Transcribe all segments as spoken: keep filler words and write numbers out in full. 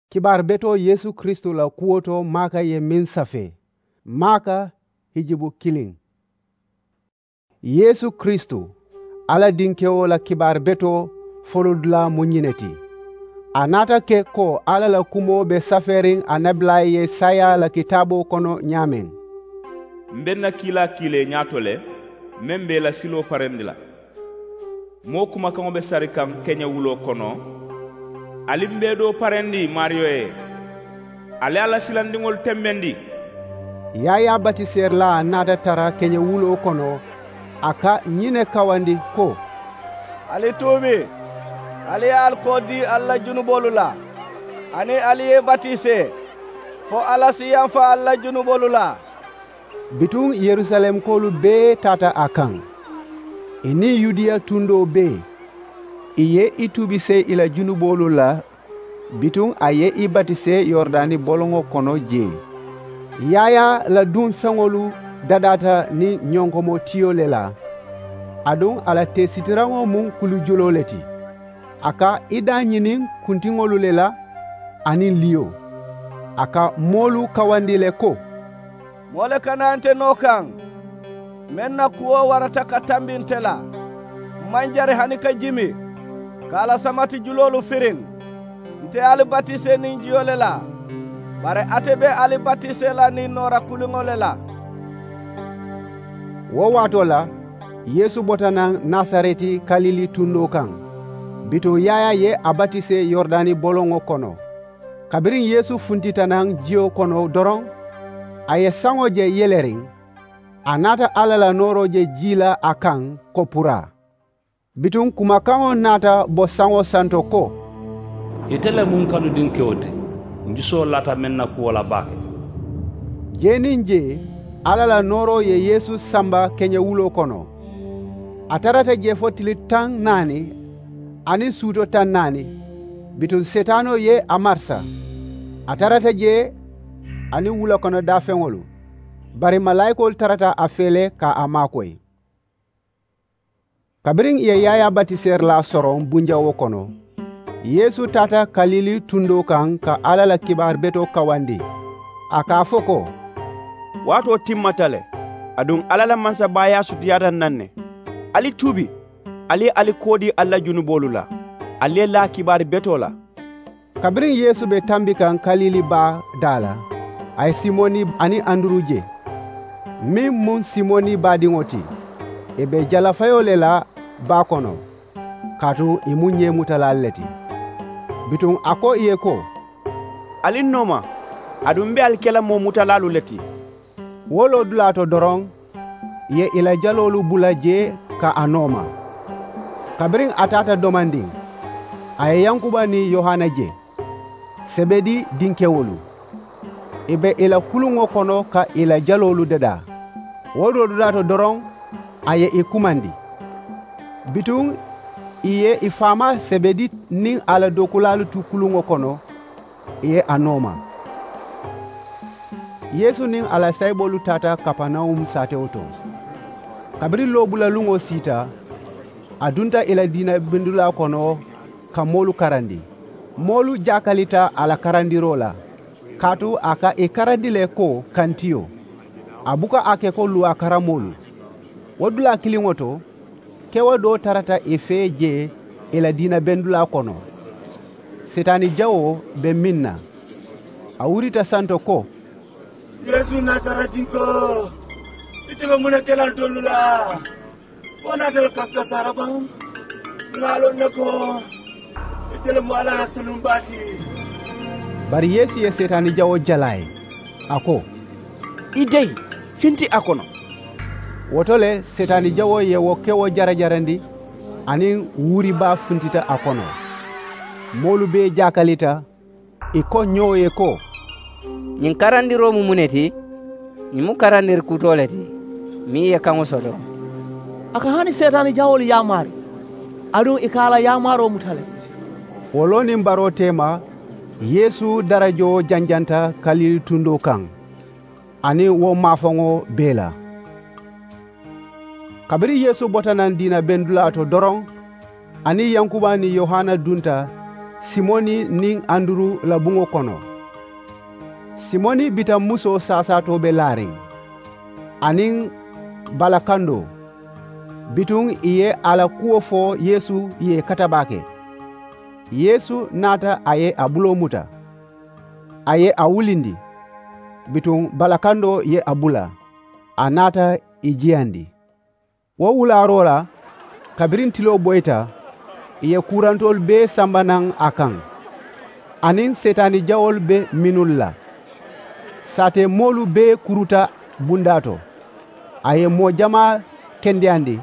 Kibaari betoo yeesu kiristu la kuwo to maaka ye meŋ safee maaka hijibu kiliŋ. Yeesu kiristu, alla dinkewo la kibaari betoo folodulaa mu ñiŋ ne ti. A naata ke ko alla la kumoo be safeeriŋ annabilaalu ye saayaa la kitaaboo kono ñaameŋ. M be n na kiilaa kiilee ñaato le, meŋ be i la siloo parendi la. Moo kumakaŋo be sari kaŋ keñewuloo kono. Ali m be doo parendi maariyo ye. Ali a la silandiŋolu tembendi. Yaayaa batiseerilaa naata tara keñewuloo kono. A ka ñiŋ ne kawandi ko, ali tuubi, ali ye ali koo dii ali la junuboolu la, aniŋ ali ye i batisee fo alla si yamfa ali la junuboolu la. Bituŋ yerusalemkoolu bee taata a kaŋ, ì niŋ yudiya tundoo bee. Ì ye i tuubisee ì la junuboolu la. Bituŋ a ye i batisee yoridani boloŋo kono jee. Yaayaa la duŋ feŋolu dadaata niŋ ñonkomo tiyo le la. Aduŋ a la teesitiraŋo mu kulujuloo le ti. A ka i daañiniŋ kuntiŋolu le la, aniŋ liyo. A ka moolu kawandi le ko, moo le kana nte noo kaŋ, meŋ na kuwo warata ka tambi nte la. M maŋ jari hani ka jimi ka a la samati juloolu firiŋ. Nte ali batisee niŋ jiyo le la, bari ate be ali batisee la niŋ noora kuliŋo le la. Wo waatoo la, yeesu bota naŋ nasareti kalili tundoo kaŋ. Bituŋ yaayaa ye a batisee yoridani boloŋo kono. Kabiriŋ yeesu funtita naŋ jiyo kono doroŋ, a ye saŋo je yeleriŋ. A naata alla la nooroo je jii la a kaŋ ko puraa. Bituŋ kumakaŋo naata bo saŋo santo ko, ite le mu n kanu dinkewo ti. N jusoo laata meŋ na kuwo la baake. Jee niŋ jee, alla la nooroo ye yeesu samba keñewuloo kono. A tarata jee fo tili taŋ naani aniŋ suuto taŋ naani. Bituŋ setaanoo ye a marisa. A tarata jee aniŋ wula kono daafeŋolu. Bari malaayikoolu tarata a fee le ka a maakoyi. Kabiriŋ ì ye yaayaa batiseerilaa soroŋ bunjawoo kono, yeesu taata kalili tundoo kaŋ ka alla la kibaari betoo kawandi. A ka a fo ko, waatoo timmata le. Aduŋ alla la mansabaayaa sutiyaata n naŋ ne. Ali tuubi, ali ye ali koo dii ali la junuboolu la, ali ye laa kibaari betoo la. Kabiriŋ yeesu be tambi kaŋ kalili baa daa la, a ye simoni aniŋ anduru je, meŋ mu simoni baadiŋo ti. Ì be jalafayoo le la baa kono, kaatu ì mu ñeemutalaalu le ti. Bituŋ a ko ì ye ko, ali n nooma, aduŋ m be ali ke la moo mutalaalu le ti. Wo loodulaa to doroŋ, ì ye ì la jaloolu bula jee ka a nooma. Kabiriŋ a taata domandiŋ, a ye yankuba niŋ yohana je, sebedi dinkewolu. Ì be ì la kuluŋo kono ka ì la jaloolu dadaa. Wo loodulaa to doroŋ, a ye ì kumandi. Bituŋ ì ye ì faamaa sebedi niŋ a la dookulaalu tu kuluŋo kono, ì ye a nooma. Yeesu niŋ a la sayiboolu taata kapanawum saatewo to. Kabiriŋ loobulaluŋo siita, a dunta ì la diina bendulaa kono ka moolu karandi. Moolu jaakalita a la karandiroo la, kaatu a ka ì karandi le ko kantiyo. A buka a ke ko luwaa karamoolu. Wo dulaa kiliŋo to, kewo doo tarata ì fee jee ì la diina bendulaa kono. Setaani jawoo be meŋ na, a wurita santo ko, yeesu nasaretinkoo, ite be muŋ ne ke la ntolu la? Wo naata le ka kasaara baŋ. Ŋà a loŋ ne ko ite le mu alla la sulumbaa ti. Bari yeesu ye setaani jawoo jala a ye, a ko, i deyi, finti a kono. Wo to le setaani jawoo ye wo kewo jarajarandi, aniŋ wuuri baa funtita a kono. Moolu bee jaakalita, ì ko ñoo ye ko, ñiŋ karandiroo mu muŋ ne ti? Ñiŋ mu karandiri kutoo le ti meŋ ye kaŋo soto. A ka hani seetaani jawoolu yaamaari, aduŋ ì ka a la yaamaaroo muta le. Wo loo niŋ baroo teema, yeesu darajoo janjanta kalili tundoo kaŋ, aniŋ wo maafaŋo bee la. Kabiriŋ yeesu bota naŋ diina bendulaa to doroŋ, a niŋ yankuba niŋ yohana dunta Simoni niŋ anduru la buŋo kono. Simoni bitaŋ musoo saasaatoo be laariŋ, aniŋ balakandoo. Bituŋ ì ye a la kuwo fo yeesu ye kata baake. Yeesu naata, a ye a buloo muta, a ye a wulindi. Bituŋ balakandoo ye a bula, a naata ì jiyandi. Wo wulaaroo la, kabiriŋ tiloo boyita, ì ye kuurantoolu bee samba naŋ a kaŋ, aniŋ seetaani jawoolu be mennu la. Saatee moolu bee kuruta bundaa to. A ye moo jamaa kendeyandi,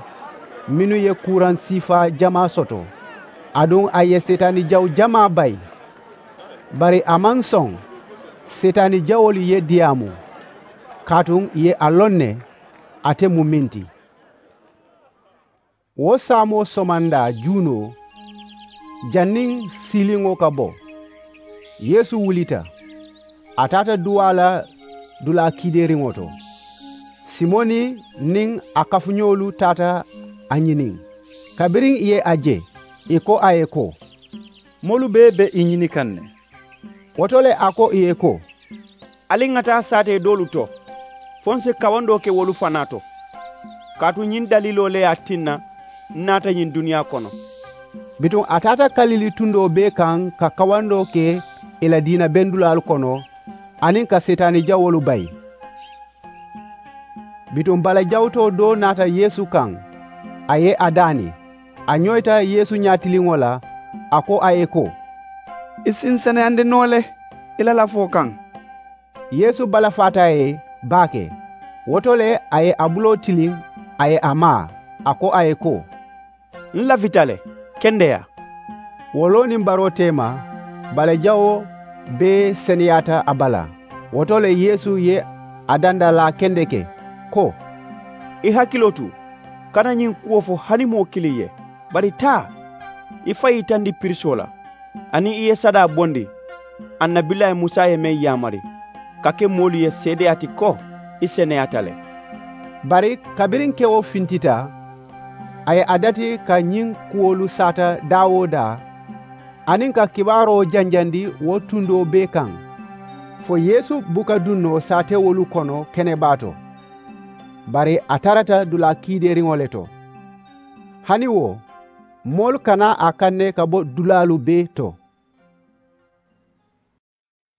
mennu ye kuuraŋ siifaa jamaa soto, aduŋ a ye seetaani jawu jamaa bayi. Bari a maŋ soŋ seetaani jawoolu ye diyaamu, kaatu ì ye a loŋ ne ate mu meŋ ti. Wo saamoo somandaa juunoo, janniŋ siiliŋo ka bo, yeesu wulita, a taata duwaa la dulaa kiideeriŋo to. Simoni niŋ a kafuñoolu taata a ñiniŋ. Kabiriŋ ì ye a je, ì ko a ye ko, moolu bee be i ñini kaŋ ne. Wo to le a ko ì ye ko, ali ŋa taa saatee doolu to, fo ǹ si kawandoo ke wolu fanaa to. Kaatu ñiŋ daliiloo le ye a tinna ǹ naata ñiŋ duniyaa kono. Bituŋ a taata kalili tundoo bee kaŋ ka kawandoo ke ì la diina bendulaalu kono, aniŋ ka seetaani jawoolu bayi. Bituŋ balajawutoo doo naata yeesu kaŋ, a ye a daani. A ñoyita yeesu ñaatiliŋo la, a ko a ye ko, i si ǹ seneyandi noo le i la lafoo kaŋ. Yeesu balafaata a ye baake. Wo to le a ye a buloo tiliŋ, a ye a maa, a ko a ye ko, ǹ lafita le. Kendeyaa. Wo loo niŋ baroo teema, balajawoo bee seneyaata a bala. Wo to le yeesu ye a dandalaa kendeke, ko, i hakiloo tu, kana ñiŋ kuwo fo hani moo kiliŋ ye. Bari taa, i faŋ yitandi pirisoo la, aniŋ i ye sadaa bondi, annabilaayi musa ye meŋ yaamari, ka ke moolu ye seedeyaa ti ko i seneyaata le. Bari kabiriŋ kewo fintita, a ye a dati ka ñiŋ kuwolu saata daa-wo-daa, aniŋ ka kibaaroo janjandi wo tundoo bee kaŋ, fo yeesu buka duŋ noo saatewolu kono kenebaa to. Bari a tarata dulaa kiideeriŋo le to. Hani wo, moolu kana a kanne ka bo dulaalu bee to.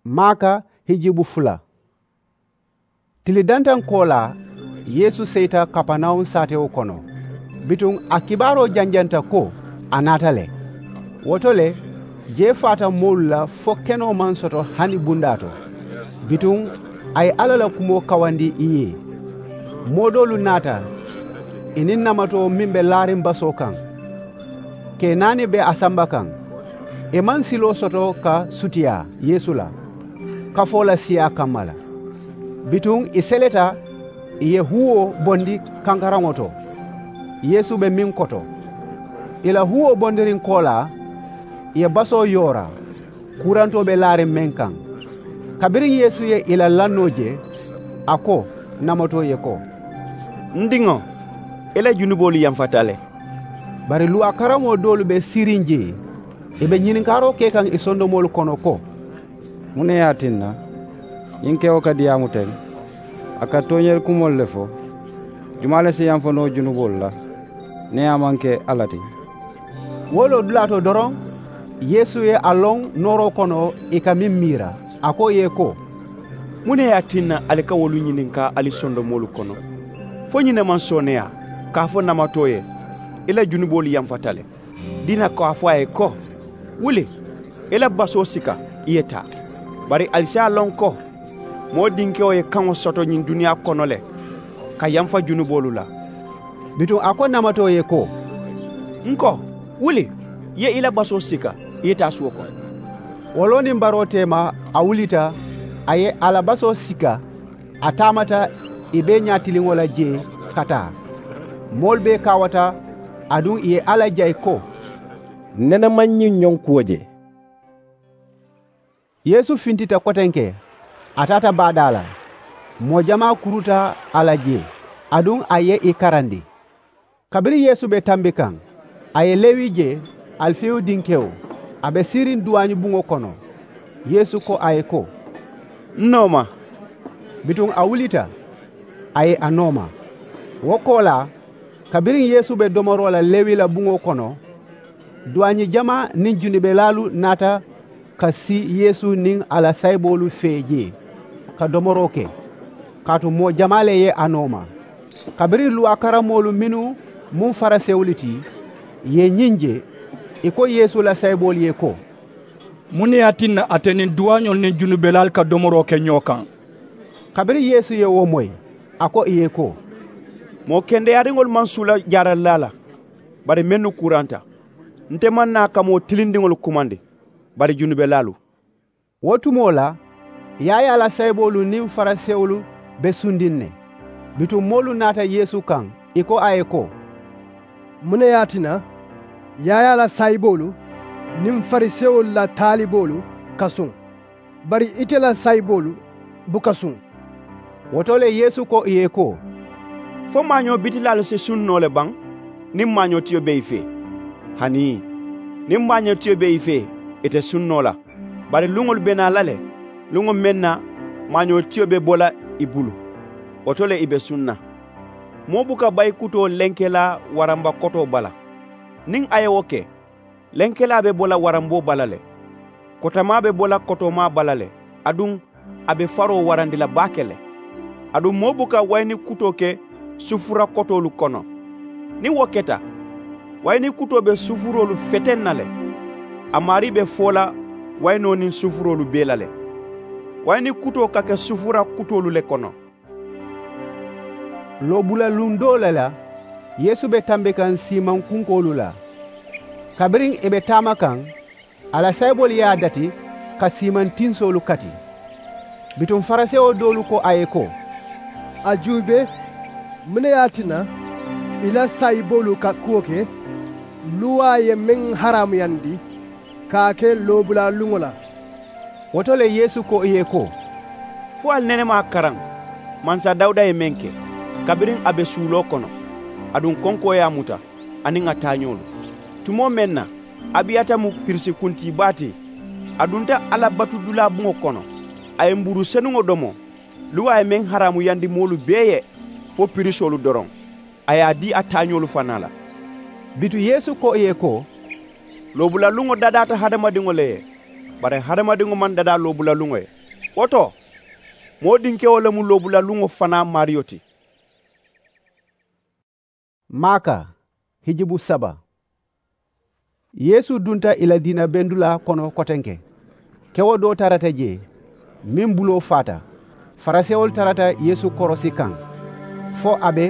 Maaka hijibu fula. Tili dantaŋ koolaa, yeesu seyita kapanawun saatewo kono. Bituŋ a kibaaroo janjanta ko a naata le. Wo to le, jee faata moolu la fo kenoo maŋ soto hani bundaa to. Bituŋ a ye alla la kumoo kawandi ì ye. Moo doolu naata, ì niŋ namatoo meŋ be laariŋ basoo kaŋ, kee naani be a samba kaŋ. Ì maŋ siloo soto ka sutiyaa yeesu la kafoo la siyaa kamma la. Bituŋ ì seleta, ì ye huwoo bondi kankaraŋo to, yeesu be meŋ koto. Ì la huwoo bondiriŋ koolaa, ì ye basoo yoora, kuurantoo be laariŋ meŋ kaŋ. Kabiriŋ yeesu ye ì la lannoo je, a ko namatoo ye ko, n diŋo, i la junuboolu yamfata le. Bari luwaa karamoo doolu be siiriŋ jee, ì be ñininkaaroo ke kaŋ ì sondomoolu kono ko, muŋ ne ye a tinna ñiŋ kewo ka diyaamu teŋ? A ka tooñeeri kumoolu le fo. Jumaa le si yamfa noo junuboolu la niŋ a maŋ ke alla ti? Wo loo dulaa to doroŋ, yeesu ye a loŋ nooroo kono ì ka meŋ miira. A ko ì ye ko, muŋ ne ye a tinna ali ka wolu ñininkaa ali sondomoolu kono? Fo ñiŋ ne maŋ sooneeyaa ka a fo namatoo ye, i la junuboolu yamfata le? Diina ko a fo a ye ko, wuli, i la basoo sika, i ye taa. Bari ali si a loŋ ko moo dinkewo ye kaŋo soto ñiŋ duniyaa kono le ka yamfa junuboolu la. Bituŋ a ko namatoo ye ko, n ko, wuli, i ye i la basoo sika, i ye taa suwo kono. Wo loo niŋ baroo teema, a wulita, a ye a la basoo sika, a taamata ì bee ñaatiliŋo la jee ka taa. Moolu bee kaawata, aduŋ ì ye alla jayi ko, nene maŋ ñiŋ ñoŋ kuwo je. Yeesu fintita kotenke, a taata baadaa la. Moo jamaa kuruta a la jee, aduŋ a ye ì karandi. Kabiriŋ yeesu be tambi kaŋ, a ye lewi je, alifeyu dinkewo, A be siiriŋ duwaañi buŋo kono. Yeesu ko a ye ko, n nooma. Bituŋ a wulita, a ye a nooma. Wo koolaa, kabiriŋ Yeesu be domoroo la lewi la buŋo kono, duwaañi jamaa niŋ junubelaalu naata ka sii Yeesu niŋ a la saayiboolu fee jee, ka domoroo ke, kaatu moo jamaa le ye a nooma. Kabiriŋ luwaa karammoolu mennu mu farisewolu ti, ì ye ñiŋ je, ì ko Yeesu la saayiboolu ye ko, muŋ ne ye a tinna ate niŋ duwaañolu niŋ junubelaalu ka domoroo ke ñoo kaŋ? Kabiriŋ Yeesu ye wo moyi, a ko ì ye ko, moo kendeyaariŋolu maŋ suula jaaralilaa la, bari mennu kuranta. Nte maŋ naa ka moo tilindiŋolu kumandi, bari junubelaalu. Wo tumoo la, yaayaa la saayiboolu niŋ farisewolu be sundiŋ ne. Bituŋ moolu naata Yeesu kaŋ, ì ko a ye ko, muŋ ne ye a tinna yaayaa la saayiboolu niŋ farisewolu la taaliboolu ka suŋ, bari ite la saayiboolu buka suŋ? Wo to le Yeesu ko ì ye ko, fo maañoo bitilaalu si suŋ noo le baŋ niŋ maañootiyo be ì fee? Hanii, niŋ maañootiyo be ì fee, ì te suŋ noo la. Bari luŋolu be naa la le, luŋo meŋ na maañootiyo be bo la ì bulu, wo to le ì be suŋ na. Moo buka bayi kutoo lenkelaa waramba kotoo bala. Niŋ a ye wo ke, lenkelaa be bo la waramboo bala le, kotamaa be bo la kotoomaa bala le, aduŋ a be faroo warandi la baake le. Aduŋ moo buka wayini kutoo ke sufura kotoolu kono. Niŋ wo keta, wayini kutoo be sufuroolu feteŋ na le. A maarii be foo la wayinoo niŋ sufuroolu bee la le. Wayini kutoo ka ke sufura kutoolu le kono. Loobula luŋ doo le la, Yeesu be tambi kaŋ siimaŋ kunkoolu la. Kabiriŋ ì be taama kaŋ, a la saayiboolu ye a dati ka siimaŋ tinsoolu kati. Bituŋ farisewo doolu ko a ye ko, a juubee, muŋ ne ye a tinna i la saayiboolu ka kuwo ke luwaa ye meŋ haraamuyandi ka a ke loobula luŋo la? Wo to le Yeesu ko i ye ko, fo ali nene maŋ a karaŋ mansa dawuda ye meŋ ke, kabiriŋ a be suuloo kono, aduŋ konkoo ye a muta, aniŋ a taañoolu? Tumoo meŋ na abiyata mu piriisi kuntiibaa ti, a dunta alla batudulaa buŋo kono, a ye mbuuru senuŋo domo, luwaa ye meŋ haraamuyandi moolu bee ye, fo piriisoolu doroŋ, a ye a dii a taañoolu fanaa la. Bituŋ yeesu ko ì ye ko, loobula luŋo dadaata hadamadiŋo le ye, bari hadamadiŋo maŋ dadaa loobula luŋo ye. Wo to, moo dinkewo le mu loobula luŋo fanaa maariyo ti. Maaka hijibu saba. Yeesu dunta ì la diina bendulaa kono kotenke. Kewo doo tarata jee, meŋ buloo faata. Farisewolu tarata yeesu korosi kaŋ, fo a be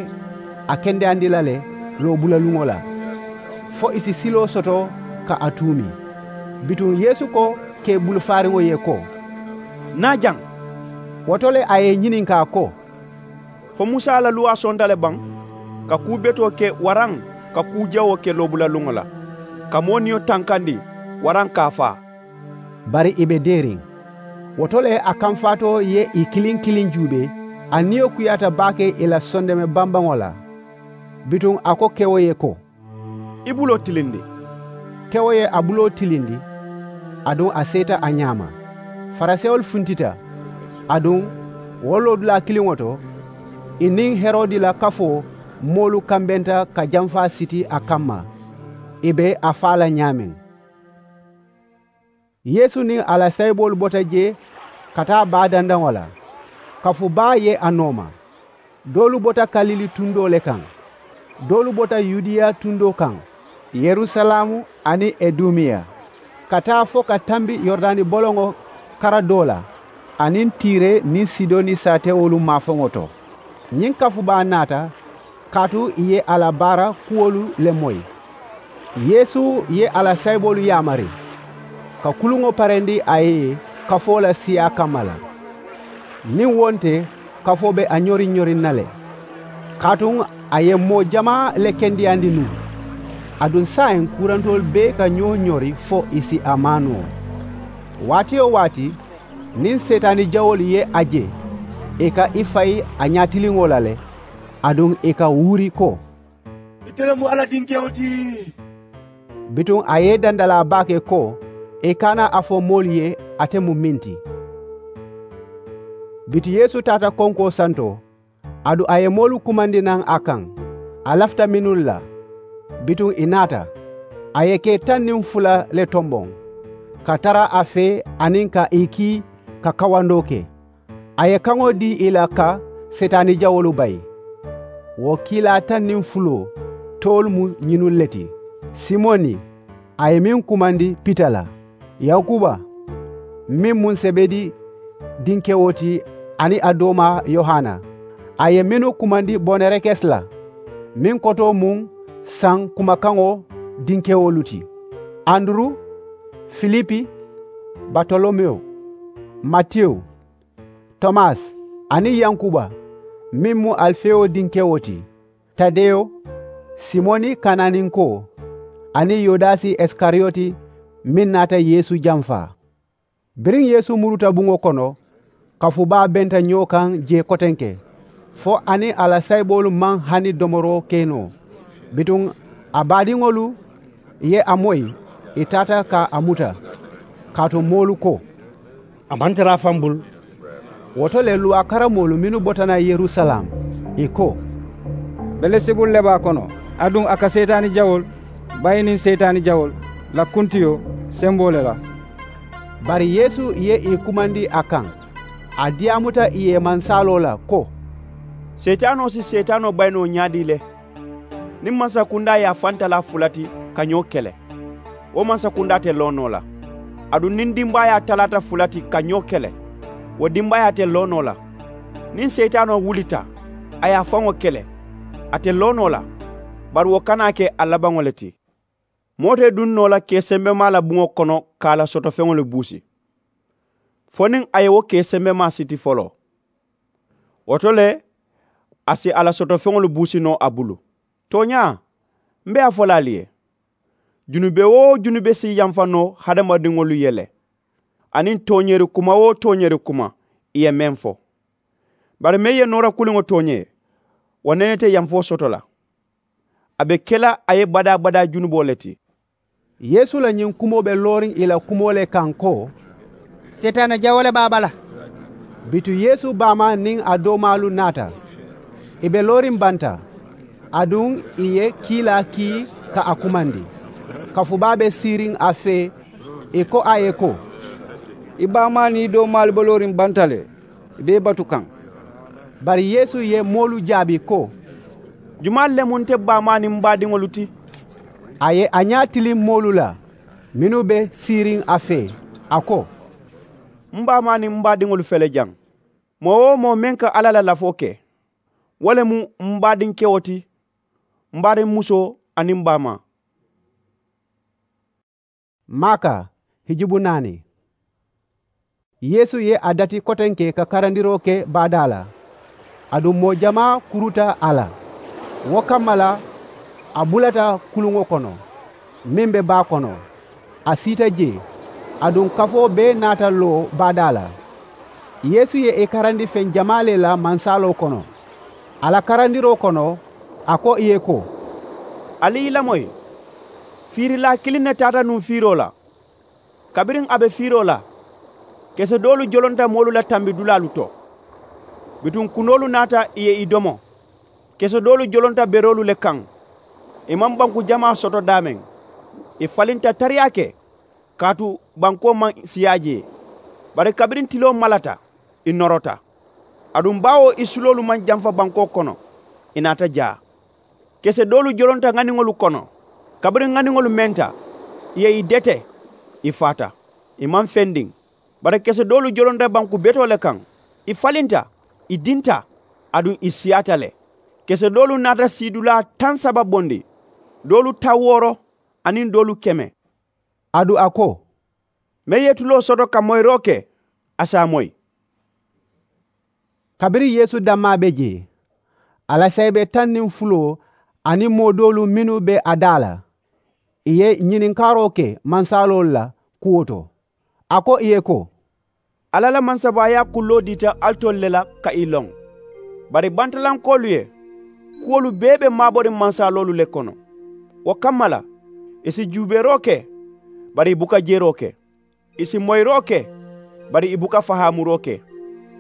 a kendeyandi la le loobulaluŋo la, fo ì si siloo soto ka a tuumi. Bituŋ yeesu ko kee bulufaariŋo ye ko, naa jaŋ. Wo to le a ye ì ñininkaa ko, fo musa la luwaa sonta le baŋ ka kuu betoo ke waraŋ ka kuu jawoo ke loobulaluŋo la, ka moo niyo tankandi waraŋ ka a faa? Bari ì be deeriŋ. Wo to le a kamfaatoo ye ì kiliŋ kiliŋ juubee, a niyo kuyaata baake ì la sondeme bambaŋo la. Bituŋ a ko kewo ye ko, i buloo tilindi. Kewo ye a buloo tilindi, aduŋ a seeta a ñaama. Farisewolu funtita, aduŋ wo loodulaa kiliŋo to, ì niŋ herodi la kafoo moolu kambenta ka jamfaa siti a kamma, ì be a faa la ñaameŋ. Yeesu niŋ a la saayiboolu bota jee ka taa baa dandaŋo la. Kafu baa ye a nooma. Doolu bota kalili tundoo le kaŋ, doolu bota yudiya tundoo kaŋ, yerusalaamu aniŋ idumiya, ka taa fo ka tambi yurudani boloŋo kara doo la, aniŋ tiire niŋ sidoni saatewolu maafaŋo to. Ñiŋ kafu baa naata kaatu ì ye a la baara kuwolu le moyi. Yeesu ye a la saayiboolu yaamari ka kuluŋo parendi a ye kafoo la siyaa kamma la. Niŋ wo nte, kafoo be a ñoriŋ ñoriŋ na le. Kaatu a ye moo jamaa le kendeyandi nuŋ. Aduŋ saayiŋ kuurantoolu bee ka ñoo ñori fo ì si a maa noo. Waati-wo-waati niŋ seetaani jawoolu ye a je, ì ka i fayi a ñaatiliŋo la le, aduŋ ì ka wuuri ko, ite le mu alla dinkewo ti. Bituŋ a ye i dandalaa baake ko, I kana a fo moolu ye ate mu meŋ ti. Bituŋ yeesu taata konkoo santoo, aduŋ a ye moolu kumandi naŋ a kaŋ. A lafita mennu la, bituŋ ì naata. A ye kee taŋ niŋ fula le tomboŋ, ka tara a fee aniŋ ka ì kii ka kawandoo ke. A ye kaŋo dii ì la ka seetaani jawoolu bayi. Wo kiilaa taŋ niŋ fuloo toolu mu ñinnu le ti. Simoni, a ye meŋ kumandi pita la, yankuba, meŋ mu sebedi dinkewo ti, aniŋ a doomaa yohana. A ye mennu kumandi bonerekes la, meŋ kotoo mu saŋ kumakaŋo dinkewolu ti, anduru, filipi, batolomewo, matewu, tomasi, aniŋ yankuba, meŋ mu alifewo dinkewo ti, tadeyo, simoni kananinkoo, aniŋ yudasi isikariyoti, meŋ naata yeesu jamfaa. Biriŋ yeesu muruta buŋo kono, kafu baa benta ñoo kaŋ jee kotenke, fo a niŋ a la sayiboolu maŋ hani domoroo ke noo. Bituŋ a baadiŋolu ye a moyi, ì taata ka a muta, kaatu moolu ko, a maŋ tara a faŋ bulu. Wo to le luwaa karamoolu mennu bota naŋ yerusalem, ì ko, belesebulu le be a kono, aduŋ a ka seetaani jawoolu bayi niŋ seetaani jawoolu la kuntiyo semboo le la. Bari yeesu ye ì kumandi a kaŋ, a diyaamuta ì ye mansaaloo la ko, seetaanoo si seetaanoo bayi noo ñaadii le? Niŋ mansakundaa ye a faŋ talaa fula ti ka ñoo kele, wo mansakundaa te loo noo la. Aduŋ niŋ dimbaayaa talaata fula ti ka ñoo kele, wo dimbaayaa te loo noo la. Niŋ seetaanoo wulita a ye a faŋo kele, a te loo noo la, bari wo kana ke a labaŋo le ti. Moo te duŋ noo la kee sembemaa la buŋo kono ka a la sotofeŋolu buusi, fo niŋ a ye wo kee sembemaa siti foloo. Wo to le, a si a la sotofeŋolu buusi noo a bulu. Tooñaa, m be a fo la ali ye, junube-wo-junube si yamfa noo hadamadiŋolu ye le, aniŋ tooñeeri kuma-wo-tooñeeri kuma ì ye meŋ fo. Bari meŋ ye noora kuliŋo tooñee, wo nene te yamfoo soto la. A be ke la a ye badaa-badaa junuboo le ti. Yeesu la ñiŋ kumoo be looriŋ ì la kumoo le kaŋ ko, seetaana jawoo le be a bala. Bituŋ yeesu baamaa niŋ a doomaalu naata. Ì be looriŋ banta, aduŋ ì ye kiilaa kii ka a kumandi. Kafu baa be siiriŋ a fee, ì ko a ye ko, i baamaa niŋ i doomaalu be looriŋ banta le, i be i batu kaŋ. Bari yeesu ye moolu jaabi ko, jumaalu le mu nte baamaa niŋ m baadiŋolu ti? A ye a ñaa tiliŋ moolu la mennu be siiriŋ a fee, a ko, m baamaa niŋ m baadiŋolu fele jaŋ. Moo-wo-moo meŋ ka alla la lafoo ke, wo le mu m baadinkewo ti, m baadinmusoo aniŋ m baamaa. Maaka hijubu naani. Yeesu ye a dati kotenke ka karandiroo ke baadaa la, aduŋ moo jamaa kuruta a la. Wo kamma la, a bulata kuluŋo kono meŋ be baa kono, a siita jee, aduŋ kafoo bee naata loo baadaa la. Yeesu ye ì karandi feŋ jamaa le la mansaaloo kono. A la karandiroo kono, a ko ì ye ko, ali i lamoyi, fiirilaa kiliŋ ne taata nuŋ fiiroo la. Kabiriŋ a be fiiroo la, kese doolu jolonta moolu la tambidulaalu to. Bituŋ kunoolu naata ì ye i domo. Kese doolu jolonta beroolu le kaŋ. Ì maŋ banku jamaa soto daameŋ. Ì falinta tariyaa ke, kaatu bankoo maŋ siyaa jee. Bari kabiriŋ tiloo malata, ì norota. Aduŋ baawo ì suloolu maŋ jamfa bankoo kono, ì naata jaa. Kese doolu jolonta ŋaniŋolu kono. Kabiriŋ ŋaniŋolu menta, ì ye ì dete, ì faata. Ì maŋ fendiŋ. Bari kese doolu jolonta banku betoo le kaŋ. Ì falinta, ì dinta, aduŋ ì siyaata le. Kese doolu naata siidulaa taŋ saba bondi, doolu taŋ wooro, aniŋ doolu keme. Aduŋ a ko, meŋ ye tuloo soto ka moyiroo ke, a si a moyi. Kabiriŋ yeesu dammaa be jee, a la sayibe taŋ niŋ fuloo aniŋ moo doolu mennu be a daa la, ì ye ñininkaaroo ke mansaaloolu la kuwo to. A ko ì ye ko, alla la mansabaayaa kulloo diita alitolu le la ka ì loŋ. Bari bantalankoolu ye kuwolu bee be maaboriŋ mansaloolu le kono. Wo kamma la, ì si juubeeroo ke, bari ì buka jeroo ke. Ì si moyiroo ke, bari ì buka fahaamuroo ke.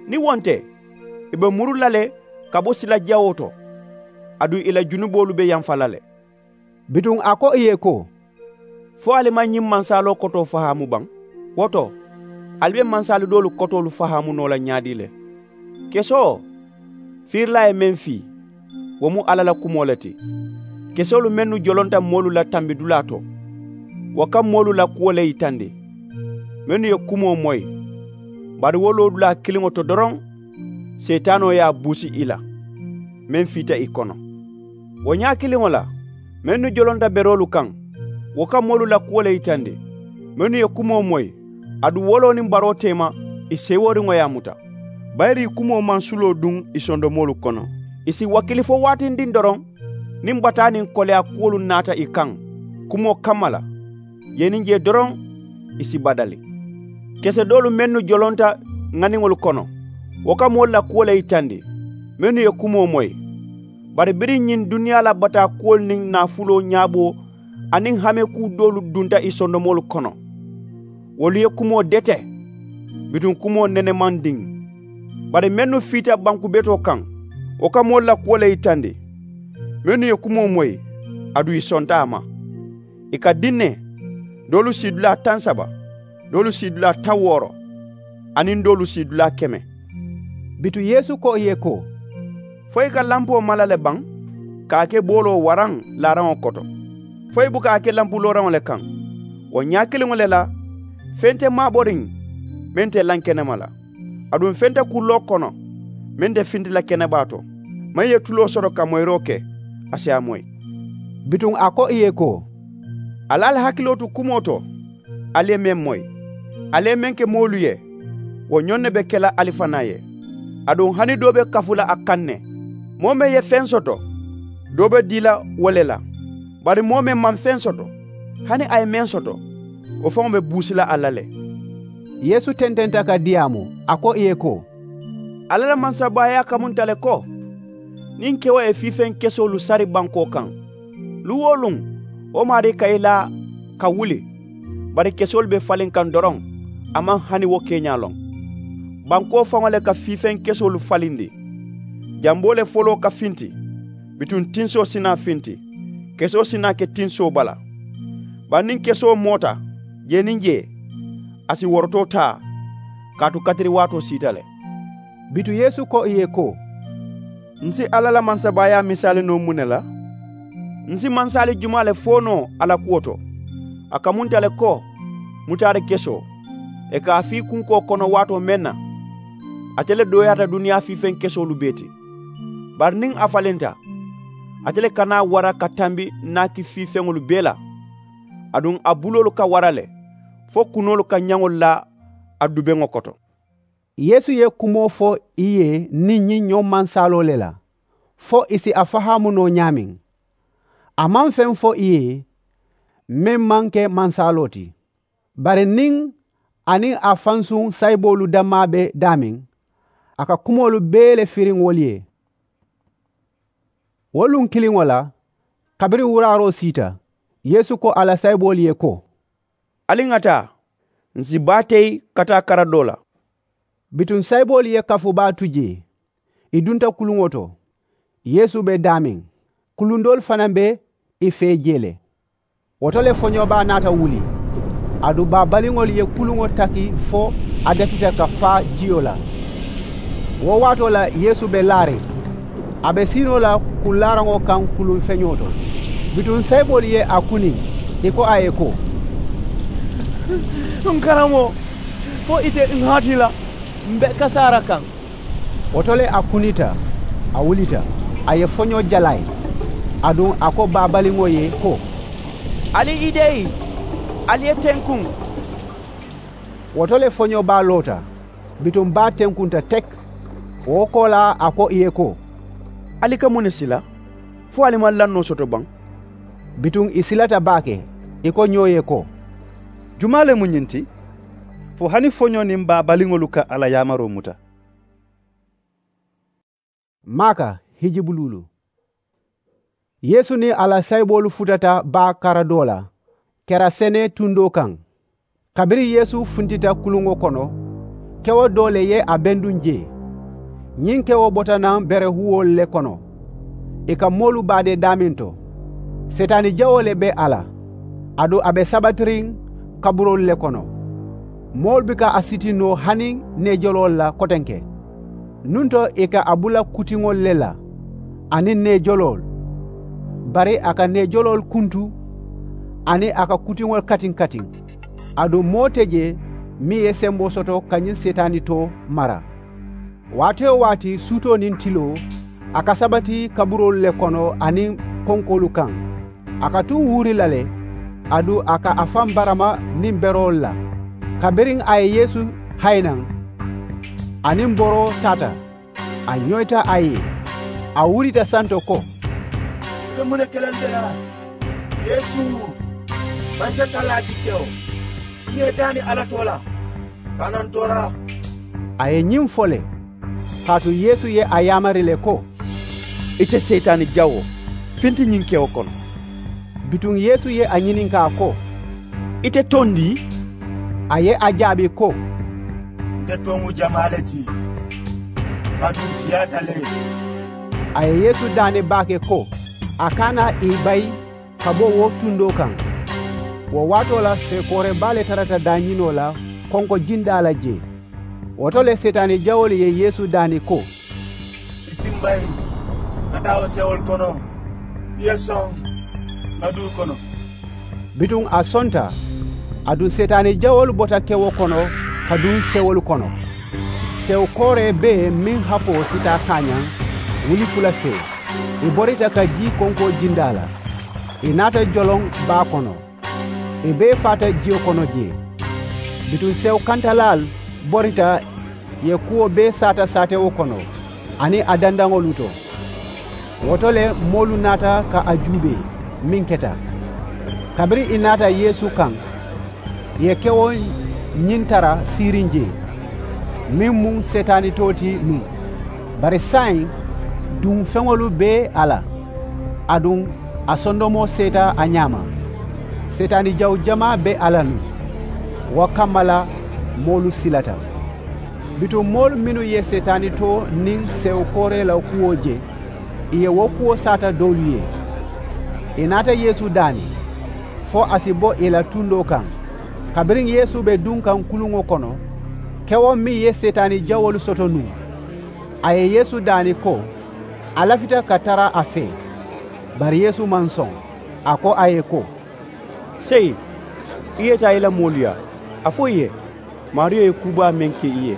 Niŋ wo nte, ì be muru la le ka bo sila jawoo to, aduŋ ì la junuboolu be yamfa la le. Bituŋ a ko ì ye ko, fo ali maŋ ñiŋ mansaaloo kotoo fahaamu baŋ? Wo to, ali be mansaalu doolu kotoolu fahaamu noo la ñaadii le? Kesoo, fiirilaa ye meŋ fii, wo mu alla la kumoo le ti. Kesoolu mennu jolonta moolu la tambidulaa to, wo ka moolu la kuwo le yitandi, mennu ye kumoo moyi, bari wo loodulaa kiliŋo to doroŋ, seyitaanoo ye a buusi ì la, meŋ fiita ì kono. Wo ñaa kiliŋo la, mennu jolonta beroolu kaŋ, wo ka moolu la kuwo le yitandi, mennu ye kumoo moyi, aduŋ woloo niŋ baroo teema, ì seeworiŋo ye a muta. Bayiri ì kumoo maŋ suloo duŋ ì sondomoolu kono. Ì si wakili fo waatindiŋ doroŋ, niŋ bataa niŋ koleyaa kuwolu naata ì kaŋ kumoo kamma la, jee niŋ jee doroŋ, ì si badali. Kese doolu mennu jolonta ŋaniŋolu kono, wo ka moolu la kuwo le yitandi, mennu ye kumoo moyi. Bari biriŋ ñiŋ duniyaa la bataa kuwolu niŋ naafuloo ñaaboo aniŋ hamekuu doolu dunta ì sondomoolu kono, wolu ye kumoo dete, bituŋ kumoo nene maŋ diŋ. Bari mennu fiita banku betoo kaŋ, wo ka moolu la kuwo le yitandi, mennu ye kumoo moyi, aduŋ ì sonta a ma. Ì ka diŋ ne, doolu siidulaa taŋ saba, doolu siidulaa taŋ wooro, aniŋ doolu siidulaa keme. Bituŋ yeesu ko ì ye ko, fo ì ka lampoo mala le baŋ, ka a ke booloo waraŋ laaraŋo koto? Fo ì buka a ke lampu looraŋo le kaŋ? Wo ñaa kiliŋo le la, feŋ te maaboriŋ meŋ te lankenema la, aduŋ feŋ te kulloo kono meŋ te finti la kenebaa to. Meŋ ye tuloo soto ka moyiroo ke, a si a moyi. Bituŋ a ko ì ye ko, ali ali hakiloo tu kumoo to, ali ye meŋ moyi. Ali ye meŋ ke moolu ye, wo ñoŋ ne be ke la ali fanaa ye. Aduŋ hani doo be kafu la a kaŋ ne. Moo meŋ ye feŋ soto, doo be dii la wo le la. Bari moo meŋ maŋ feŋ soto, hani a ye meŋ soto, wo faŋo be buusi la a la le. Yeesu tententa ka diyaamu, a ko ì ye ko, alla la mansabaayaa kamunta le ko, niŋ kewo ye fiifeŋ kesoolu sari bankoo kaŋ, luŋ-wo-luŋ wo maarii ka i laa ka wuli. Bari kesoolu be faliŋ kaŋ doroŋ, a maŋ hani wo keeñaa loŋ. Bankoo faŋo le ka fiifeŋ kesoolu falindi. Jamboo le foloo ka finti, bituŋ tinsoo si naa finti, kesoo si naa ke tinsoo bala. Bari niŋ kesoo moota jee niŋ jee, a si worotoo taa, kaatu katiri waatoo siita le. Bituŋ yeesu ko ì ye ko, n si alla la mansabaayaa misaali noo muŋ ne la? N si mansaali jumaa le fo noo a la kuwo to? A kamunta le ko, mutaadi kesoo, ì ka a fii kunkoo kono waatoo meŋ na, ate le dooyaata duniyaa fiifeŋ kesoolu bee ti. Bari niŋ a falinta, ate le ka naa wara ka tambi naaki fiifeŋolu bee la, aduŋ a buloolu ka wara le, fo kunoolu ka ñaŋolu laa a dubeŋo koto. Yeesu ye kumoo fo ì ye niŋ ñiŋ ñoŋ mansaaloo le la, fo ì si a fahaamu noo ñaameŋ. A maŋ feŋ fo ì ye meŋ maŋ ke mansaaloo ti. Bari niŋ a niŋ a fansuŋ sayiboolu dammaa be daameŋ, a ka kumoolu bee le firiŋ wolu ye. Wo luŋ kiliŋo la, kabiriŋ wuraaroo siita, yeesu ko a la sayiboolu ye ko, ali ŋa taa, n si baa teyi ka taa kara doo la. Bituŋ sayiboolu ye kafu baa tu jee, ì dunta kuluŋo to. Yeesu be daameŋ, kuluŋ doolu fanaa be ì fee jee le. Wo to le foñoo baa naata wuli. Aduŋ baa baliŋolu ye kuluŋo taki fo a datita ka faa jiyo la. Wo waatoo la yeesu be laariŋ, a be siinoo la kullaaraŋo kaŋ kuluŋ feñoo to. Bituŋ sayiboolu ye a kuniŋ, ì ko a ye ko, n karamoo, fo ite n hati la, m be kasaara kaŋ. Wo to le a kunita, a wulita, a ye foñoo jalaa ì. Aduŋ a ko baa baliŋo ye ko, ali i deyi, ali ye tenkuŋ. Wo to le foñoo baa loota, bituŋ baa tenkunta teki. Wo koolaa a ko ì ye ko, ali ka muŋ ne sila? Fo ali maŋ lannoo soto baŋ? Bituŋ ì silata baake, ì ko ñoo ye ko, jumaa le mu ñiŋ ti, fo hani foñoo niŋ baa baliŋolu ka a la yaamaroo muta? Maaka hijibuluulu. Yeesu niŋ a la sayiboolu futata baa kara doo la, kerasene tundoo kaŋ. Kabiriŋ yeesu funtita kuluŋo kono, kewo doo le ye a benduŋ jee. Ñiŋ kewo bota naŋ berehuwoolu le kono. Ì ka moolu baadee daameŋ to. Seetaani jawoo le be a la, aduŋ a be sabatiriŋ kaburoolu le kono. Moolu buka a siti noo hani neejoloolu la kotenke. Nuŋ to ì ka a bula kutiŋolu le la aniŋ neejoloolu. Bari a ka neejoloolu kuntu aniŋ a ka kutiŋolu katiŋ katiŋ. Aduŋ moo te jee meŋ ye semboo soto ka ñiŋ seetaani too mara. Waati-wo-waati suutoo niŋ tiloo a ka sabati kaburoolu le kono aniŋ konkoolu kaŋ. A ka tuu wuuri la le. Aduŋ a ka a faŋ barama niŋ beroolu la. Kabiriŋ a ye yeesu hayi naŋ, a niŋ boroo taata, a ñoyita a ye. A wurita santo ko, ì be muŋ ne ke la nte la, yeesu, mansa talaa dikewo? Ì ye daani alla too la, ka a naŋ tooraa. A ye ñiŋ fo le, kaatu yeesu ye a yaamari le ko, ite seyitaani jawoo, finti ñiŋ kewo kono. Bituŋ yeesu ye a ñininkaa ko, ite toŋ dii? A ye a jaabi ko, nte toŋ mu jamaa le ti, kaatu ǹ siyaata le. A ye yeesu daani baake ko a kana ì bayi ka bo wo tundoo kaŋ. Wo waatoo la seekoore baa le tarata daañinoo la konko jindaa la jee. Wo to le seetaani jawoolu ye yeesu daani ko, i si mbayi ka taa wo sewolu kono, i ye soŋ ŋa duu kono. Bituŋ a sonta. Aduŋ seetaani jawoolu bota kewo kono ka duŋ sewolu kono. Sewu kooree bee meŋ hapoo si taa kaañaŋ wuli fula fee, i borita ka jii konkoo jindaa la. I naata joloŋ baa kono. I bee faata jiyo kono jee. Bituŋ sewu kantalaalu borita ye kuwo bee saata saatewo kono aniŋ a dandaŋolu to. Wo to le moolu naata ka a juubee meŋ keta. Kabiriŋ i naata yeesu kaŋ, ì ye kewo ñiŋ tara siiriŋ jee, meŋ mu seetaani too ti nuŋ. Bari saayiŋ duŋ feŋolu be a la, aduŋ a sondomoo seeta a ñaama. Seetaani jawu jamaa be a la nuŋ. Wo kamma la moolu silata. Bituŋ moolu mennu ye seetaani too niŋ sewu kooree la kuwo je, ì ye wo kuwo saata doolu ye. Ì naata yeesu daani fo a si bo ì la tundoo kaŋ. Kabiriŋ yeesu be duŋ kaŋ kuluŋo kono, kewo meŋ ye seetaani jawoolu soto nuŋ, a ye yeesu daani ko a lafita ka tara a fee. Bari yeesu maŋ soŋ. A ko a ye ko, seyi, i ye taa i la moolu yaa, a fo i ye maariyo ye kuu baa meŋ ke i ye,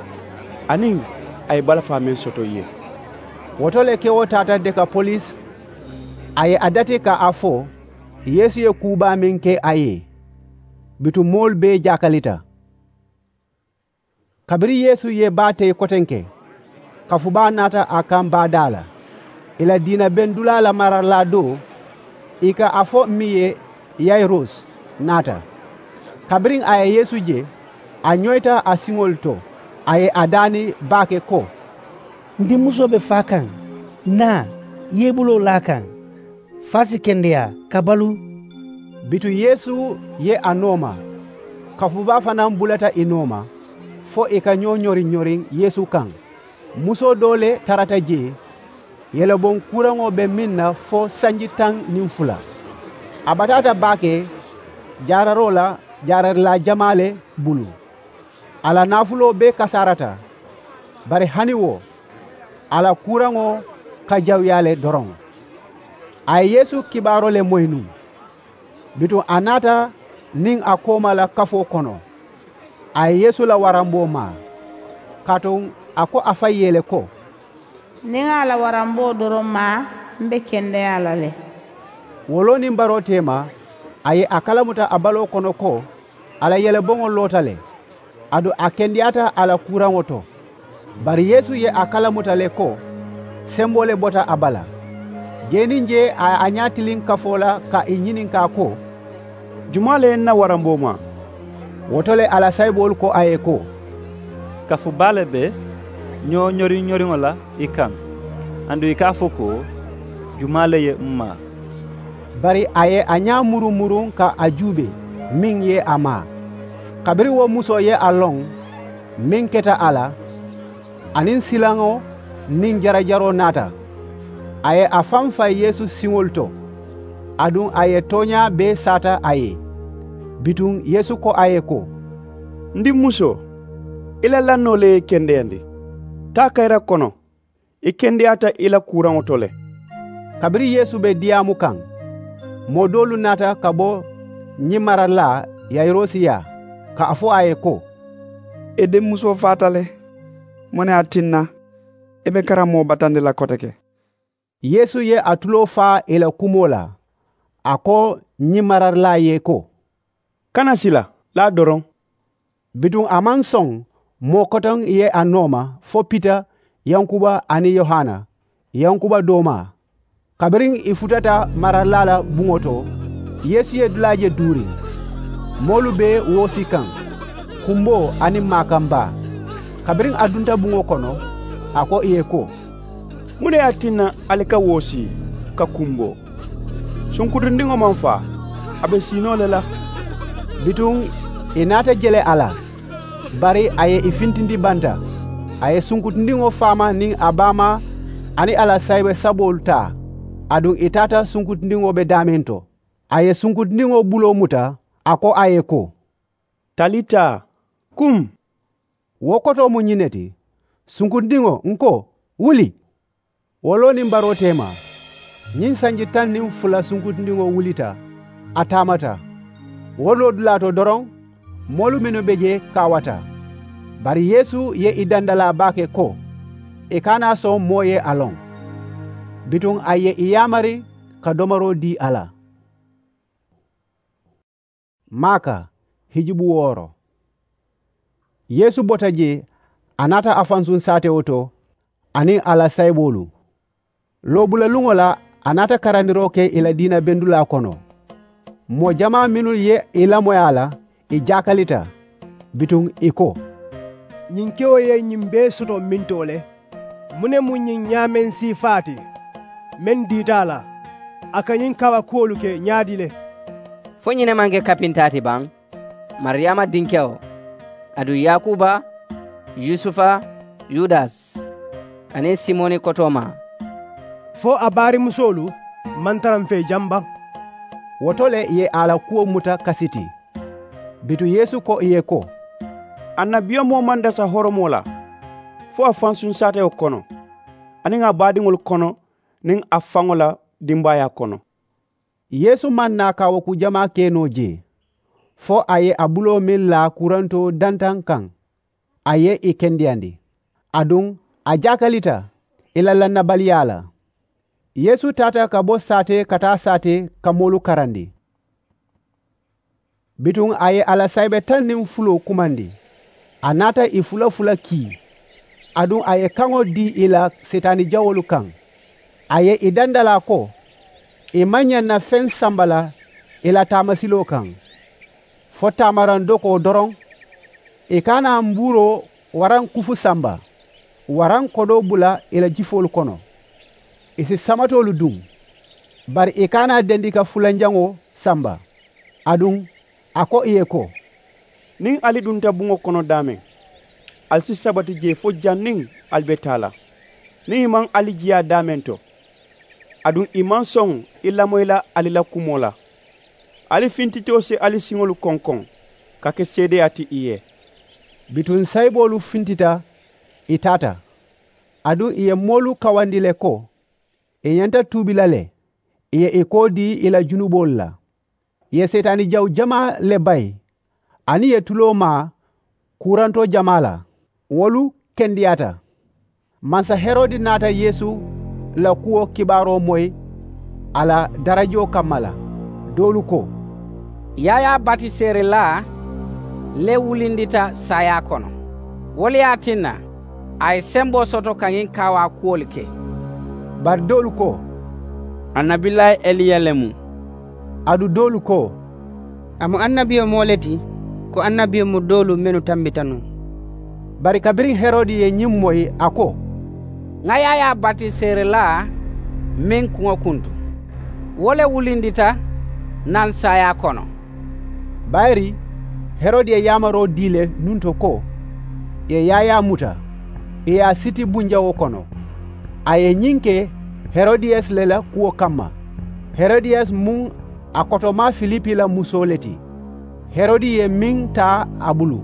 aniŋ a ye balafaa meŋ soto i ye. Wo to le kewo taata dekapolisi, a ye a dati ka a fo yeesu ye kuu baa meŋ ke a ye. Bituŋ moolu bee jaakalita. Kabiriŋ yeesu ye baa teyi kotenke, kafubaa naata a kaŋ baadaa la. Ì la diina bendulaa la maralaa doo, ì ka a fo meŋ ye, yayirusi, naata. Kabiriŋ a ye yeesu je, a ñoyita a siŋolu to, a ye a daani baake ko, n dimmusoo be faa kaŋ. Naa, i ye i buloo laa a kaŋ, fo a si kendeyaa ka baluu. Bituŋ yeesu ye a nooma. Kafubaa fanaa bulata ì nooma, fo ì ka ñoo ñoriŋ-ñoriŋ yeesu kaŋ. Musoo doo le tarata jee. Yeleboŋ kuuraŋo be meŋ na fo sanji taŋ niŋ fula. A bataata baake jaararoo la, jaararilaa jamaa le bulu. A la naafuloo bee kasaarata. Bari hani wo, a la kuuraŋo ka jawuyaa le doroŋ. A ye yeesu kibaaroo le moyi nuŋ. Bituŋ a naata niŋ a kooma la kafoo kono. A ye yeesu la waramboo maa, kaatu a ko a faŋ ye le ko, niŋ ŋa a la waramboo doroŋ maa, m be kendeyaa la le. Wo loo niŋ baroo teema, a ye a kalamuta a baloo kono ko a la yeleboŋo loota le. Aduŋ a kendeyaata a la kuuraŋo to. Bari yeesu ye a kalamuta le ko semboo le bota a bala. Jee niŋ jee a ye a ñaa tiliŋ kafoo la ka ì ñininkaa ko, jumaa le ye n na waramboo maa? Wo to le a la sayiboolu ko a ye ko, kafu baa le be ñoo ñoriŋ-ñoriŋo la i kaŋ, aduŋ i ka a fo ko, jumaa le ye m maa? Bari a ye a ñaa muruŋ-muruŋ ka a juubee meŋ ye a maa. Kabiriŋ wo musoo ye a loŋ meŋ keta a la, aniŋ silaŋo niŋ jarajaroo naata. A ye a faŋ fayi yeesu siŋolu to, aduŋ a ye tooñaa bee saata a ye. Bituŋ yeesu ko a ye ko, n diŋ musoo, i la lannoo le ye i kendeyandi. Taa kayira kono, i kendeyaata i la kuuraŋo to le. Kabiriŋ yeesu be diyaamu kaŋ, moo doolu naata ka bo ñiŋ maradulaa yayirosi yaa, ka a fo a ye ko, i dimmusoo faata le. Muŋ ne ye a tinna i be karammoo batandi la koteke? Yeesu ye a tuloo faa ì la kumoo la. A ko ñiŋ maradulaa ye ko, kana sila, laa doroŋ. Bituŋ a maŋ soŋ moo kotoŋ ye a nooma fo pita, yankuba aniŋ yohana, yankuba doomaa. Kabiriŋ ì futata maradulaa la buŋo to, yeesu ye dulaa je duuri. Moolu be woosi kaŋ, kumboo aniŋ maakambaa. Kabiriŋ a dunta buŋo kono, a ko ì ye ko, muŋ ne ye a tinna ali ka woosi ka kumboo? Sunkutundiŋo maŋ faa, a be sii noo le la. Bituŋ ì naata je le a la. Bari a ye ì fintindi banta. A ye sunkutundiŋo faama niŋ a baamaa aniŋ a la saayibe saboolu taa. Aduŋ ì taata sunkutundiŋo be daameŋ to. A ye sunkutundiŋo buloo muta, a ko a ye ko, talita, kum. Wo kotoo mu ñiŋ ne ti, sunkutundiŋo, n ko, wuli. Wo loo niŋ baroo teema, ñiŋ sanji taŋ niŋ fula sunkutundiŋo wulita, a taamata. Wo loodulaa to doroŋ, moolu mennu be jee kaawata. Bari yeesu ye ì dandalaa baake ko, ì kana a soŋ moo ye a loŋ. Bituŋ a ye ì yaamari ka domaroo dii a la. Maaka hijubu wooro. Yeesu bota jee, a naata a fansuŋ saatewo to aniŋ a la sayiboolu. Loobulaluŋo la, a naata karandiroo ke ì la diina bendulaa kono. Moo jamaa mennu ye ì lamoyi a la, ì jaakalita. Bituŋ ì ko, ñiŋ kewo ye ñiŋ bee soto mintoo le? Muŋ ne mu ñiŋ ñaameŋ siifaa ti meŋ diita a la? A ka ñiŋ kaawa kuwolu ke ñaadii le? Fo ñiŋ ne maŋ ke kapintaa ti baŋ? Mariyaama dinkewo, aduŋ yaakuuba, yusufa, yudasi, aniŋ simoni kotoomaa. Fo a baarimusoolu maŋ tara m̀ fee jaŋ baŋ? Wo to le ì ye a la kuwo muta kasi ti. Bituŋ yeesu ko ì ye ko, annabiyomoo maŋ dasa horomoo la fo a fansuŋ saatewo kono, aniŋ a baadiŋolu kono, niŋ a faŋo la dimbaayaa kono. Yeesu maŋ naa kaawooku jamaa ke noo jee, fo a ye a buloo meŋ laa kurantoo dantaŋ kaŋ, a ye ì kendeyandi. Aduŋ a jaakalita ì la lannabaliyaa la. Yeesu taata ka bo saatee ka taa saatee ka moolu karandi. Bituŋ a ye a la saayibe taŋ niŋ fuloo kumandi. A naata ì fula fula kii. Aduŋ a ye kaŋo dii ì la seetaani jawoolu kaŋ. A ye ì dandalaa ko, ì maŋ ñaŋ na feŋ samba la ì la taamasiloo kaŋ, fo taamaraŋ dokoo doroŋ. Ì kana mbuuroo waraŋ kufu samba, waraŋ kodoo bula ì la jifoolu kono. Ì si samatoolu duŋ, bari ì kana dendi ka fulanjaŋo samba. Aduŋ a ko ì ye ko, niŋ ali dunta buŋo kono daameŋ, ali si sabati jee fo janniŋ ali be taa la. Niŋ ì maŋ ali jiyaa daameŋ to, aduŋ ì maŋ soŋ i lamoyi la ali la kumoo la, ali fintitoo si ali siŋolu konkoŋ ka ke seedeyaa ti ì ye. Bituŋ sayiboolu fintita, ì taata. Aduŋ ì ye moolu kawandi le ko ì ñanta tuubi la le. Ì ye ì koo dii ì la junuboolu la. Ì ye seetaani jawu jamaa le bayi, aniŋ ì ye tuloo maa kuurantoo jamaa la. Wolu kendeyaata. Mansa herodi naata yeesu la kuwo kibaaroo moyi a la darajoo kamma la. Doolu ko, yaayaa batiseerilaa le wulindita saayaa kono. Wo le ye a tinna a ye semboo soto ka ñiŋ kaawaa kuwolu ke. Bari doolu ko, annabilaayi eliya le mu. Aduŋ doolu ko, a mu annabiyomoo le ti, ko annabiyomoo doolu mennu tambita nuŋ. Bari kabiriŋ herodi ye ñiŋ moyi, a ko, ŋa yaayaa batiseerilaa meŋ kuŋo kuntu, wo le wulindita naŋ saayaa kono. Bayiri Herodi ye yaamaroo dii le nuŋ to ko ì ye yaayaa muta, ì ye a siti bunjaŋo kono. A ye ñiŋ ke herodiyasi le la kuwo kamma. Herodiyasi mu a kotomaa filipi la musoo le ti. Herodi ye meŋ taa a bulu,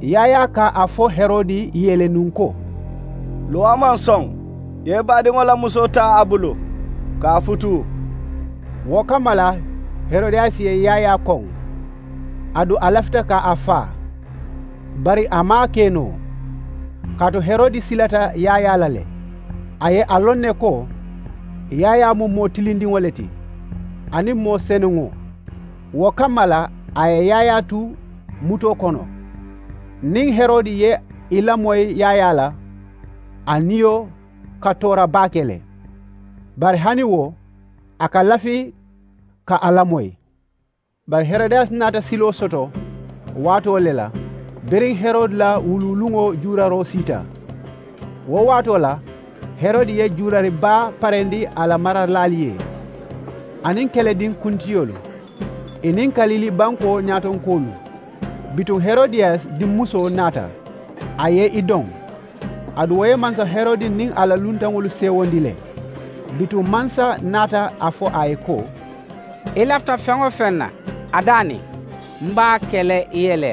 yaayaa ka a fo herodi ye le nuŋ ko, luŋ a maŋ soŋ ì ye i baadiŋo la musoo taa a bulu ka a futuu. Wo kamma la, herodiyasi ye yaayaa koŋ, aduŋ a lafita ka a faa. Bari a maŋ a ke noo, kaatu herodi silata yaayaa la le. A ye a loŋ ne ko yaayaa mu moo tilindiŋo le ti, aniŋ moo senuŋo. Wo kamma la, a ye yaayaa tu mutoo kono. Niŋ herodi ye i lamoyi yaayaa la, a niyo ka toora baake le. Bari hani wo, a ka lafi ka a lamoyi. Bari herodiyasi naata siloo soto waatoo le la, biriŋ herodi la wuluuluŋo juuraroo siita. Wo waatoo la, herodi ye juurari baa parendi a la maralaalu ye, aniŋ kelediŋ kuntiyoolu, ì niŋ kalili bankoo ñaatonkoolu. Bituŋ herodiyasi dimmusoo naata, a ye i doŋ. Aduŋ wo ye mansa herodi niŋ a la luntaŋolu seewondi le. Bituŋ mansa naata a fo a ye ko, i lafita feŋ-wo-feŋ na, a daani, m be a ke la i ye le.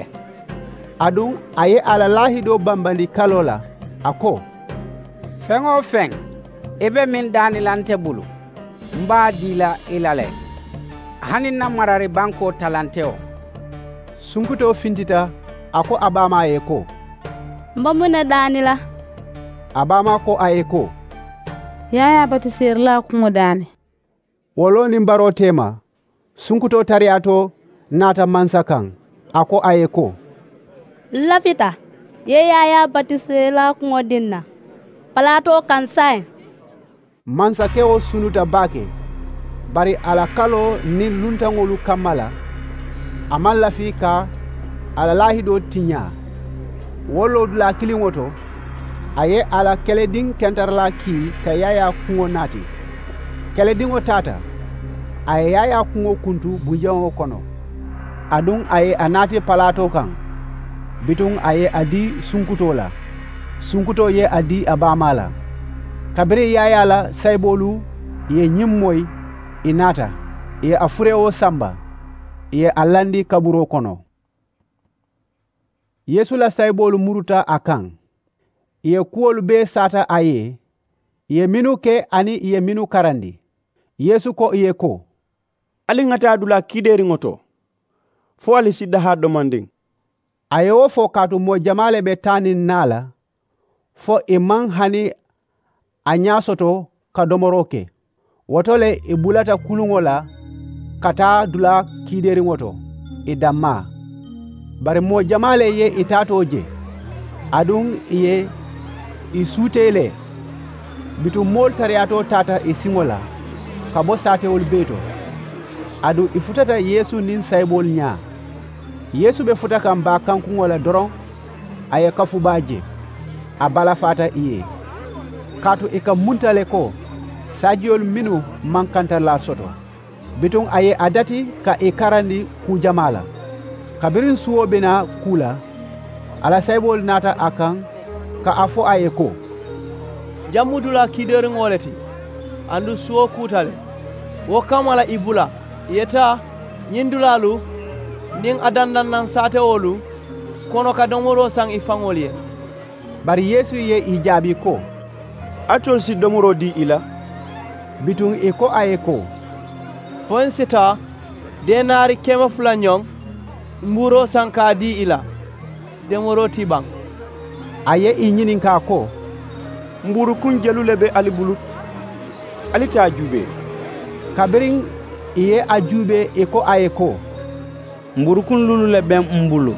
Aduŋ a ye a la laahidoo bambandi kaloo la, a ko, feŋ-wo-feŋ i be meŋ daani la nte bulu, m be a dii la i la le, hani n na marari bankoo talante wo. Sunkutoo fintita, a ko a baamaa ye ko, m be muŋ ne daani la? A baamaa ko a ye ko, yaayaa batiseerilaa kuŋo daani. Wo loo niŋ baroo teema, sunkutoo tariyaatoo naata mansa kaŋ, a ko a ye ko, n lafita i ye yaayaa batiseerilaa kuŋo dii n na palaatoo kaŋ saayiŋ. Mansakewo sunuta baake, bari a la kaloo niŋ luntaŋolu kamma la, a maŋ lafi ka a la laahidoo tiñaa. Wo loodulaa kiliŋo to, a ye a la kelediŋ kentaralaa kii ka yaayaa kuŋo naati. Kelediŋo taata, a ye yaayaa kuŋo kuntu bunjaŋo kono, aduŋ a ye a naati palaatoo kaŋ. Bituŋ a ye a dii sunkutoo la, sunkutoo ye a dii a baamaa la. Kabiriŋ yaayaa la sayiboolu ye ñiŋ moyi, ì naata, ì ye a fureewoo samba, ì ye a landi kaburoo kono. Yeesu la sayiboolu muruta a kaŋ, ì ye kuwolu bee saata a ye, ì ye mennu ke aniŋ ì ye mennu karandi. Yeesu ko ì ye ko, ali ŋa taa dulaa kiideeriŋo to, fo ali si dahaa domandiŋ. A ye wo fo kaatu moo jamaa le be taa niŋ naa la, fo ì maŋ hani a ñaa soto ka domoroo ke. Wo to le ì bulata kuluŋo la ka taa dulaa kiideeriŋo to, ì dammaa. Bari moo jamaa le ye ì taatoo je, aduŋ ì ye ì suutee le. Bituŋ moolu tariyaatoo taata ì siŋo la ka bo saatewolu bee to. Aduŋ ì futata yeesu niŋ sayiboolu ñaa. Yeesu be futa kaŋ baa kankuŋo la doroŋ, a ye kafu baa je, a balafaata ì ye. Kaatu ì ka munta le ko saajiyolu mennu maŋ kantaralaa soto. Bituŋ a ye a dati ka ì karandi kuu jamaa la. Kabiriŋ suwo be naa kuu la, a la sayiboolu naata a kaŋ ka a fo a ye ko, jaŋ mu dulaa kiideeriŋo le ti, aduŋ suwo kuuta le. Wo kamma la ì bula ì ye taa ñiŋ dulaalu niŋ a dandannaŋ saatewoolu kono ka domoroo saŋ ì faŋolu ye. Bari yeesu ye ì jaabi ko, alitolu si domoroo dii ì la? Bituŋ ì ko a ye ko, fo ǹ si taa denaari keme fula ñoŋ mbuuroo saŋ ka a dii ì la, domoroo ti baŋ. A ye ì ñininkaa ko, mbuurukuŋ jelu le be ali bulu? Ali taa juubee. Kabiriŋ ì ye a juubee ì ko a ye ko, mbuurukuŋ luulu le be m bulu,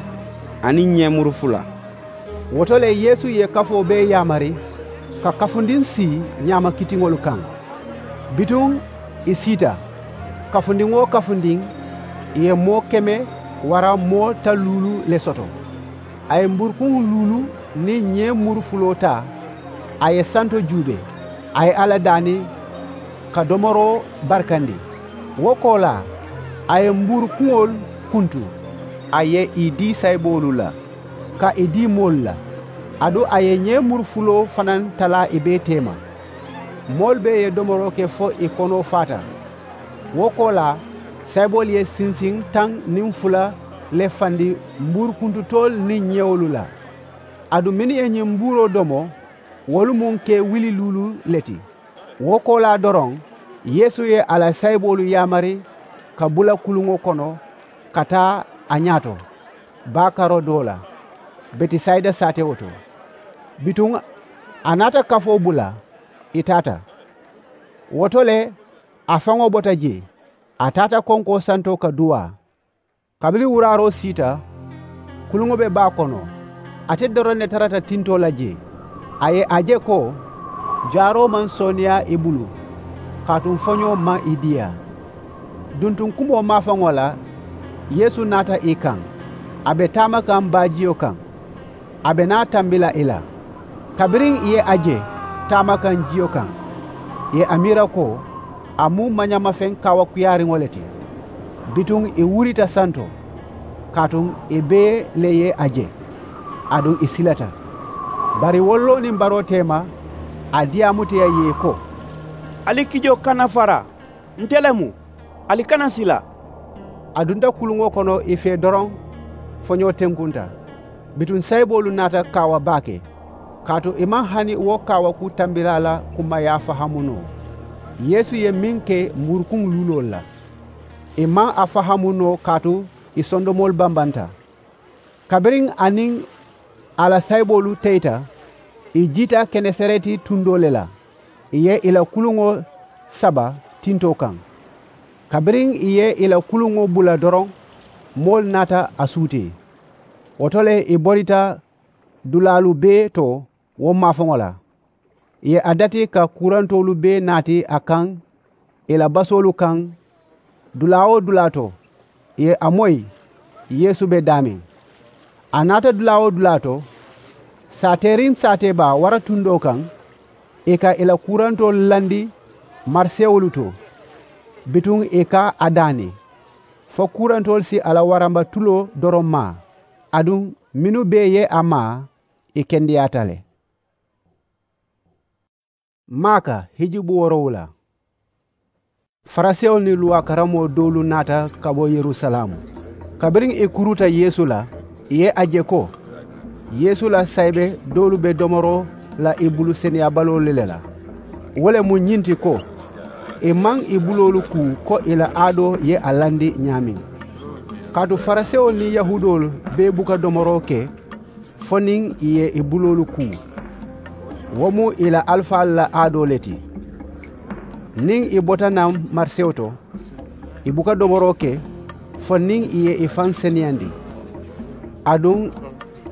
aniŋ ñeemuru fula. Wo to le yeesu ye kafoo bee yaamari ka kafundiŋ sii ñaama kitiŋolu kaŋ. Bituŋ ì siita, kafundiŋ-wo-kafundiŋ ì ye moo keme waraŋ moo tan luulu le soto. A ye mbuurukuŋ luulu niŋ ñeemuru fuloo taa, a ye santo juubee, a ye alla daani ka domoroo barikandi. Wo koolaa, a ye mbuurukuŋolu kuntu, A ye ì dii sayiboolu la ka ì dii moolu la. Aduŋ a ye ñee muru fuloo fanaa talaa ì bee teema. Moolu bee ye domoroo ke fo ì konoo faata. Wo koolaa sayiboolu ye sinsiŋ taŋ niŋ fula le fandi mbuuru kuntutoolu niŋ ñewolu la. Aduŋ mennu ye ñiŋ mbuuroo domo wolu mu ke wili luulu le ti. Wo koolaa doroŋ yeesu ye a la sayiboolu yaamari ka bula kuluŋo kono ka taa a ñaato baa karoo doo la betisayida saatewo to. Bituŋ a naata kafoo bula ì taata. Wo to le a faŋo bota jee a taata konkoo santoo ka duwaa. Kabiriŋ wuraaroo siita kuluŋo be baa kono. Ate doroŋ ne tarata tintoo la jee. A ye a je ko jaaroo maŋ sooneeyaa ì bulu kaatu foñoo maŋ ì diyaa. Duntuŋ kumoo maafaŋo la yeesu naata ì kaŋ. A be taama kaŋ baajiyo kaŋ. A be naa tambi la ì la. Kabiriŋ ì ye a je taama kaŋ jiyo kaŋ ì ye a miira ko a mu mañamafeŋ kaawakuyaariŋo le ti. Bituŋ ì wurita santo kaatu ì bee le ye a je. Aduŋ ì silata. Bari woloo niŋ baroo teema a diyaamuta ì ye ko, ali kijoo kana fara. Nte le mu. Ali kana sila. A dunta kuluŋo kono ì fee doroŋ. Foñoo tenkunta. Bituŋ sayiboolu naata kaawa baake kaatu ì maŋ hani wo kaawakuu tambilaa la kumayaa fahamu noo. Yeesu ye meŋ ke mbuurukuŋ luuloolu la ì maŋ a fahamu noo kaatu ì sondomoolu bambanta. Kabiriŋ a niŋ a la sayiboolu teyita ì jiita kenesareti tundoo le la. Ì ye ì la kuluŋo saba tintoo kaŋ. Kabiriŋ ì ye ì la kuluŋo bula doroŋ moolu naata a suutee. Wo to le ì borita dulaalu bee to wo maafaŋo la. Ì ye a dati ka kuurantoolu bee naati a kaŋ ì la basoolu kaŋ. Dulaa-wo-dulaa to ì ye a moyi yeesu be daameŋ. A naata dulaa-wo-dulaa to saateeriŋ saatee baa wara tundoo kaŋ. Ì ka ì la kuurantoolu landi marisewolu to. Bituŋ ì ka a daani fo kuurantoolu si a la waramba tuloo doroŋ maa. Aduŋ mennu bee ye a maa ì kendeyaata le. Maaka hijubu woorowula. Farisewolu niŋ luwaa karamoo doolu naata ka bo yerusalaamu. Kabiriŋ ì kuruuta yeesu la ì ye a je ko yeesu la sayibe doolu be domoroo la ì bulu seneyaabaloo le la. Wo le mu ñiŋ ti ko ì maŋ ì buloolu kuu ko ì la aadoo ye a landi ñaameŋ. Kaatu farisewolu niŋ yahuudoolu bee buka domoroo ke fo niŋ ì ye ì buloolu kuu. Wo mu ì la alifaalu la aadoo le ti. Niŋ ì bota naŋ marisewo to ì buka domoroo ke fo niŋ ì ye ì faŋ seneyandi. Aduŋ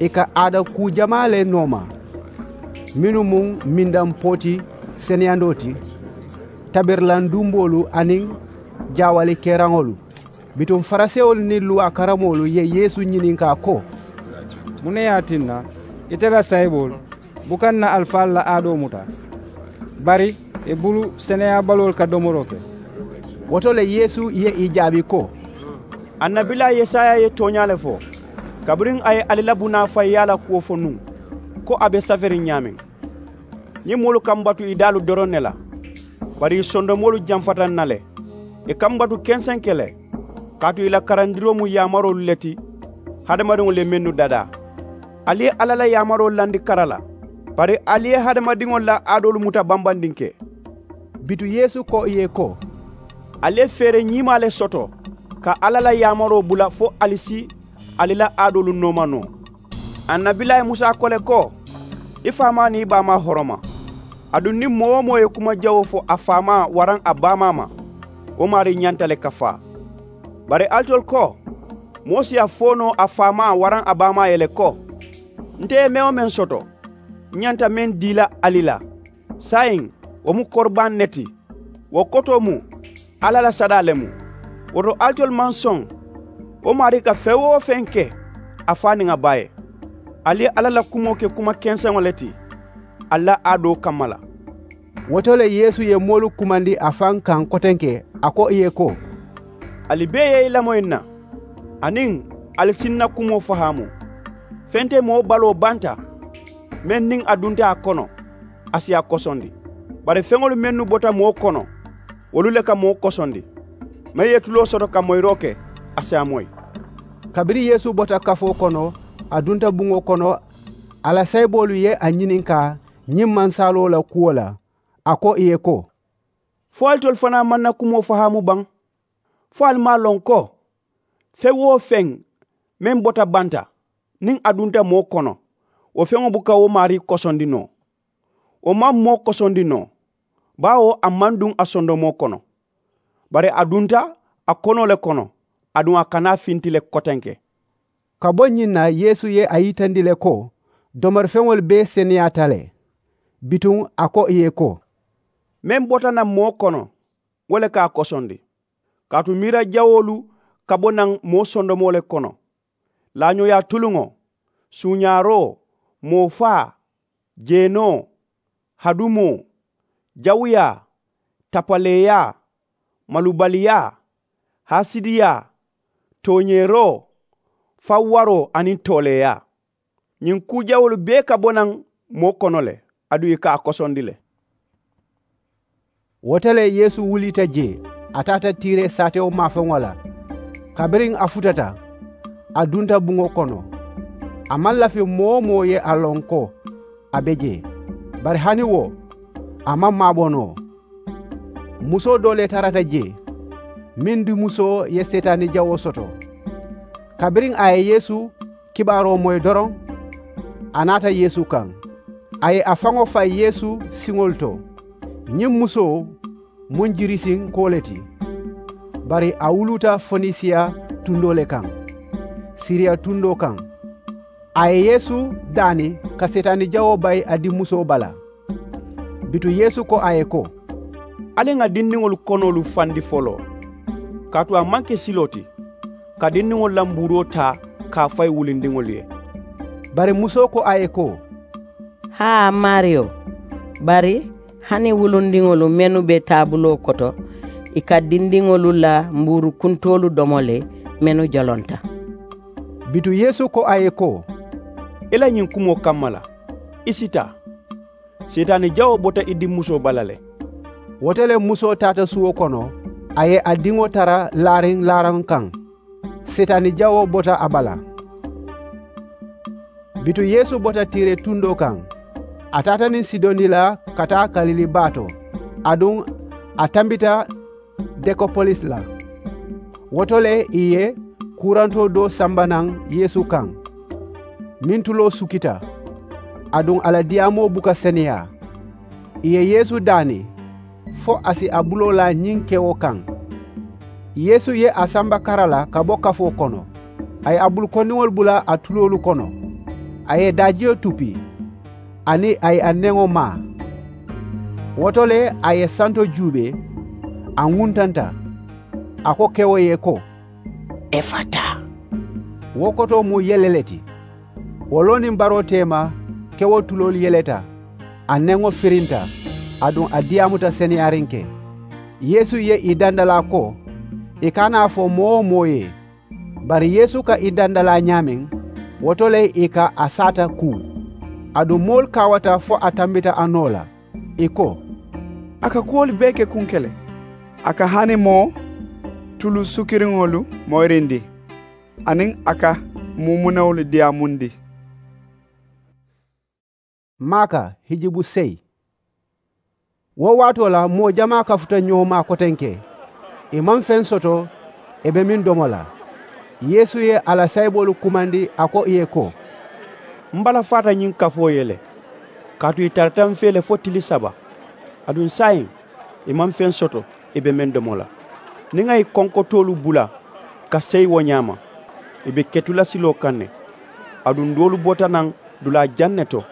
ì ka aada kuu jamaa le nooma mennu mu mindaŋ pooti seneyandoo ti, tabirilaŋ dumboolu aniŋ jaawali keeraŋolu. Bituŋ farisewolu niŋ luwaa karamoolu ye yeesu ñininkaa ko, muŋ ne ye a tinna ite la sayiboolu buka n na alifaalu la aadoo muta bari ì bulu seneyaabaloolu ka domoroo ke? Wo to le yeesu ye ì jaabi ko, annabilaa yesaya ye tooñaa le fo kabiriŋ a ye ali la bunaa fayiyaa la kuwo fo nuŋ ko a be saferiŋ ñaameŋ. Ñiŋ moolu ka m batu ì daalu doroŋ ne la bari ì sondomoolu jamfata n na le. Ì ka m batu kenseŋ ke le kaatu ì la karandiroo mu yaamaroolu le ti hadamadiŋolu ye mennu dadaa. Ali ye alla la yaamaroo landi kara la bari ali ye hadamadiŋolu la aadoolu muta bambandinke. Bituŋ yeesu ko ì ye ko, ali ye feere ñiimaa le soto ka alla la yaamaroo bula fo ali si ali la aadoolu nooma noo. Annabilaa ye musa ko le ko, i faamaa niŋ i baamaa horoma. Aduŋ niŋ moo-wo-moo ye kuma jawoo fo a faamaa waraŋ a baamaa ma wo maarii ñanta le ka faa. Bari alitolu ko, moo si a fo noo a faamaa waraŋ a baamaa ye le ko, nte ye meŋ-wo-meŋ soto, n ñanta meŋ dii la ali la saayiŋ wo mu koribaŋ ne ti. Wo kotoo mu alla la sadaa le mu. Wo to alitolu maŋ soŋ wo maarii ka feŋ-wo-feŋ ke a faa niŋ a baa ye. Ali ye alla la kumoo ke kuma kenseŋo le ti ali la aadoo kamma la. Wo to le yeesu ye moolu kumandi a faŋ kaŋ kotenke a ko ì ye ko, ali bee ye i lamoyi n na aniŋ Ali si ǹ na kumoo fahaamu. Feŋ te moo baloo banta, meŋ niŋ a dunta a kono, a si a kosondi. Bari feŋolu mennu bota moo kono, wolu le ka moo kosondi. Meŋ ye tuloo soto ka moyiroo ke, a si a moyi. Kabiriŋ yeesu bota kafoo kono, a dunta buŋo kono. A la sayiboolu ye a ñininkaa ñiŋ mansaaloo la kuwo la. A ko ì ye ko, fo alitolu fanaa maŋ na kumoo fahaamu baŋ? Fo ali maŋ a loŋ ko, feŋ-wo-feŋ meŋ bota banta, niŋ a dunta moo kono, wo feŋo buka wo maarii kosondi noo. Wo maŋ moo kosondi noo, baawo a maŋ duŋ a sondomoo kono. Bari a dunta a konoo le kono, aduŋ a kana a finti le kotenke. Ka bo ñiŋ na, yeesu ye a yitandi le ko domorifeŋolu bee seneyaata le. Bituŋ a ko ì ye ko, meŋ bota naŋ moo kono, wo le ka a kosondi. Kaatu miira jawoolu ka bo naŋ moo sondomoo le kono: laañooyaa tuluŋo, suuñaaroo, moo faa, jeenoo, hadumoo, jawuyaa, tapaleeyaa, malubaliyaa, haasidiyaa, tooñeeroo, fawwaroo aniŋ tooleeyaa. Ñiŋ kuu jawoolu bee ka bo naŋ moo kono le, aduŋ ì ka a kosondi le. Wo to le yeesu wulita jee, a taata tiiree saatewo maafeŋo la. Kabiriŋ a futata, a dunta buŋo kono. A maŋ lafi moo-wo-moo ye a loŋ ko a be jee. Bari hani wo, a maŋ maabo noo. Musoo doo le tarata jee, meŋ dimusoo ye seetaani jawoo soto. Kabiriŋ a ye yeesu kibaaroo moyi doroŋ, a naata yeesu kaŋ. A ye a faŋo fayi yeesu siŋolu to. Ñiŋ musoo mu jiirisiŋ koo le ti, bari a wuluuta fonisiya tundoo le kaŋ, siriya tundoo kaŋ. A ye yeesu daani ka seetaani jawoo bayi a dimusoo bala. Bituŋ yeesu ko a ye ko, ali ŋà dindiŋolu konoolu fandi foloo. Kaatu a maŋ ke siloo ti ka dindiŋolu la mbuuroo taa ka a fayi wulindiŋolu ye. Bari musoo ko a ye ko, haa maariyo, bari hani wulundiŋolu mennu be taabuloo koto, ì ka dindiŋolu la mbuuru kuntoolu domo le, mennu jolonta. Bituŋ yeesu ko a ye ko, i la ñiŋ kumoo kamma la, i si taa. Seetaani jawoo bota i diŋ musoo bala le. Wo to le musoo taata suwo kono, a ye a diŋo tara laariŋ laaraŋo kaŋ. Seetaani jawoo bota a bala. Bituŋ yeesu bota tiire tundoo kaŋ. A taata niŋ sidoni la ka taa kalili baa to, aduŋ a tambita dekopolis la. Wo to le ì ye kuurantoo doo samba naŋ yeesu kaŋ, meŋ tuloo sukita, aduŋ a la diyaamoo buka seneyaa. Ì ye yeesu daani fo a si a buloo laa ñiŋ kewo kaŋ. Yeesu ye a samba kara la ka bo kafoo kono. A ye a bulu kondiŋolu bula a tuloolu kono. A ye daajiyo tupi, aniŋ a ye a neŋo maa. Wo to le a ye santo juubee, a ŋuntanta. A ko kewo ye ko, efata. Wo kotoo mu yele le ti. Wo loo niŋ baroo teema, kewo tuloolu yeleta, a neŋo firinta, aduŋ a diyaamuta seneyaariŋ ke. Yeesu ye ì dandalaa ko ì kana a fo moo-wo-moo ye. Bari yeesu ka ì dandalaa ñaameŋ, wo to le ì ka a saata kuu. Aduŋ moolu kaawata fo a tambita a noo la, ì ko, a ka kuwolu bee ke kuŋ ke le. A ka hani moo tulu sukiriŋolu moyirindi, aniŋ a ka muumunewolu diyaamundi. Maaka hijibu seyi. Wo waatoo la moo jamaa kafuta ñoo maa kotenke. Ì maŋ feŋ soto ì be meŋ domo la. Yeesu ye a la sayiboolu kumandi a ko ì ye ko, m balafaata ñiŋ kafoo ye le. Kaatu ì tarata m fee le fo tili saba, aduŋ saayiŋ ì maŋ feŋ soto ì be meŋ domo la. Niŋ ŋà ì konkotoolu bula ka seyi wo ñaama, ì be ketula siloo kaŋ ne. Aduŋ doolu bota naŋ dulaa jaŋ ne to.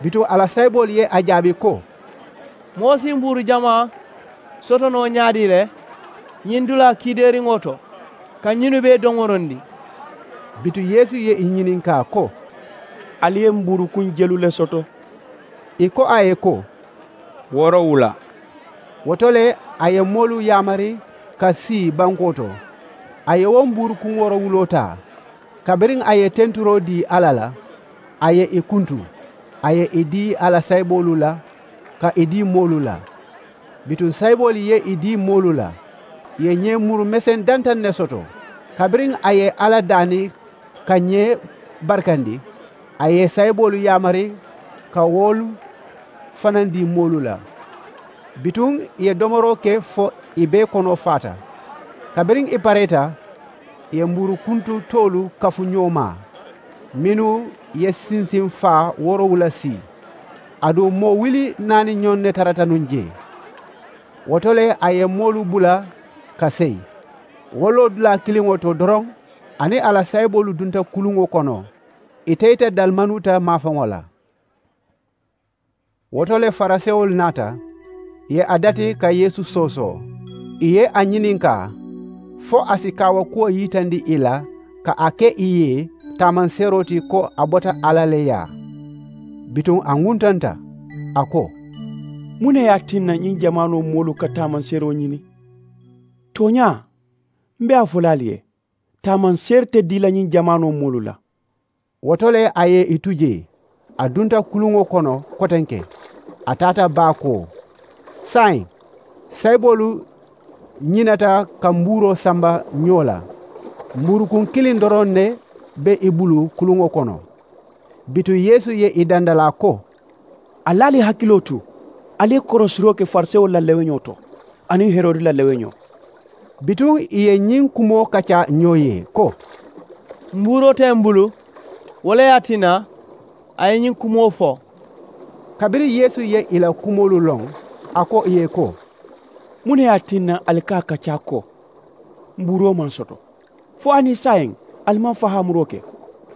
Bituŋ a la sayiboolu ye a jaabi ko, moo si mbuuru jamaa soto noo ñaadii le ñiŋ dulaa kiideeriŋo to ka ñinnu bee domorondi? Bituŋ yeesu ye ì ñininkaa ko, ali ye mbuuru kuŋ jelu le soto? Ì ko a ye ko, woorowula. Wo to le a ye moolu yaamari ka sii bankoo to. A ye wo mbuuru kuŋ woorowuloo taa, Kabiriŋ a ye tenturoo dii alla la, a ye ì kuntu, a ye ì dii a la sayiboolu la ka ì dii moolu la. Bituŋ sayiboolu ye ì dii moolu la, ì ye ñee muru meseŋ dantaŋ ne soto. Kabiriŋ a ye alla daani ka ñee barikandi, a ye sayiboolu yaamari ka wolu fanandi moolu la. Bituŋ ì ye domoroo ke fo ì bee konoo faata. Kabiriŋ ì pareeta, ì ye mbuuru kuntu toolu kafu ñoo ma, mennu ye sinsiŋ faa woorowula sii. Aduŋ moo wuli naani ñoŋ ne tarata nuŋ jee. Wo to le a ye moolu bula ka seyi. Wo loodulaa kiliŋo to doroŋ, a niŋ a la sayiboolu dunta kuluŋo kono, ì teyita dalimanuuta maafaŋo la. Wo to le farisewolu naata, ì ye a dati ka yeesu soosoo. Ì ye a ñininkaa fo a si kaawakuwo yitandi ì la, ka a ke ì ye taamanseeroo ti ko a bota alla le yaa. Bituŋ a ŋuntanta, a ko, muŋ ne ye a tinna ñiŋ jamaanoo moolu ka taamanseeroo ñini? Tooñaa, m be a fo la ali ye, taamanseeri te dii la ñiŋ jamaanoo moolu la. Wo to le a ye ì tu jee, a dunta kuluŋo kono kotenke, a taata baa koo. Saayiŋ sayiboolu ñinata ka mbuuroo samba ñoo la. Mbuurukuŋ kiliŋ doroŋ ne be ì bulu kuluŋo kono. Bituŋ yeesu ye ì dandalaa ko, ali ali hakiloo tu, ali ye korosiroo ke farisewolu la leweñoo to aniŋ herodi la leweñoo. Bituŋ ì ye ñiŋ kumoo kaccaa ñoo ye ko, mbuuroo te m bulu. Wo le ye a tinna a ye ñiŋ kumoo fo. Kabiriŋ yeesu ye ì la kumoolu loŋ, a ko ì ye ko, muŋ ne ye a tinna ali ka a kaccaa ko mbuuroo maŋ soto? Fo hani saayiŋ ali maŋ fahaamuroo ke,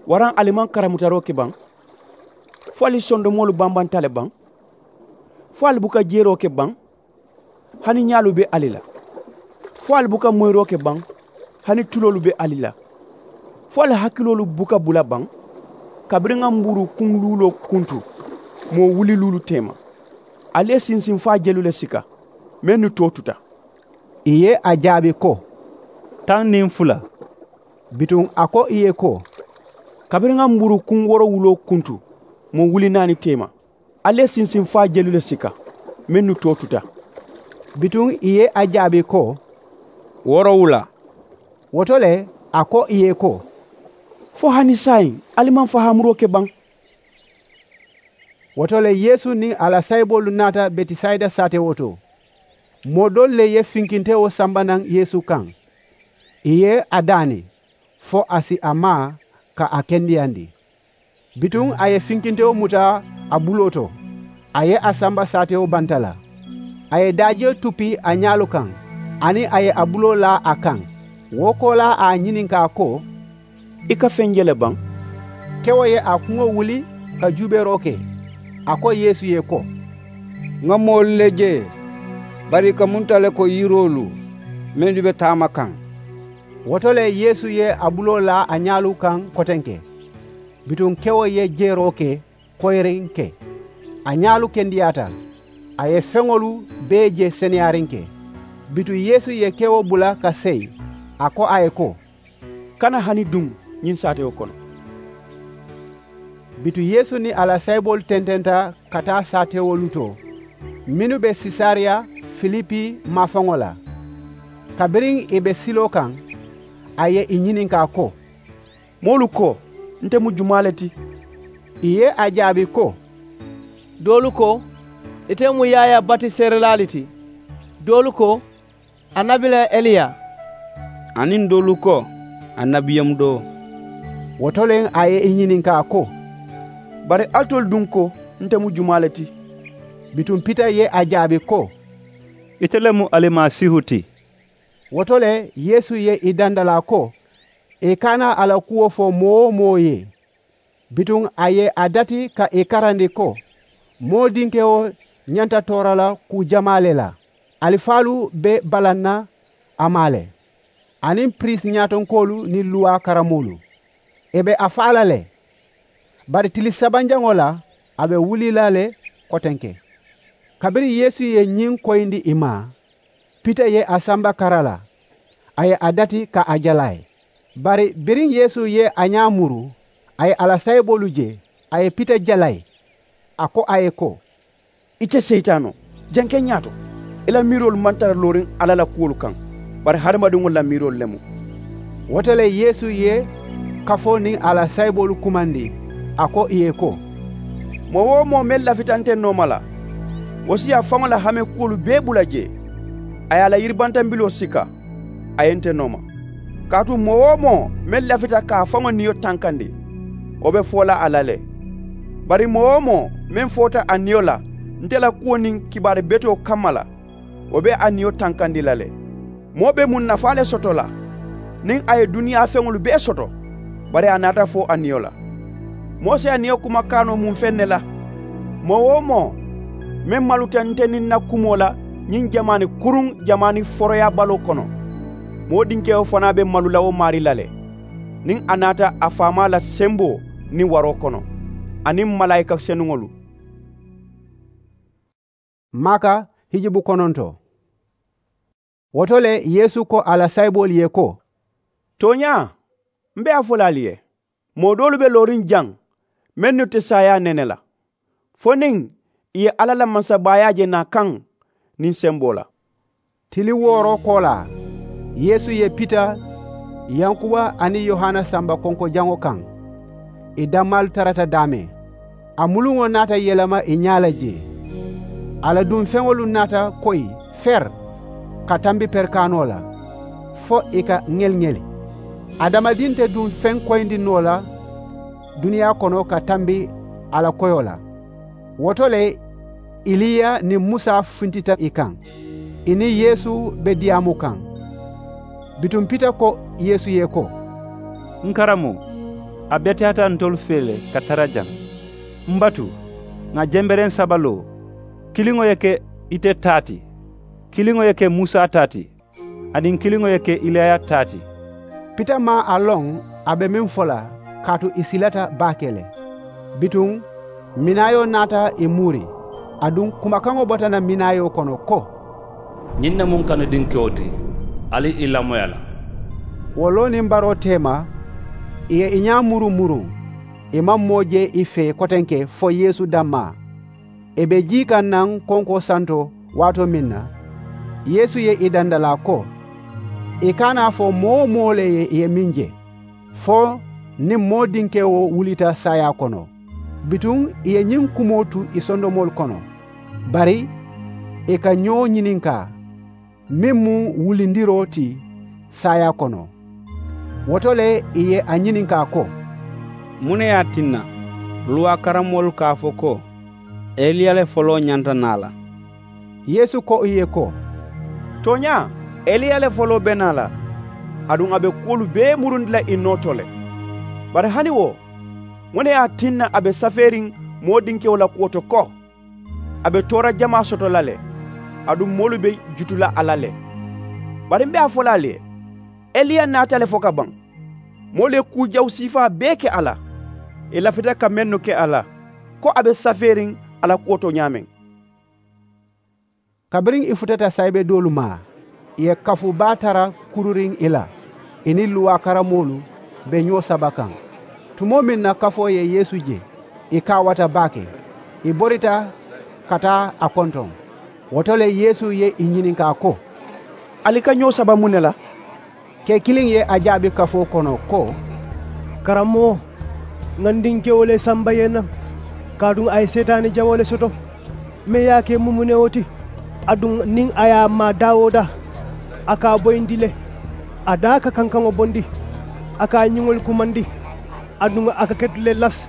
waraŋ ali maŋ karamutaroo ke baŋ? Fo ali sondomoolu bambanta le baŋ? Fo ali buka jeeroo ke baŋ? Hani ñaalu be ali la? Fo ali buka moyiroo ke baŋ? Hani tuloolu be ali la? Fo ali hakiloolu buka bula baŋ? Kabiriŋ ŋa mbuuru kuŋ luuloo kuntu moo wuli luulu teema, ali ye sinsinfaa jelu le sika mennu too tuta. Ì ye a jaabi ko, taŋ niŋ fula. Bituŋ a ko ì ye ko, kabiriŋ ŋa mbuuru kuŋ woorowuloo kuntu moo wuli naani teema, ali ye sinsinfaa jelu le sika mennu too tuta. Bituŋ ì ye a jaabi ko, woorowula. Wo to le a ko ì ye ko, fo hani saayiŋ ali maŋ fahaamuroo ke baŋ? Wo to le yeesu niŋ a la sayiboolu naata betisayida saatewo to. Moo doolu le ye finkintewo samba naŋ yeesu kaŋ, ì ye a daani fo a si a maa ka a kendeyandi. Bituŋ a ye finkintewo muta a buloo to, a ye a samba saatewo banta la. A ye daajiyo tuppi a ñaalu kaŋ, aniŋ a ye a buloo laa a kaŋ. Wo koolaa a ñininkaa ko, i ka feŋ je le baŋ? Kewo ye a kuŋo wuli ka juubeeroo ke. A ko yeesu ye ko, ŋa moolu le je, bari i ka munta le ko yiroolu mennu be taama kaŋ. Wo to le yeesu ye a buloo laa a ñaalu kaŋ kotenke. Bituŋ kewo ye jeeroo ke koyiriŋ ke, a ñaalu kendeyaata. A ye feŋolu bee je seneyaariŋ ke. Bituŋ yeesu ye kewo bula ka seyi, a ko a ye ko, kana hani duŋ ñiŋ saatewo kono. Bituŋ yeesu niŋ a la sayiboolu tententa ka taa saatewolu to mennu be sesariya filipi maafaŋo la. Kabiriŋ ì be siloo kaŋ, a ye ì ñininkaa ko, moolu ko nte mu jumaa le ti? Ì ye a jaabi ko, doolu ko ite mu yaayaa batiseerelaa le ti, doolu ko annabilaa eliya, aniŋ doolu ko annabiyaŋ doo. Wo to le a ye ì ñininkaa ko, bari alitolu duŋ ko nte mu jumaa le ti? Bituŋ pita ye a jaabi ko, ite le mu alimasiihu ti. Wo to le yeesu ye ì dandalaa ko ì kana a la kuwo fo moo-wo-moo ye. Bituŋ a ye a dati ka ì karandi ko moo dinkewo ñanta toora la kuu jamaa le la. Alifaalu be balaŋ na a maa le, aniŋ piriisi ñaatonkoolu niŋ luwaa karammoolu. Ì be a faa la le. Bari tili sabanjaŋo la a be wuli la le kotenke. Kabiriŋ yeesu ye ñiŋ koyindi ì ma, pita ye a samba kara la, a ye a dati ka a jala a ye. Bari biriŋ yeesu ye a ñaa muru, a ye a la saayiboolu je, a ye pita jalayi. A ko a ye ko, ite seyitaanoo, janke ñaato. I la miiroolu maŋ tara looriŋ alla la kuwolu kaŋ, bari hadamadiŋolu la miiroolu le mu. Wo to le yeesu ye kafoo niŋ a la saayiboolu kumandi, a ko ì ye ko, moo-wo-moo meŋ lafita nte nooma la, wo si a faŋo la hame kuwolu bee bula jee, a ye a la yiribantambiloo sika, a ye nte nooma. Kaatu moo-wo-moo meŋ lafita ka a faŋo niyo tankandi, wo be foo la a la le. Bari moo-wo-moo meŋ foota a niyo la nte la kuwo niŋ kibaari betoo kamma la, wo be a niyo tankandi la le. Moo be muŋ nafaa le soto la niŋ a ye duniyaa feŋolu bee soto, bari a naata fo a niyo la? Moo si a niyo kuma kaanoo muŋ feŋ ne la? Moo-wo-moo meŋ maluta nte niŋ n na kumoo la ñiŋ jamaani kuruŋ jamaani foroyaabaloo kono, moo dinkewo fanaa be malu la wo maarii la le, niŋ a naata a faamaa la semboo niŋ waroo kono, aniŋ malaayika senuŋolu. Maaka hijubu kononto. Wo to le yeesu ko a la saayiboolu ye ko, tooñaa, m be a fo la ali ye, moo doolu be looriŋ jaŋ mennu te saayaa nene la, fo niŋ ì ye alla la mansabaayaa je naa kaŋ niŋ semboo la. Tili wooroo koolaa, yeesu ye pita yankuba aniŋ yohana samba konkojaŋo kaŋ. Ì dammaalu tarata daame. A muluŋo naata yelema ì ñaa la jee. A la duŋ feŋolu naata koyi feri ka tambi perikaanoo la, fo ì ka ŋeliŋeli. Adamadiŋ te duŋ feŋ koyindi noo la duniyaa kono ka tambi a la koyoo la. Wo to le iliya niŋ musa funtita ì kaŋ, ì niŋ yeesu be diyaamu kaŋ. Bituŋ pita ko yeesu ye ko, n karamoo, a beteyaata ntolu fee le ka tara jaŋ. M batu, ŋà jembereŋ saba loo, kiliŋo ye ke ite taa ti, kiliŋo ye ke musa taa ti, aniŋ kiliŋo ye ke iliya taa ti. Pita maŋ a loŋ a be meŋ fo la, kaatu ì silata baake le. Bituŋ minaayoo naata ì muuri, aduŋ kumakaŋo bota naŋ minaayoo kono ko, ñiŋ ne mu n kanudinkewo ti, ali ì lamoyi a la. Wo loo niŋ baroo teema, ì ye ì ñaa muru muruŋ. Ì maŋ moo je ì fee kotenke fo yeesu dammaa. Ì be jii kaŋ naŋ konkoo santoo waatoo meŋ na, yeesu ye ì dandalaa ko, ì kana a fo moo-wo-moo le ye ì ye meŋ je, fo niŋ moo dinkewo wulita saayaa kono. Bituŋ ì ye ñiŋ kumoo tu ì sondomoolu kono, bari ì ka ñoo ñininkaa meŋ mu wulindiroo ti saayaa kono. Wo to le ì ye a ñininkaa ko, muŋ ne ye a tinna luwaa karammoolu ka a fo ko eliya le foloo ñanta naa la? Yeesu ko ì ye ko, tooñaa, eliya le foloo be naa la, aduŋ a be kuwolu bee murundi la ì noo to le. Bari hani wo, muŋ ne ye a tinna a be safeeriŋ moo dinkewo la kuwo to ko, a be toora jamaa soto la le, aduŋ moolu be jutu la a la le? Bari m be a fo la ali ye, eliya naata le fo ka baŋ. Moolu ye kuu jawu siifaa bee ke a la, ì lafita ka mennu ke a la, ko a be safeeriŋ a la kuwo to ñaameŋ. Kabiriŋ ì futata saayibe doolu ma, ì ye kafu baa tara kururiŋ ì la. Ì niŋ luwaa karammoolu be ñoo saba kaŋ. Tumoo meŋ na kafoo ye yeesu je, ì kaawata baake. Ì borita ka taa a kontoŋ. Wo to le yeesu ye ì ñininkaa ko, ali ka ñoo saba muŋ ne la? Kee kiliŋ ye a jaabi kafoo kono ko, karammoo, ŋà n dinkewo le samba ye naŋ, kaatu a ye seetaani jawoo le soto. Meŋ ye a ke mumunewo ti, aduŋ niŋ a ye a maa daa-wo-daa, a ka a boyindi le. A daa ka kankaŋo bondi, a ka a ñiŋolu kumandi, aduŋ a ka ketu le lasi.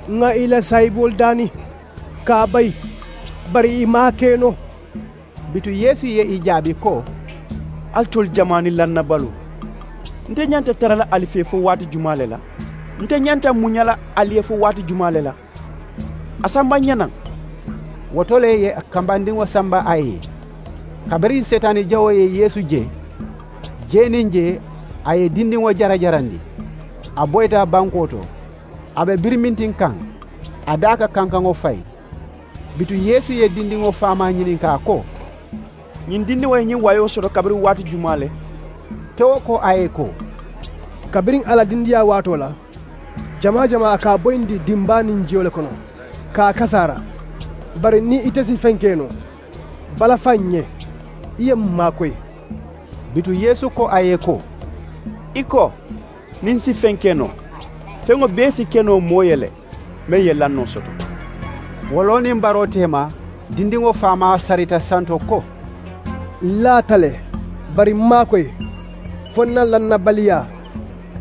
Ŋà ì la saayiboolu daani ka a bayi, bari ì maŋ a ke noo. Bituŋ yeesu ye ì jaabi ko, alitolu jamaani lannabaloo, nte ñanta tara la ali fee fo waati jumaa le la? Nte ñanta muña la ali ye fo waati jumaa le la? A samba ǹ ye naŋ. Wo to le ì ye kambandiŋo samba a ye. Kabiriŋ seetaani jawoo ye yeesu je, jee niŋ jee, a ye dindiŋo jarajarandi. A boyita bankoo to, a be birimintiŋ kaŋ, a daa ka kankaŋo fayi. Bituŋ yeesu ye dindiŋo faamaa ñininkaa ko, ñiŋ dindiŋo ye ñiŋ wayoo soto kabiriŋ waati jumaa le? Kewo ko a ye ko, Kabiriŋ a la dindiyaa waatoo la, jamaa jamaa a ka a boyindi dimbaa niŋ jiyo le kono, ka a kasaara. Bari niŋ ite si feŋ ke noo, balafa ǹ ye, i ye m maakoyi. Bituŋ yeesu ko a ye ko, i ko, niŋ n si feŋ ke noo, feŋo bee si ke noo moo ye le meŋ ye lannoo soto. Wo loo niŋ baroo teema, dindiŋo faamaa sarita santo ko, n laata le, bari m maakoyi, fo n na lannabaliyaa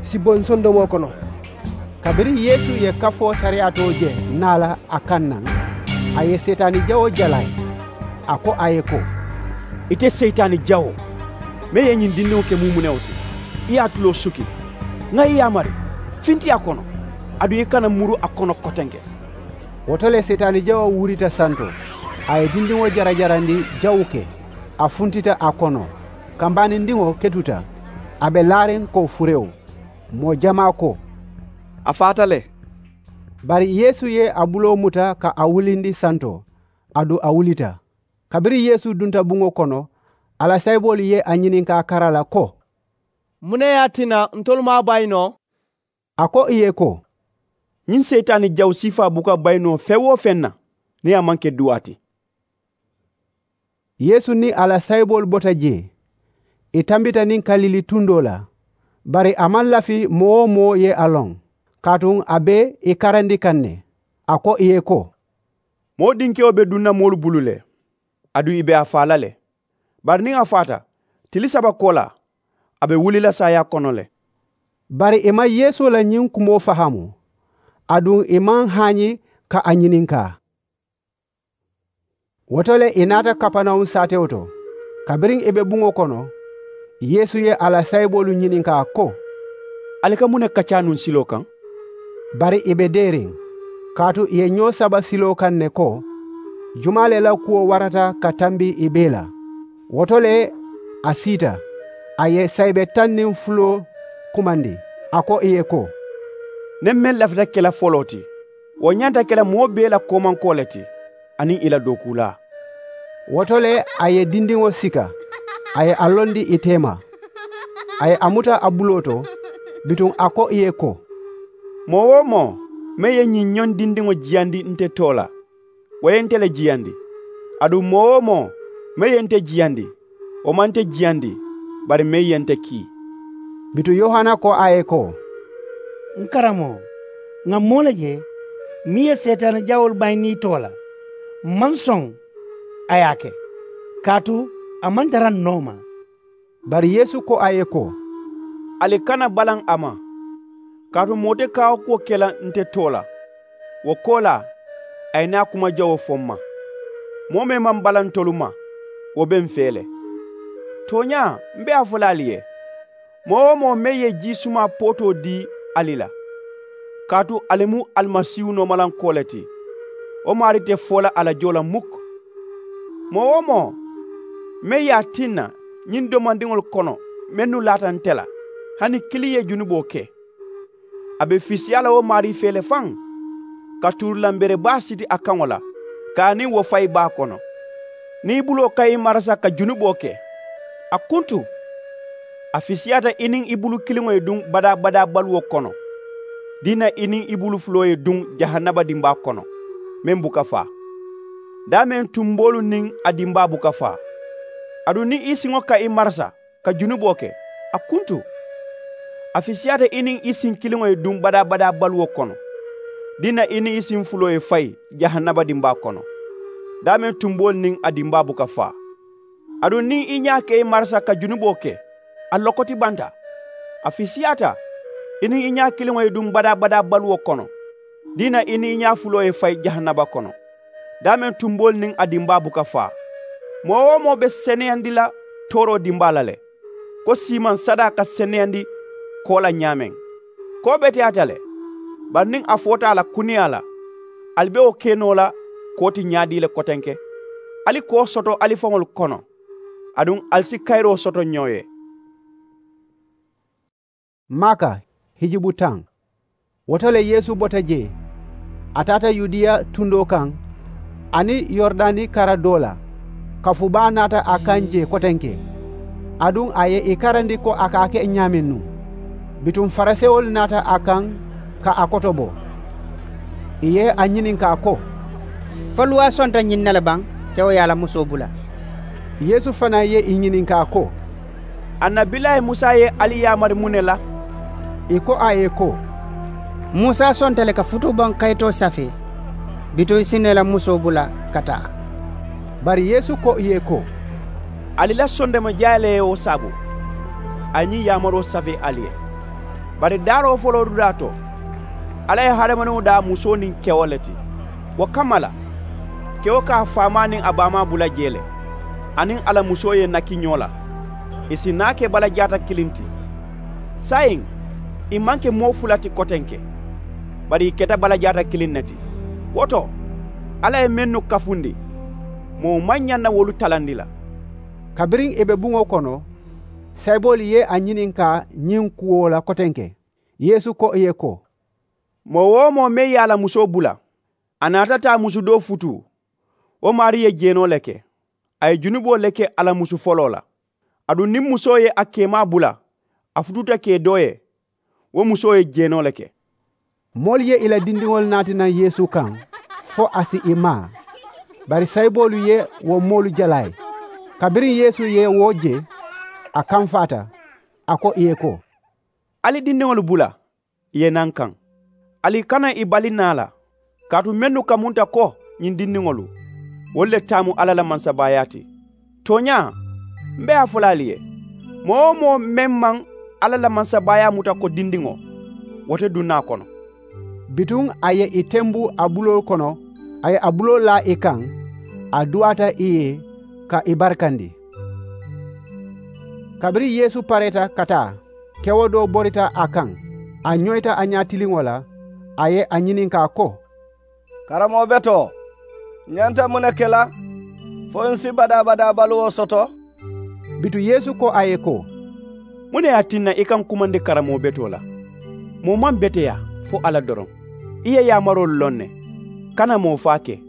si bo n sondomoo kono. Kabiriŋ yeesu ye kafoo tariyaatoo je naa la a kaŋ naŋ, a ye seetaani jawoo jalaa ì. A ko a ye ko, ite seetaani jawoo, meŋ ye ñiŋ dindiŋo ke mumunewo ti, i ye a tuloo suki. Ŋà i yaamari, finti a kono, aduŋ i kana muru a kono kotenke. Wo to le seetaani jawoo wurita santo, a ye dindiŋo jarajarandi jawuke, a funtita a kono. Kambaanindiŋo ketuta, a be laariŋ ko furewo. Moo jamaa ko, a faata le. Bari yeesu ye a buloo muta ka a wulindi santo, aduŋ a wulita. Kabiriŋ yeesu dunta buŋo kono, a la sayiboolu ye a ñininkaa kara la ko, muŋ ne ye a tinna ntolu maŋ a bayi noo? A ko ì ye ko, ñiŋ seyitaani jawu siifaa buka bayi noo feŋ-wo-feŋ na niŋ a maŋ ke duwaa ti. Yeesu niŋ a la sayiboolu bota jee, ì tambita niŋ kalili tundoo la. Bari a maŋ lafi moo-wo-moo ye a loŋ, kaatu a be ì karandi kaŋ ne. A ko ì ye ko, moo dinkewo be duŋ na moolu bulu le, aduŋ ì be a faa la le. Bari niŋ a faata, tili saba koolaa, a be wuli la saayaa kono le. Bari ì maŋ yeesu la ñiŋ kumoo fahaamu, aduŋ ì maŋ haañi ka a ñininkaa. Wo to le ì naata kapanawuŋ saatewo to. Kabiriŋ ì be buŋo kono, yeesu ye a la sayiboolu ñininkaa ko, ali ka muŋ ne kaccaa nuŋ siloo kaŋ? Bari ì be deeriŋ, kaatu ì ye ñoo saba siloo kaŋ ne ko, jumaa le la kuwo warata ka tambi ì bee la? Wo to le a siita, a ye sayibe taŋ niŋ fuloo kumandi. A ko ì ye ko, niŋ meŋ lafita ke la foloo ti, wo ñanta ke la moo bee la koomankoo le ti, aniŋ ì la dookuulaa. Wo to le a ye dindiŋo sika, a ye a londi ì teema. A ye a muta a buloo to, bituŋ a ko ì ye ko, moo-wo-moo meŋ ye ñiŋ ñoŋ dindiŋo jiyandi nte too la, wo ye nte le jiyandi. Aduŋ moo-wo-moo meŋ ye nte jiyandi, wo maŋ nte jiyandi, bari meŋ ye nte kii. Bituŋ yohana ko a ye ko, n karamoo, ŋà moo le je meŋ ye seetaani jawoolu bayindi i too la. M maŋ soŋ a ye a ke, kaatu a maŋ tara n nooma. Bari yeesu ko a ye ko, ali kana balaŋ a ma. Kaatu moo te kaawakuwo ke la nte too la, wo koolaa a ye naa kuma jawoo fo m ma. Moo meŋ maŋ balaŋ ntolu ma, wo be m fee le. Tooñaa m be a fo la ali ye, moo-wo-moo meŋ ye jii sumaa pootoo dii ali la, kaatu ali mu alimasiihu noomalankoo le ti, wo maarii te foo la a la joo la mukk. Moo-wo-moo meŋ ye a tinna ñiŋ domandiŋolu kono mennu laata nte la, hani kiliŋ ye junuboo ke, a be fisiyaa la wo maarii fee le faŋ, ka tuurulanbere baa siti a kaŋo la, ka a niŋ wo fayi baa kono. Niŋ i buloo ka i marasa ka junuboo ke, a kuntu, a fisiyaata i niŋ i bulu kiliŋo ye duŋ badaa-badaa baluwo kono, diina i niŋ i bulu fuloo ye duŋ jahannaba dimbaa kono, meŋ buka faa. Daameŋ tumboolu niŋ a dimbaa buka faa. Aduŋ niŋ i siŋo ka i marasa ka junuboo ke, a kuntu, a fisiyaata i niŋ i siŋ kiliŋo ye duŋ badaa-badaa baluwo kono, diina i niŋ i siŋ fuloo ye fayi jahannaba dimbaa kono. Daameŋ tumboolu niŋ a dimbaa buka faa. Aduŋ niŋ i ñaa ka i marasa ka junuboo ke, a lokoti banta. A fisiyaata i niŋ i ñaa kiliŋo ye duŋ badaa-badaa baluwo kono, diina i niŋ i ñaa fuloo ye fayi jahannaba kono. Daameŋ tumboolu niŋ a dimbaa buka faa. Moo-wo-moo be seneyandi la tooroo dimbaa la le, ko siimaŋ sadaa ka seneyandi koo la ñaameŋ. Koo beteyaata le, bari niŋ a foota a la kuneyaa la, ali be wo ke noo la koo ti ñaadii le kotenke. Ali koo soto ali faŋolu kono, aduŋ ali si kayiroo soto ñoo ye. Maaka hijubu taŋ. Wo to le yeesu bota jee, a taata yudiya tundoo kaŋ, aniŋ yorudani kara doo la. Kafu baa naata a kaŋ jee kotenke, aduŋ a ye ì karandi ko a ka a ke ñaameŋ nuŋ. Bituŋ farisewolu naata a kaŋ ka a kotobo. Ì ye a ñininkaa ko, fo luwaa sonta ñiŋ na le baŋ, kewo ye a la musoo bula? Yeesu fanaa ye ì ñininkaa ko, annabilaayi musa ye ali yaamari muŋ ne la? Ì ko a ye ko, musa sonta le ka futuubaŋ kayitoo safee, bituŋ i si noo i la musoo bula ka taa. Bari yeesu ko ì ye ko, ali la sondoma jaayi le ye wo saabu a ye ñiŋ yaamaroo safee ali ye. Bari daaroo foloo dudaa to, alla ye hadamadiŋo daa musoo niŋ kewo le ti. Wo kamma la, kewo ka a faamaa niŋ a baamaa bula jee le, aniŋ a la musoo ye naki ñoo la. Ì si naa ke balajaata kiliŋ ti. Saayiŋ, ì maŋ ke moo fula ti kotenke, bari ì keta balajaata kiliŋ ne ti. Wo to, alla ye mennu kafundi, moo maŋ ñaŋ na wolu talandi la. Kabiriŋ ì be buŋo kono, sayiboolu ye a ñininkaa ñiŋ kuwo la kotenke. Yeesu ko ì ye ko, moo-wo-moo meŋ ye a la musoo bula, a naata taa musu doo futuu, wo maarii ye jeenoo le ke. A ye junuboo le ke a la musu foloo la. Aduŋ niŋ musoo ye a keemaa bula, a futuuta kee doo ye, wo musoo ye jeenoo le ke. Moolu ye ì la dindiŋolu naati naŋ yeesu kaŋ, fo a si ì maa. Bari sayiboolu ye wo moolu jalaayi. Kabiriŋ yeesu ye wo je, a kamfaata, a ko ì ye ko, ali dindiŋolu bula, ì ye naa n kaŋ. Ali kana ì bali naa la, kaatu mennu kamunta ko ñiŋ dindiŋolu, wolu le taamu alla la mansabaayaa ti. Tooñaa, m be a fo la ali ye, moo-wo-moo meŋ maŋ alla la mansabaayaa muta ko dindiŋo, wo te duŋ na a kono. Bituŋ a ye ì tembu a buloo kono, a ye a buloo laa ì kaŋ, a duwaata ì ye, ka ì barikandi. Kabiriŋ yeesu pareeta ka taa, kewo doo borita a kaŋ, a ñoyita a ñaatiliŋo la, a ye a ñininkaa ko, karammoo betoo, ǹ ñanta muŋ ne ke la fo ǹ si badaa-badaa baluwo soto? Bituŋ yeesu ko a ye ko, muŋ ne ye a tinna i ka ǹ kumandi karammoo betoo la? Moo maŋ beteyaa fo alla doroŋ. I ye yaamaroolu loŋ ne, kana moo faa ke,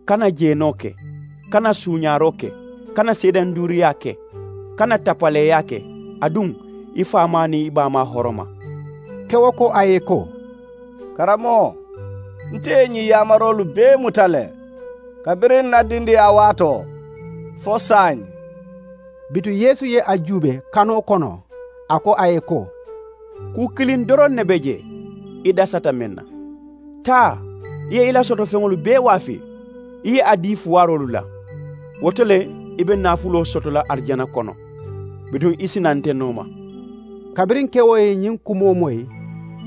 kana jeenoo ke, kana suuñaaroo ke, kana seedanduuriyaa ke, kana tapaleeyaa ke, aduŋ i faamaa niŋ i baamaa horoma. Kewo ko a ye ko, karammoo, nte ye ñiŋ yaamaroolu bee muta le, kabiriŋ ǹ na dindiyaa waatoo fo saayiŋ. Bituŋ yeesu ye a juubee kanoo kono, a ko a ye ko, kuu kiliŋ doroŋ ne be jee, i dasata meŋ na. Taa, i ye i la sotofeŋolu bee waafi, i ye a dii fuwaaroolu la. Wo to le, i be naafuloo soto la arijana kono, bituŋ i si naa nte nooma. Kabiriŋ kewo ye ñiŋ kumoo moyi,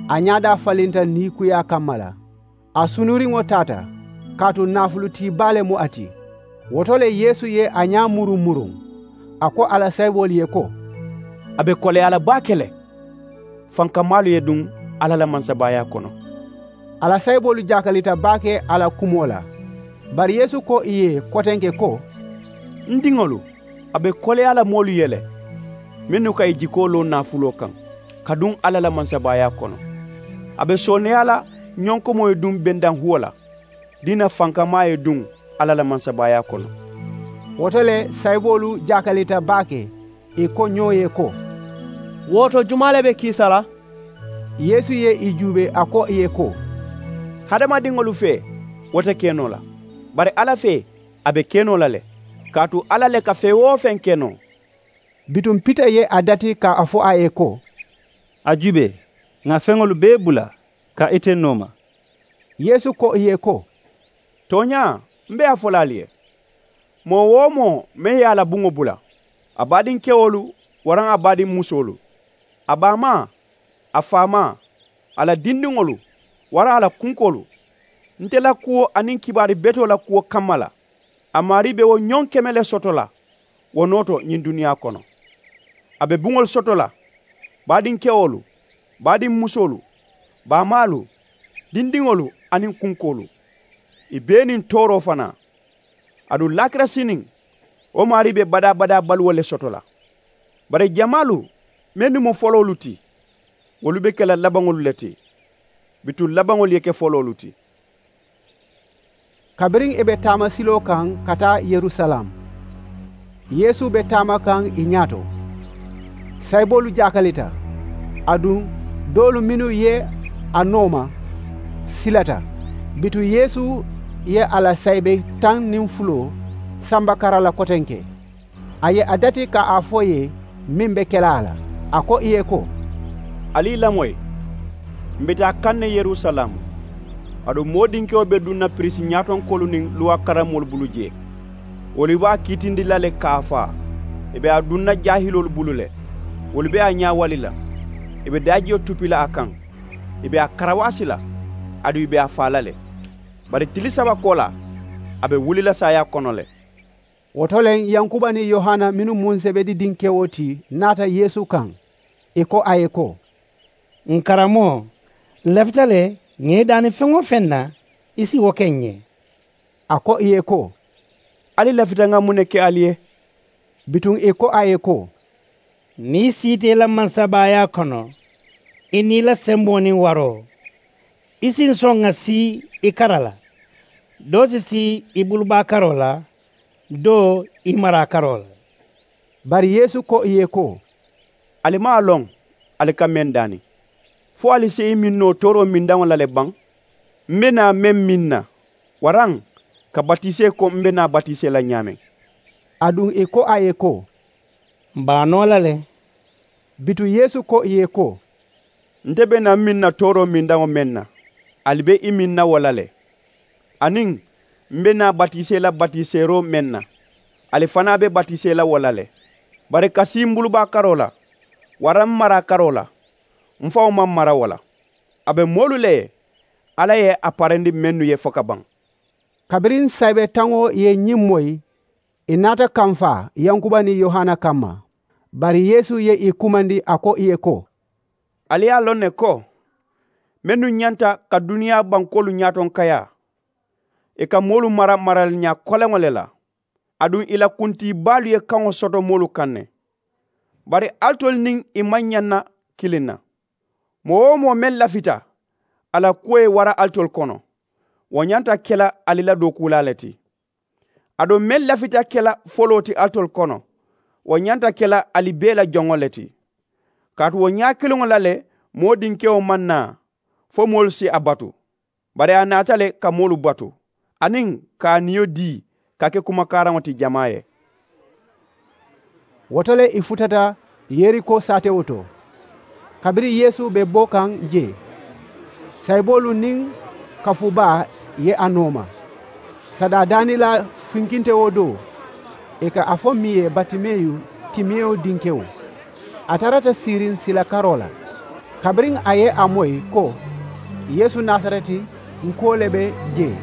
a ñaadaa falinta niikuyaa kamma la. A sunuriŋo taata, kaatu naafulutii baa le mu a ti. Wo to le yeesu ye a ñaa muruŋ-muruŋ, a ko a la sayiboolu ye ko, a be koleyaa la baake le, fankamaalu ye duŋ alla la mansabaayaa kono. A la sayiboolu jaakalita baake a la kumoo la. Bari yeesu ko ì ye kotenke ko, n diŋolu, a be koleyaa la moolu ye le, mennu ka ì jikoo loo naafuloo kaŋ, ka duŋ alla la mansabaayaa kono. A be sooneeyaa la ñonkomoo ye duŋ bendaŋ huwo la, diina fankamaa ye duŋ alla la mansabaayaa kono. Wo to le sayiboolu jaakalita baake, ì ko ñoo ye ko, wo to jumaa le be kiisa la? Yeesu ye ì juubee a ko ì ye ko, hadamadiŋolu fee, wo te ke noo la, bari alla fee, a be ke noo la le, kaatu alla le ka feŋ-wo-feŋ ke noo. Bituŋ pita ye a dati ka a fo a ye ko, a juubee, ŋà feŋolu bee bula, ka ite nooma. Yeesu ko ì ye ko, tooñaa, m be a fo la ali ye, moo-wo-moo meŋ ye a la buŋo bula, a baadiŋ kewolu waraŋ a baadiŋ musoolu, a baamaa, a faamaa, a la dindiŋolu waraŋ a la kunkoolu, nte la kuwo aniŋ kibaari betoo la kuwo kamma la, a maarii be wo ñoŋ keme le soto la wo noo to ñiŋ duniyaa kono. A be buŋolu soto la, baadiŋ kewolu, baadiŋ musoolu, baamaalu, dindiŋolu aniŋ kunkoolu, ì bee niŋ tooroo fanaa. Aduŋ laakira siniŋ, wo maarii be badaa-badaa baluwo le soto la. Bari jamaalu mennu mu foloolu ti, wolu be ke la labaŋolu le ti. Bituŋ labaŋolu ye ke foloolu ti. Kabiriŋ ì be taama siloo kaŋ ka taa yerusalem, yeesu be taama kaŋ ì ñaato. Sayiboolu jaakalita, aduŋ Doolu mennu ye a nooma silata. Bituŋ yeesu ye a la saayibe taŋ niŋ fuloo samba kara la kotenke. A ye a dati ka a fo ì ye meŋ be ke la a la. A ko ì ye ko, ali ì lamoyi. M̀ be taa kaŋ ne yerusalaamu. Aduŋ moo dinkewo be duŋ na piriisi ñaatonkoolu niŋ luwaa karamoolu bulu jee. Wolu be a kiitindi la le ka a faa. Ì be a duŋ na jaahiloolu bulu le. Wolu be a ñaawali la. Ì be daajiyo tupi la a kaŋ. Ì be a karawaasi la. Aduŋ ì be a faa la le. Bari tili saba koolaa, a be wuli la saayaa kono le. Wo to le yankuba niŋ yohana mennu mu sebedi dinkewo ti naata yeesu kaŋ. Ì ko a ye ko, ǹ karamoo, ǹ lafita le ŋà i daani feŋ-wo-feŋ na, i si wo ke ǹ ye. A ko ì ye ko, ali lafita ŋà muŋ ne ke ali ye? Bituŋ ì ko a ye ko, niŋ i siita i la mansabaayaa kono, i niŋ i la semboo niŋ waroo, i si ǹ soŋ ŋà sii i kara la. Doo si sii i bulubaa karoo la, doo i maraa karoo la. Bari yeesu ko ì ye ko, ali maŋ a loŋ ali ka meŋ daani? Fo ali si i miŋ noo tooroo mindaŋo la le baŋ? M̀ be naa meŋ miŋ na, waraŋ ka batisee ko m̀ be naa batisee la ñaameŋ? Aduŋ ì ko a ye ko, m̀ be a noo la le. Bituŋ yeesu ko ì ye ko, nte be naa m̀ miŋ na tooroo mindaŋo meŋ na, ali be i miŋ na wo la le. Aniŋ m̀ be naa batisee la batiseeroo meŋ na, ali fanaa be batisee la wo la le. Bari ka sii m̀ bulubaa karoo la, waraŋ m̀ maraa karoo la, m̀ faŋo maŋ mara wo la. A be moolu le ye alla ye a parendi mennu ye fo ka baŋ. Kabiriŋ saayibe taŋo ye ñiŋ moyi, ì naata kamfaa yankuba niŋ yohana kamma. Bari yeesu ye ì kumandi a ko ì ye ko, ali ye a loŋ ne ko mennu ñanta ka duniyaa bankoolu ñaatonkayaa, ì ka moolu mara maraliñaa koleŋo le la. Aduŋ ì la kuntii baalu ye kaŋo soto moolu kaŋ ne. Bari alitolu niŋ ì maŋ ñaŋ na kiliŋ na. Moo-wo-moo meŋ lafita a la kuwo ye wara alitolu kono, wo ñanta ke la ali la dookuulaa le ti. Aduŋ meŋ lafita ke la foloo ti alitolu kono, wo ñanta ke la ali bee la joŋo le ti. Kaatu wo ñaa kiliŋo la le moo dinkewo maŋ naa fo moolu si a batu. Bari a naata le ka moolu batu, aniŋ ka a niyo dii ka ke kumakaaraŋo ti jamaa ye. Wo to le ì futata yeriko saatewo to. Kabiriŋ yeesu be bo kaŋ jee, sayiboolu niŋ kafu baa ye a nooma. Sadaa daanilaa finkintewo do, ì ka a fo meŋ ye batimeyu, timeyo dinkewo. A tarata siiriŋ sila karoo la. Kabiriŋ a ye a moyi ko, yeesu nasareti nkuwo le be jee,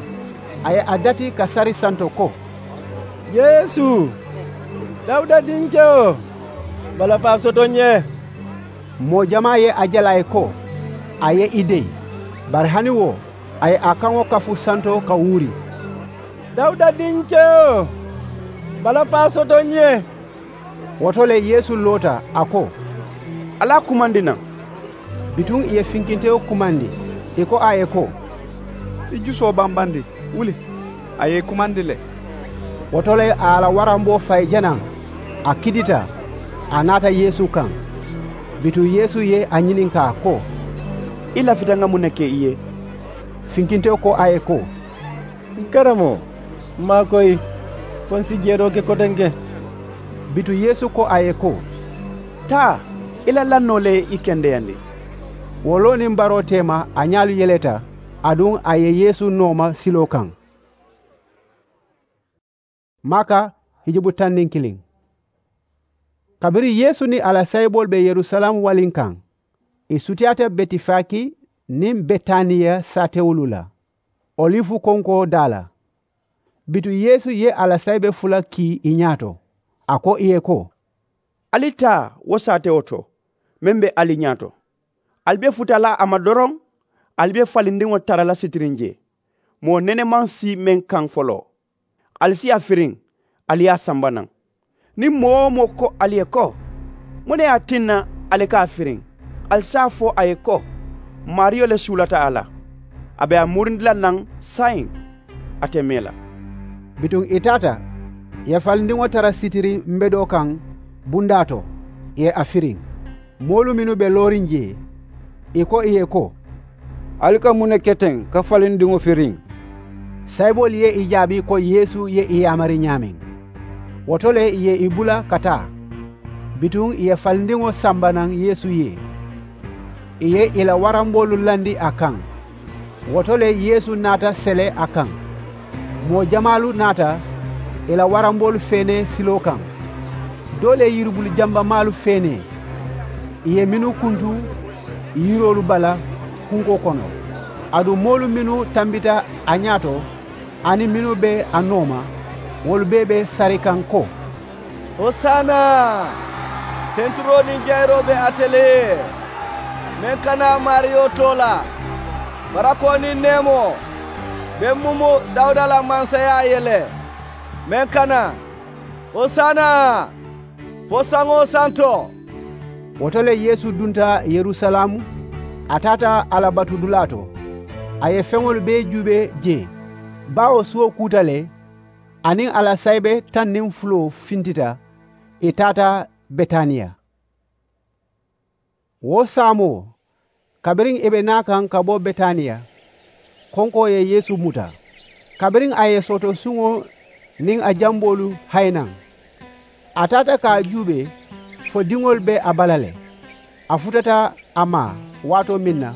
a ye a dati ka sari santo ko, yeesu, dawuda dinkewo, balafaa soto ǹ ye. Moo jamaa ye a je la a ye ko a ye ì deyi. Bari hani wo, a ye a kaŋo kafu santo ka wuuri, dawuda dinkewo, balafaa soto ǹ ye. Wo to le yeesu loota a ko, ali a kumandi naŋ. Bituŋ ì ye finkintewo kumandi, ì ko a ye ko, i jusoo bambandi, wuli. A ye ì kumandi le. Wo to le a ye a la waramboo fayi janaŋ, a kidita, a naata yeesu kaŋ. Bituŋ yeesu ye a ñininkaa ko, i lafita ŋà muŋ ne ke i ye? Finkintewo ko a ye ko, n karamoo, m maakoyi, fo n si jeeroo ke kotenke. Bituŋ yeesu ko a ye ko, taa, i la lannoo le ye i kendeyandi. Wo loo niŋ baroo teema a ñaalu yeleta, aduŋ a ye yeesu nooma siloo kaŋ. Maaka hijubu taŋ niŋ kiliŋ. Kabiriŋ yeesu niŋ a la saayiboolu be yerusalaamu waliŋ kaŋ, ì sutiyaata betifaki niŋ betaniya saatewolu la, olifu konkoo daa la. Bituŋ yeesu ye a la saayibe fula kii ì ñaato, a ko ì ye ko, ali taa wo saatewo to meŋ be ali ñaato. Ali be futa la a ma doroŋ, ali be falindiŋo tara la sitiriŋ jee. Moo nene maŋ sii meŋ kaŋ foloo. Ali si a firiŋ, ali ye a samba naŋ. Niŋ moo-wo-moo ko ali ye ko, muŋ ne ye a tinna ali ka a firiŋ? Ali si a fo a ye ko, maariyo le suulata a la, a be a murindi la naŋ saayiŋ, a te mee la. Bituŋ ì taata, ì ye falindiŋo tara sitiriŋ mbedoo kaŋ bundaa to, ì ye a firiŋ. Moolu mennu be looriŋ jee, Ì ko ì ye ko, ali ka muŋ ne ke teŋ ka falindiŋo firiŋ? Sayiboolu ye ì jaabi ko yeesu ye ì yaamari ñaameŋ. Wo to le ì ye ì bula ka taa. Bituŋ ì ye falindiŋo samba naŋ yeesu ye. Ì ye ì la waramboolu landi a kaŋ. Wo to le yeesu naata sele a kaŋ. Moo jamaalu naata ì la waramboolu feenee siloo kaŋ. Doo le yiribulu jambamaalu feenee. Ì ye mennu kuntu yiroolu bala kunkoo kono. Aduŋ moolu mennu tambita a ñaato aniŋ mennu be a nooma, wolu bee be sari kaŋ ko, hosaana! Tenturoo niŋ jayiroo be ate le ye. Meŋ ka naa maariyo too la. Barakoo niŋ neemoo be mumu dawuda la mansayaa ye le. Meŋ ka naa, hosaana! Fo saŋo santo. Wo to le yeesu dunta yerusalaamu. A taata alla batudulaa to. A ye feŋolu bee juubee jee. Baawo suwo kuuta le. A niŋ a la sayibe taŋ niŋ fuloo fintita. Ì taata betaniya. Wo saamoo, kabiriŋ ì be naa kaŋ ka bo betaniya, konkoo ye yeesu muta. Kabiriŋ a ye sootosuŋo niŋ a jamboolu hayi naŋ, a taata ka a juubee fo diŋolu be a bala le. A futata a ma waatoo meŋ na,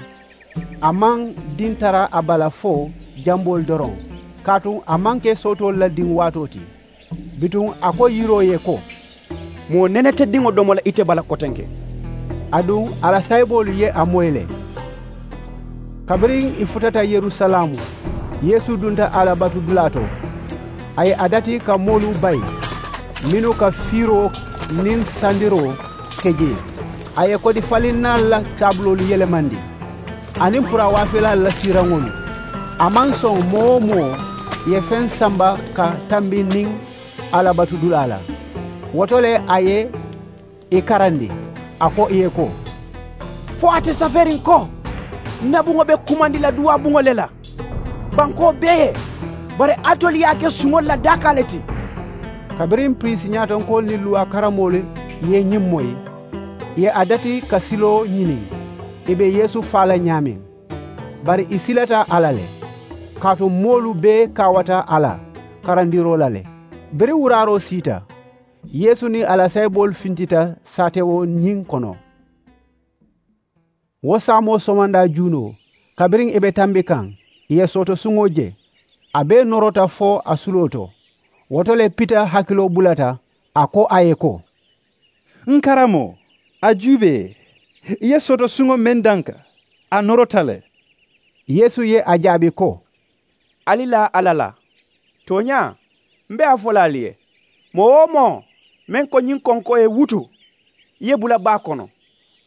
a maŋ diŋ tara a bala fo jamboolu doroŋ, kaatu a maŋ ke sootoolu la diŋ waatoo ti. Bituŋ a ko yiroo ye ko, moo nenetediŋo domo le ite bala kotenke. Aduŋ a la sayiboolu ye a moyi le. Kabiriŋ ì futata yerusalaamu, yeesu dunta alla batudulaa to. A ye a dati ka moolu bayi mennu ka fiiroo niŋ sandiroo ke jee. A ye kodi falinnaalu la taabuloolu yelemandi aniŋ purawaafeelaalu la siiraŋolu. A maŋ soŋ moo-wo-moo ye feŋ samba ka tambi niŋ alla batudulaa la. Wo to le a ye ì karandi. A ko ì ye ko, fo a te safeeriŋ ko, ǹ na buŋo be kumandi la duwaa buŋo le la bankoo bee ye. Bari alitolu ye a ke suŋolu la daakaa le ti. Kabiriŋ piriisi ñaatonkoolu niŋ luwaa karamoolu ye ñiŋ moyi, ì ye a dati ka siloo ñini ì be yeesu faa la ñaameŋ. Bari ì silata a la le, kaatu moolu bee kaawata a la karandiroo la le. Biriŋ wuraaroo siita, yeesu niŋ a la sayiboolu fintita saatewo ñiŋ kono. Wo saamoo somandaa juunoo, kabiriŋ ì be tambi kaŋ, ì ye sootosuŋo je. A bee norota fo a suloo to. Wo to le pita hakiloo bulata, a ko a ye ko, n karamoo, a juubee, ì ye sootosuŋo meŋ danka, a norota le. Yeesu ye a jaabi ko, ali laa alla la. Tooñaa, m be a fo la ali ye, moo-wo-moo meŋ ko ñiŋ konkoo ye wutu, i ye bula baa kono.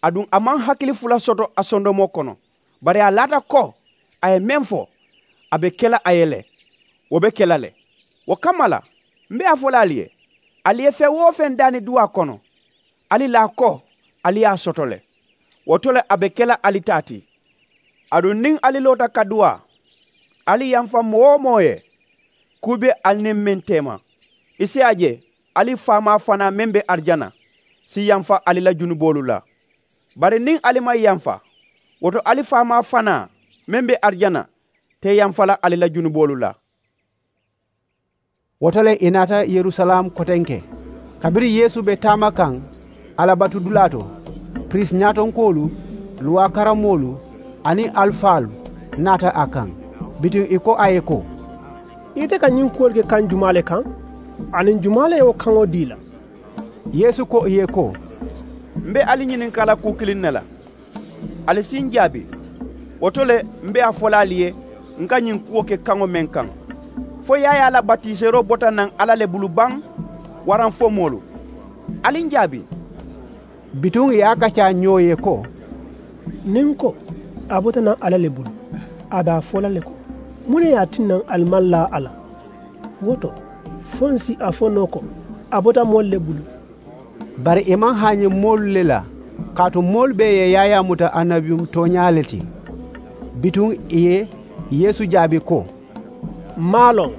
Aduŋ a maŋ hakili fula soto a sondomoo kono. Bari a laata ko a ye meŋ fo, a be ke la a ye le. Wo be ke la le. Wo kamma la, m be a fo la ali ye, ali ye feŋ-wo-feŋ daani duwaa kono, ali laa ko ali ye a soto le. Wo to le a be ke la ali taa ti. Aduŋ niŋ ali loota ka duwaa, ali yamfa moo-wo-moo ye, kuu be ali niŋ meŋ teema, i si a je ali faamaa fanaa meŋ be arijana si yamfa ali la junuboolu la. Bari niŋ ali maŋ yamfa, wo to ali faamaa fanaa meŋ be arijana te yamfa la ali la junuboolu la. Wo to le ì naata yerusalaamu kotenke. Kabiriŋ yeesu be taama kaŋ a la batudulaa to, piriisi ñaatonkoolu, luwaa karamoolu aniŋ alifaalu naata a kaŋ. Bituŋ ì ko a ye ko, ite ka ñiŋ kuwolu ke kaŋ jumaa le kaŋ? Aniŋ jumaa le ye wo kaŋo dii la? Yeesu ko ì ye ko, m be ali ñininkaa la kuu kiliŋ ne la. Ali si n jaabi. Wo to le m be a fo la ali ye, n ka ñiŋ kuwo ke kaŋo meŋ kaŋ, fo yaayaa la batiseeroo bota naŋ alla le bulu baŋ, waraŋ fo moolu? Ali n jaabi. Bituŋ ì ye a kaccaa ñoo ye ko, niŋ n ko, a bota naŋ alla le bulu, a be a fo la le ko, muŋ ne ye a tinna ali maŋ laa a la? Wo to, fo n si a fo noo ko, a bota moolu le bulu. Bari ì maŋ haañi moolu le la, kaatu moolu bee ye yaayaa muta annabiyuŋ tooñaa le ti. Bituŋ ì ye yeesu jaabi ko, m maŋ a loŋ.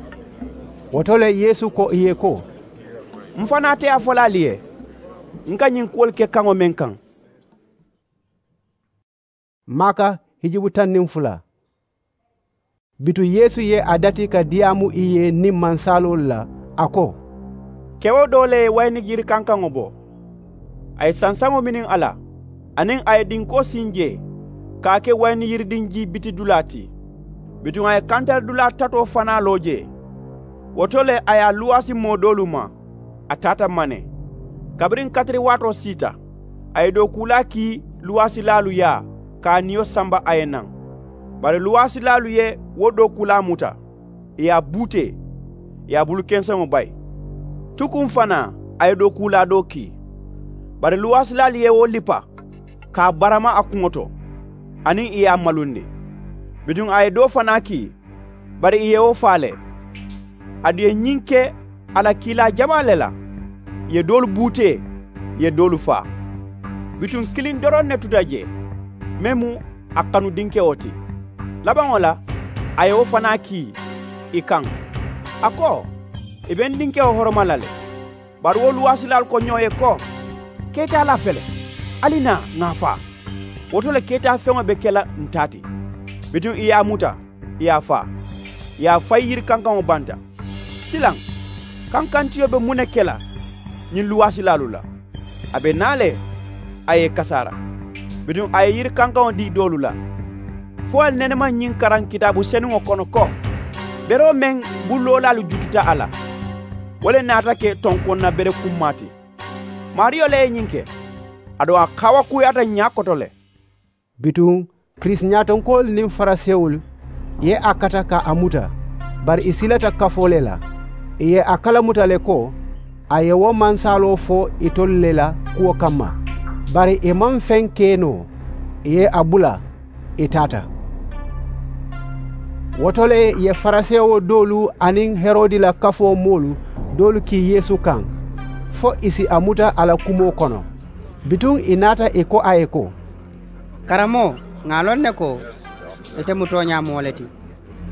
Wo to le yeesu ko ì ye ko, m fanaa te a fo la ali ye, n ka ñiŋ kuwolu ke kaŋo meŋ kaŋ. Maaka hijubu taŋ niŋ fula. Bituŋ yeesu ye a dati ka diyaamu ì ye niŋ mansaaloolu la, a ko, kewo doo le ye wayini yiri kankaŋo bo. A ye sansaŋo miniŋ a la, aniŋ a ye dinkoo siŋ jee ka a ke wayini yiridiŋ jii biti dulaa ti. Bituŋ a ye kantaridulaa tatoo fanaa loo jee. Wo to le a ye a luwaasi moo doolu ma, a taata mane. Kabiriŋ katiri waatoo siita, a ye dookuulaa kii luwaasilaalu yaa ka a niyo samba a ye naŋ. Bari luwaasilaalu ye wo dookuulaa muta, ì ye a buutee, ì ye a bulu kenseŋo bayi. Tukuŋ fanaa a ye dookuulaa doo kii. Bari luwaasilaalu ye wo lipa ka a barama a kuŋo to, aniŋ ì ye a malundi. Bituŋ a ye doo fanaa kii, bari ì ye wo faa le. Aduŋ ì ye ñiŋ ke a la kiilaa jamaa le la. Ì ye doolu buutee, ì ye doolu faa. Bituŋ kiliŋ doroŋ ne tuta jee, meŋ mu a kanu dinkewo ti. Labaŋo la, a ye wo fanaa kii ì kaŋ, a ko, ì be n dinkewo horoma la le. Bari wo luwaasilaalu ko ñoo ye ko, keetaalaa fele, ali naa ŋà a faa. Wo to le keetaafeŋo be ke la n taa ti. Bituŋ ì ye a muta, ì ye a faa, ì ye a fayi yiri kankaŋo banta. Silaŋ, kankantiyo be muŋ ne ke la ñiŋ luwaasilaalu la? A be naa le, a ye ì kasaara. Bituŋ a ye yiri kankaŋo dii doolu la. Fo ali nene maŋ ñiŋ karaŋ kitaabu senuŋo kono ko, beroo meŋ buloolaalu jututa a la, wo le naata ke tonkonna bere kummaa ti. Maariyo le ye ñiŋ ke. Aduŋ a kaawakuuyaata ñaa koto le. Bituŋ, kirisiñaatonkoolu niŋ farisewolu ye a kata ka a muta, bari ì silata kafoo le la. Ì ye a kalamuta le ko, a ye wo mansaaloo fo itolu le la kuwo kamma. Bari ì maŋ feŋ ke noo. Ì ye a bula, ì taata. Wo to le ì ye farisewo doolu aniŋ herodi la kafoo moolu doolu kii yeesu kaŋ, fo ì si a muta a la kumoo kono. Bituŋ ì naata ì ko a ye ko, karamoo, ŋà a loŋ ne ko, ite mu tooñaa moo le ti.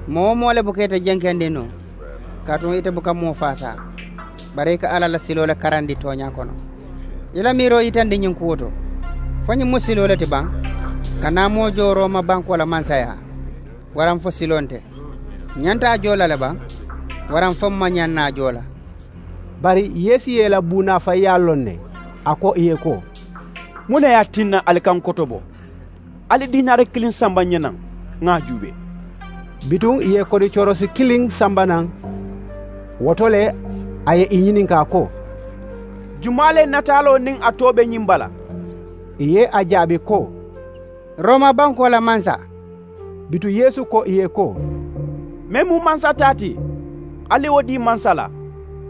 Moo-wo-moo le buka ite jenkendi noo, kaatu ite buka moo faasaa. Bari i ka alla la siloo le karandi tooñaa kono. I la miiroo yitandi ñiŋ kuwo to, fo ñiŋ mu siloo le ti baŋ? Ka naa moo joo rooma bankoo la mansayaa, waraŋ fo siloo nte? Ǹ ñanta a joo la le baŋ, waraŋ fo m maŋ ñaŋ naa a joo la? Bari yeesu ye ì la buunaafayiyaa loŋ ne. A ko ì ye ko, muŋ ne ye a tinna ali ka n kotobo? Ali diinaari kiliŋ samba ǹ ye naŋ, ŋà a juubee. Bituŋ ì ye kodi corosi kiliŋ samba naŋ. Wo to le a ye ì ñininkaa ko, jumaa le nataaloo niŋ a too be ñiŋ bala? Ì ye a jaabi ko, rooma bankoo la mansa. Bituŋ yeesu ko ì ye ko, meŋ mu mansa taa ti, ali ye wo dii mansa la.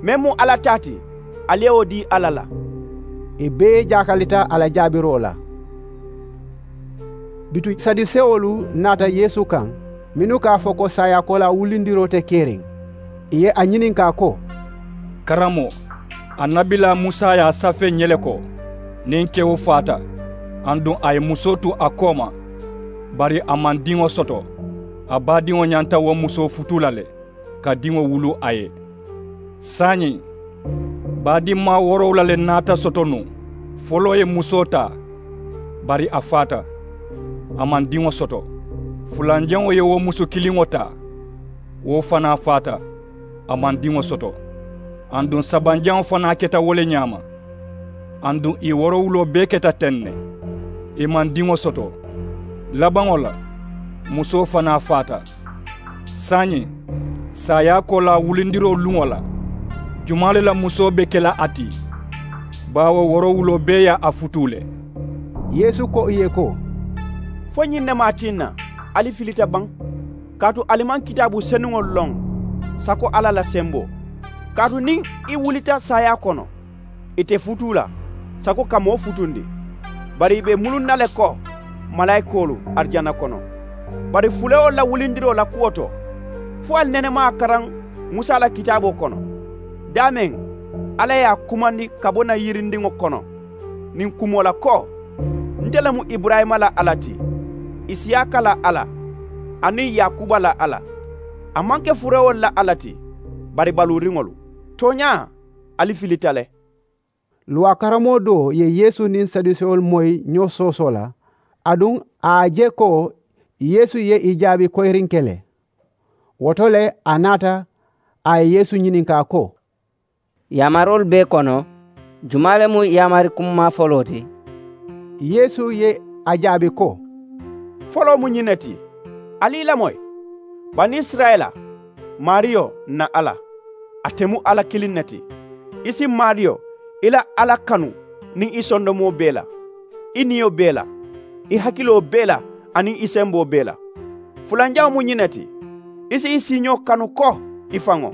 Meŋ mu alla taa ti, ali ye wo dii alla la. Ì bee jaakalita a la jaabiroo la. Bituŋ sadusewolu naata yeesu kaŋ, mennu ka a fo ko saayaakoolaa wulindiroo te keriŋ. Ì ye a ñininkaa ko, karamoo, annabilaa musa ye a safee ǹ ye le ko, niŋ kewo faata, aduŋ a ye musoo tu a kooma, bari a maŋ diŋo soto, a baadiŋo ñanta wo musoo futuu la le, ka diŋo wuluu a ye. Saayiŋ, baadimmaa woorowula le naata soto nuŋ. Foloo ye musoo taa, bari a faata, a maŋ diŋo soto. Fulanjaŋo ye wo musu kiliŋo taa, wo fanaa faata, a maŋ diŋo soto. Aduŋ sabanjaŋo fanaa keta wo le ñaama. Aduŋ ì woorowuloo bee keta teŋ ne, ì maŋ diŋo soto. Labaŋo la, musoo fanaa faata. Saayiŋ, saayaakoolaa wulindiroo luŋo la, jumaa le la musoo be ke la a ti? Baawo woorowuloo bee ye a futuu le. Yeesu ko ì ye ko, fo ñiŋ ne maŋ a tinna ali filita baŋ? Kaatu ali maŋ kitaabu senuŋolu loŋ, sako alla la semboo. Kaatu niŋ i wulita saayaa kono, i te futuu la, sako ka moo futundi, bari i be i muluŋ na le ko malaayikoolu arijana kono. Bari fulewolu la wulindiroo la kuwo to, fo ali nene maŋ a karaŋ musa la kitaaboo kono? Daameŋ, alla ye a kumandi ka bo na yirindiŋo kono, niŋ kumoo la ko, nte le mu iburayima la alla ti, isiyaaka la alla, aniŋ yaakuba la alla. A maŋ ke furewolu la alla ti, bari baluuriŋolu. Tooñaa, ali filita le. Luwaa karamoo doo ye yeesu niŋ sadusewolu moyi ñoo soosoo la, aduŋ A ye a je ko yeesu ye ì jaabi koyiriŋ ke le. Wo to le a naata a ye yeesu ñininkaa ko, yaamaroolu bee kono, jumaa le mu yaamari kummaa foloo ti? Yeesu ye a jaabi ko, foloo mu ñiŋ ne ti. Ali i lamoyi, banisirayila, maariyo n na alla, ate mu alla kiliŋ ne ti. I si maariyo i la alla kanu niŋ i sondomoo bee la, i niyo bee la, i hakiloo bee la, aniŋ i semboo bee la. Fulanjaŋo mu ñiŋ ne ti, i si i siiñoo kanu ko i faŋo.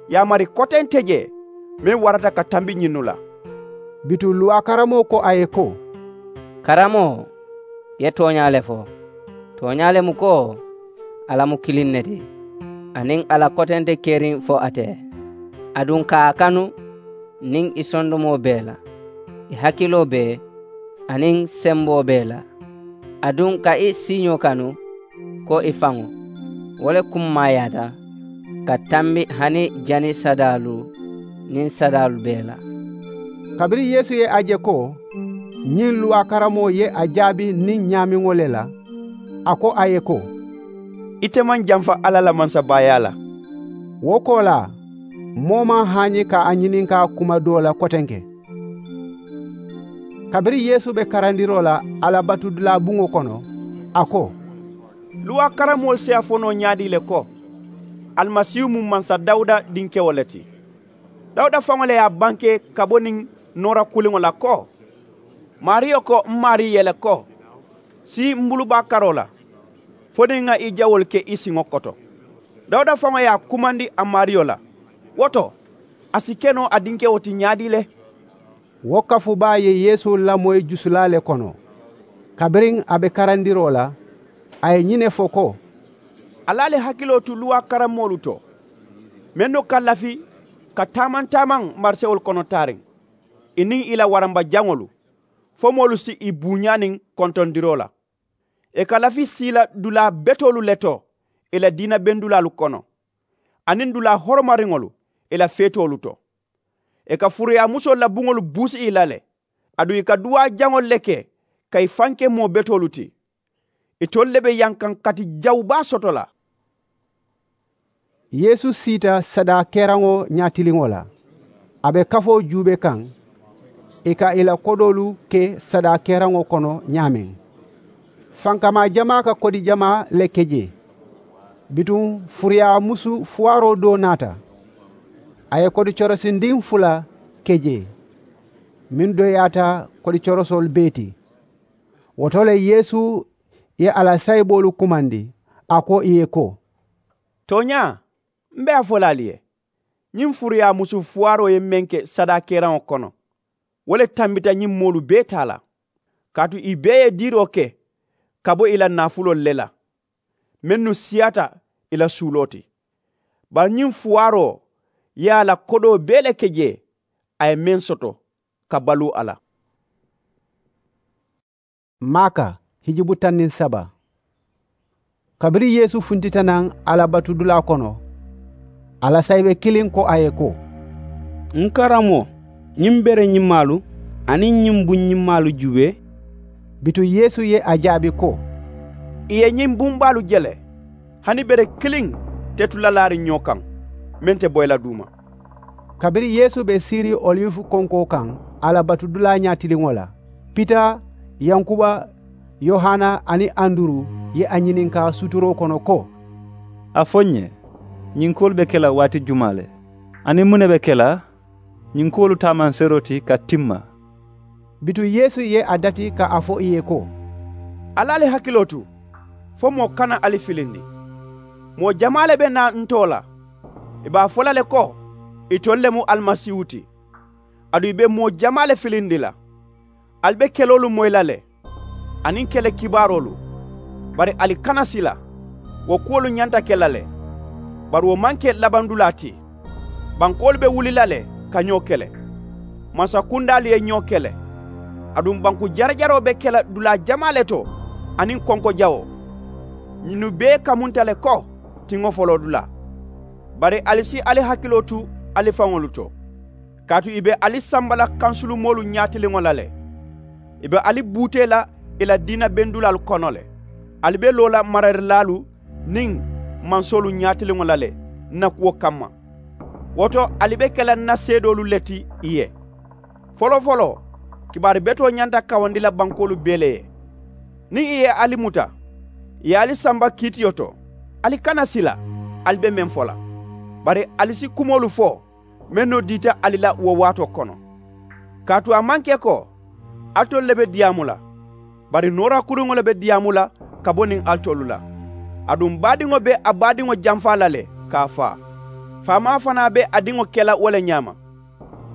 Yaamari koteŋ te jee meŋ warata ka tambi ñinnu la. Bituŋ luwaa karamoo ko a ye ko, karamoo, i ye tooñaa le fo. Tooñaa le mu ko, alla mu kiliŋ ne ti, aniŋ a la koteŋ te keriŋ fo ate ye, aduŋ ka a kanu niŋ i sondomoo bee la, i hakiloo bee, aniŋ semboo bee la, aduŋ ka i siiñoo kanu ko i faŋo. Wo le kummaayaata ka tambi hani jani sadaalu niŋ sadaalu bee la. Kabiriŋ yeesu ye a je ko ñiŋ luwaa karamoo ye a jaabi niŋ ñaamiŋo le la, a ko a ye ko, ite maŋ jamfa alla la mansabaayaa la. Wo koolaa, moo maŋ haañi ka a ñininkaa kuma doo la kotenke. Kabiriŋ yeesu be karandiroo la alla batudulaa buŋo kono, a ko, luwaa karamoolu si a fo noo ñaadii le ko, alimasiihu mu mansa dawuda dinkewo le ti? Dawuda faŋo le ye a banke ka bo niŋ noora kuliŋo la ko, maariyo ko m maarii ye le ko, sii m bulu baa karoo la, fo niŋ ŋa i jawoolu ke i siŋo koto. Dawuda faŋo ye a kumandi a maariyo la. Wo to, a si ke noo a dinkewo ti ñaadii le? Wo kafu baa ye yeesu lamoyi jusulaa le kono. Kabiriŋ a be karandiroo la, a ye ñiŋ ne fo ko, ali ali hakiloo tu luwaa karamoolu to, mennu ka lafi ka taamaŋ-taamaŋ marisewolu kono taariŋ, ì niŋ ì la waramba jaŋolu, fo moolu si ì buuñaa niŋ kontondiroo la. Ì ka lafi siila dulaa betoolu le to ì la diina bendulaalu kono, aniŋ dulaa horomariŋolu ì la feetoolu to. Ì ka furuyaamusoolu la buŋolu buusi ì la le, aduŋ ì ka duwaa jaŋolu le ke ka ì faŋ ke moo betoolu ti. Itolu le be yankaŋ kati jawu baa soto la. Yeesu siita sadaa keraŋo ñaatiliŋo la. A be kafoo juube kaŋ, ì ka ì la kodoolu ke sadaa keraŋo kono ñaameŋ. Fankamaa jamaa ka kodi jamaa le ke jee. Bituŋ furuyaa musu fuwaaroo doo naata. A ye kodi corosindiŋ fula ke jee, meŋ doyaata kodi corosoolu bee ti. Wo to le yeesu ye a la sayiboolu kumandi, a ko ì ye ko, tooñaa, m be a fo la ali ye, ñiŋ furuyaa musu fuwaaroo ye meŋ ke sadaa keraŋo kono, wo le tambita ñiŋ moolu bee taa la. Kaatu ì bee ye diiroo ke ka bo ì la naafuloolu le la, mennu siyaata ì la suuloo ti. Bari ñiŋ fuwaaroo ye a la kodoo bee le ke jee, a ye meŋ soto ka baluu a la. Maaka hijubu taŋ niŋ saba. Kabiriŋ yeesu funtita naŋ a la batudulaa kono, a la sayibe kiliŋ ko a ye ko, n karamoo, ñiŋ bere ñimmaalu aniŋ ñiŋ buŋ ñimmaalu juubee? Bituŋ yeesu ye a jaabi ko, ì ye ñiŋ buŋ baalu je le, hani bere kiliŋ te tu la laariŋ ñoo kaŋ meŋ te boyi la duuma. Kabiriŋ yeesu be siiriŋ oliwu konkoo kaŋ a la batudulaa ñaatiliŋo la, pita, yankuba, yohana aniŋ anduru ye a ñininkaa suturoo kono ko, a fo n ye, ñiŋ kuwolu be ke la waati jumaa le, aniŋ muŋ ne be ke la ñiŋ kuwolu taamanseeroo ti ka timma? Bituŋ yeesu ye a dati ka a fo ì ye ko, ali ali hakiloo tu, fo moo kana ali filindi. Moo jamaa le be naa nte wo la, ì be a fo la le ko, itolu le mu alimasiihu ti. Aduŋ ì be moo jamaa le filindi la. Ali be keloolu moyi la le, aniŋ kele kibaaroolu. Bari ali kana sila, wo kuwolu ñanta ke la le. Bari wo maŋ ke labandulaa ti. Bankoolu be wuli la le ka ñoo kele. Mansakundaalu ye ñoo kele. Aduŋ banku jarajaroo be ke la dulaa jamaa le to, aniŋ konko jawoo. Ñinnu bee kamunta le ko tiŋo foloodulaa. Bari ali si ali hakiloo tu ali faŋolu to, kaatu ì be ali samba la kansulumoolu ñaatiliŋo la le. Ì be ali buutee la ì la diina bendulaalu kono le. Ali be loo la mararilaalu niŋ mansoolu ñaatiliŋo la le ǹ na kuwo kamma. Wo to, ali be ke la ǹ na seedoolu le ti ì ye. Foloo-foloo, kibaari betoo ñanta kawandi la bankoolu bee le ye. Niŋ ì ye ali muta, ì ye ali samba kiitiyo to, ali kana sila ali be meŋ fo la. Bari ali si kumoolu fo mennu diita ali la wo waatoo kono. Kaatu a maŋ ke ko alitolu le be diyaamu la, bari noorakuriŋo le be diyaamu la ka bo niŋ alitolu la. Aduŋ baadiŋo be a baadiŋo jamfaa la le ka a faa. Faamaa fanaa be a diŋo ke la wo le ñaama.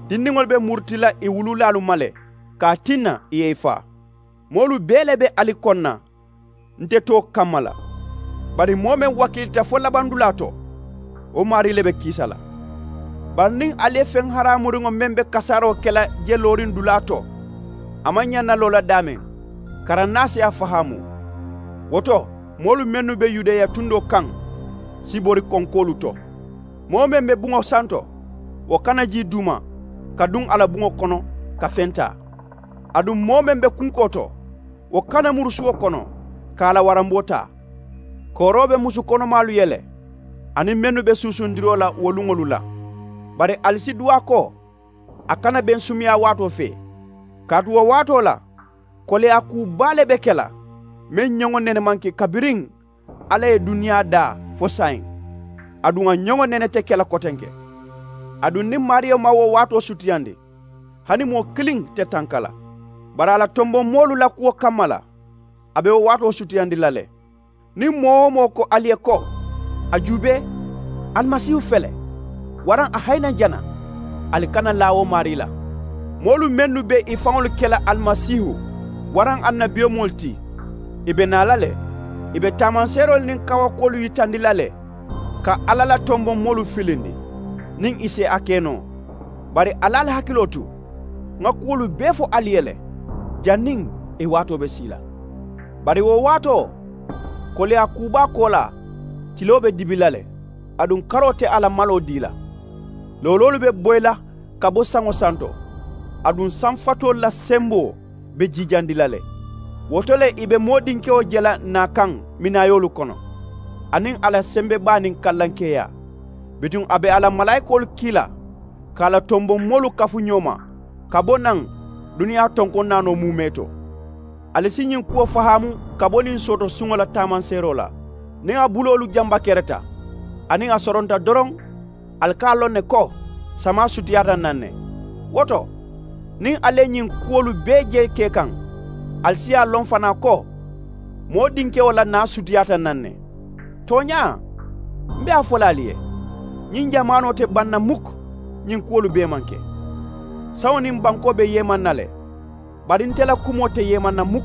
Dindiŋolu be muruti la ì wuluulaalu ma le ka a tinna ì ye ì faa. Moolu bee le be ali koŋ na nte too kamma la. Bari moo meŋ wakiilita fo labandulaa to, wo maarii le be kiisa la. Bari niŋ ali ye feŋ haraamuriŋo meŋ be kasaaroo ke la je looriŋ dulaa to, a maŋ ñaŋ na loo la daameŋ, karannaa si a fahaamu. Wo to, moolu mennu be yudeya tundoo kaŋ si bori konkoolu to. Moo meŋ be buŋo santo, wo kana jii duuma ka duŋ a la buŋo kono ka feŋ taa. Aduŋ moo meŋ be kunkoo to, wo kana muru suwo kono ka a la waramboo taa. Kooroo be musu konomaalu ye le, aniŋ mennu be suusundiroo la wo luŋolu la. Bari ali si duwaa ko a kana beŋ sumuyaa waatoo fee. Kaatu wo waatoo la, koleyaa kuu baa le be ke la meŋ ñoŋo nene maŋ ke kabiriŋ alla ye duniyaa daa fo saayiŋ. Aduŋ a ñoŋo nene te ke la kotenke. Aduŋ niŋ maariyo maŋ wo waatoo sutiyandi, hani moo kiliŋ te tanka la. Bari a la tomboŋ moolu la kuwo kamma la, a be wo waatoo sutiyandi la le. Niŋ moo-wo-moo ko ali ye ko, a juubee, alimasiihu fele, waraŋ a hayi naŋ jana, ali kana laa wo maarii la. Moolu mennu be ì faŋolu ke la alimasiihu waraŋ annabiyomoolu ti, ì be naa la le. Ì be taamanseeroolu niŋ kawakuwolu yitandi la le ka alla la tomboŋ moolu filindi, niŋ ì si a ke noo. Bari ali ali hakiloo tu, ŋa kuwolu bee fo ali ye le, janniŋ ì waatoo be sii la. Bari wo waatoo, koleyaa kuu baa koolaa, tiloo be dibi la le, aduŋ karoo te a la maloo dii la. Looloolu be boyi la ka bo saŋo santo, aduŋ saŋ fatoolu la semboo be jiijandi la le. Wo to le ì be moodinkewo je la naa kaŋ minaayoolu kono, aniŋ a la sembe baa niŋ kallankeeyaa. Bituŋ a be a la malaayikoolu kii la ka a la tomboŋ moolu kafu ñoo ma ka bo naŋ duniyaa tonkoŋ naanoo muumee to. Ali si ñiŋ kuwo fahaamu ka bo niŋ sooto suŋo la taamanseeroo la. Niŋ a buloolu jamba kereta aniŋ a soronta doroŋ, ali ka a loŋ ne ko samaa sutiyaata naŋ ne. Wo to, niŋ ali ye ñiŋ kuwolu bee je ke kaŋ, ali si a loŋ fanaa ko moo dinkewo la naa sutiyaata naŋ ne. Tooñaa, m be a fo la ali ye, ñiŋ jamaanoo te baŋ na mukk. Ñiŋ kuwolu bee maŋ ke. Saŋo niŋ bankoo be yeemanna le, bari nte la kumoo te yeemanna mukk.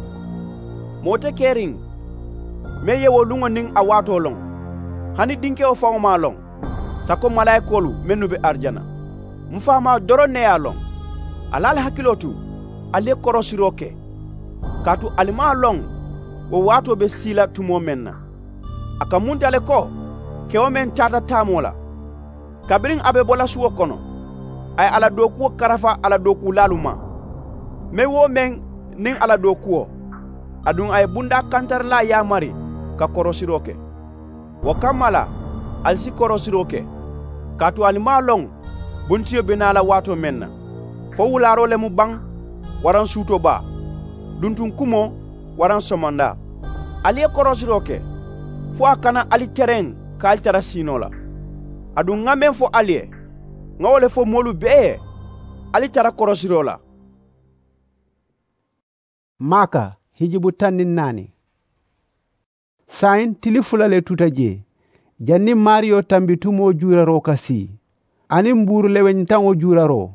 Moo te keriŋ meŋ ye wo luŋo niŋ a waatoo loŋ, hani dinkewo faŋo maŋ a loŋ, sako malaayikoolu mennu be arijana. M faamaa doroŋ ne ye a loŋ. Ali ali hakiloo tu, ali ye korosiroo ke, kaatu ali maŋ a loŋ wo waatoo be sii la tumoo meŋ na. A kamunta le ko kewo meŋ taata taamoo la, kabiriŋ a be bo la suwo kono, a ye a la dookuwo karafa a la dookuulaalu ma, meŋ-wo-meŋ niŋ a la dookuwo. Aduŋ a ye bundaa kantarilaa yaamari ka korosiroo ke. Wo kamma la, ali si korosiroo ke, kaatu ali maŋ a loŋ buntiyo be naa la waatoo meŋ na, fo wulaaroo le mu baŋ, waraŋ suutoo baa, duntuŋ kumoo, waraŋ somondaa. Ali ye korosiroo ke, fo a kana ali tereŋ ka ali tara siinoo la. Aduŋ ŋa meŋ fo ali ye, ŋa wo le fo moolu bee ye, ali tara korosiroo la. Maaka hijibu taŋ niŋ naani. Saayiŋ tili fula le tuta jee, janniŋ maariyo tambitumoo juuraroo ka sii, aniŋ buuru leweñitaŋo juuraroo.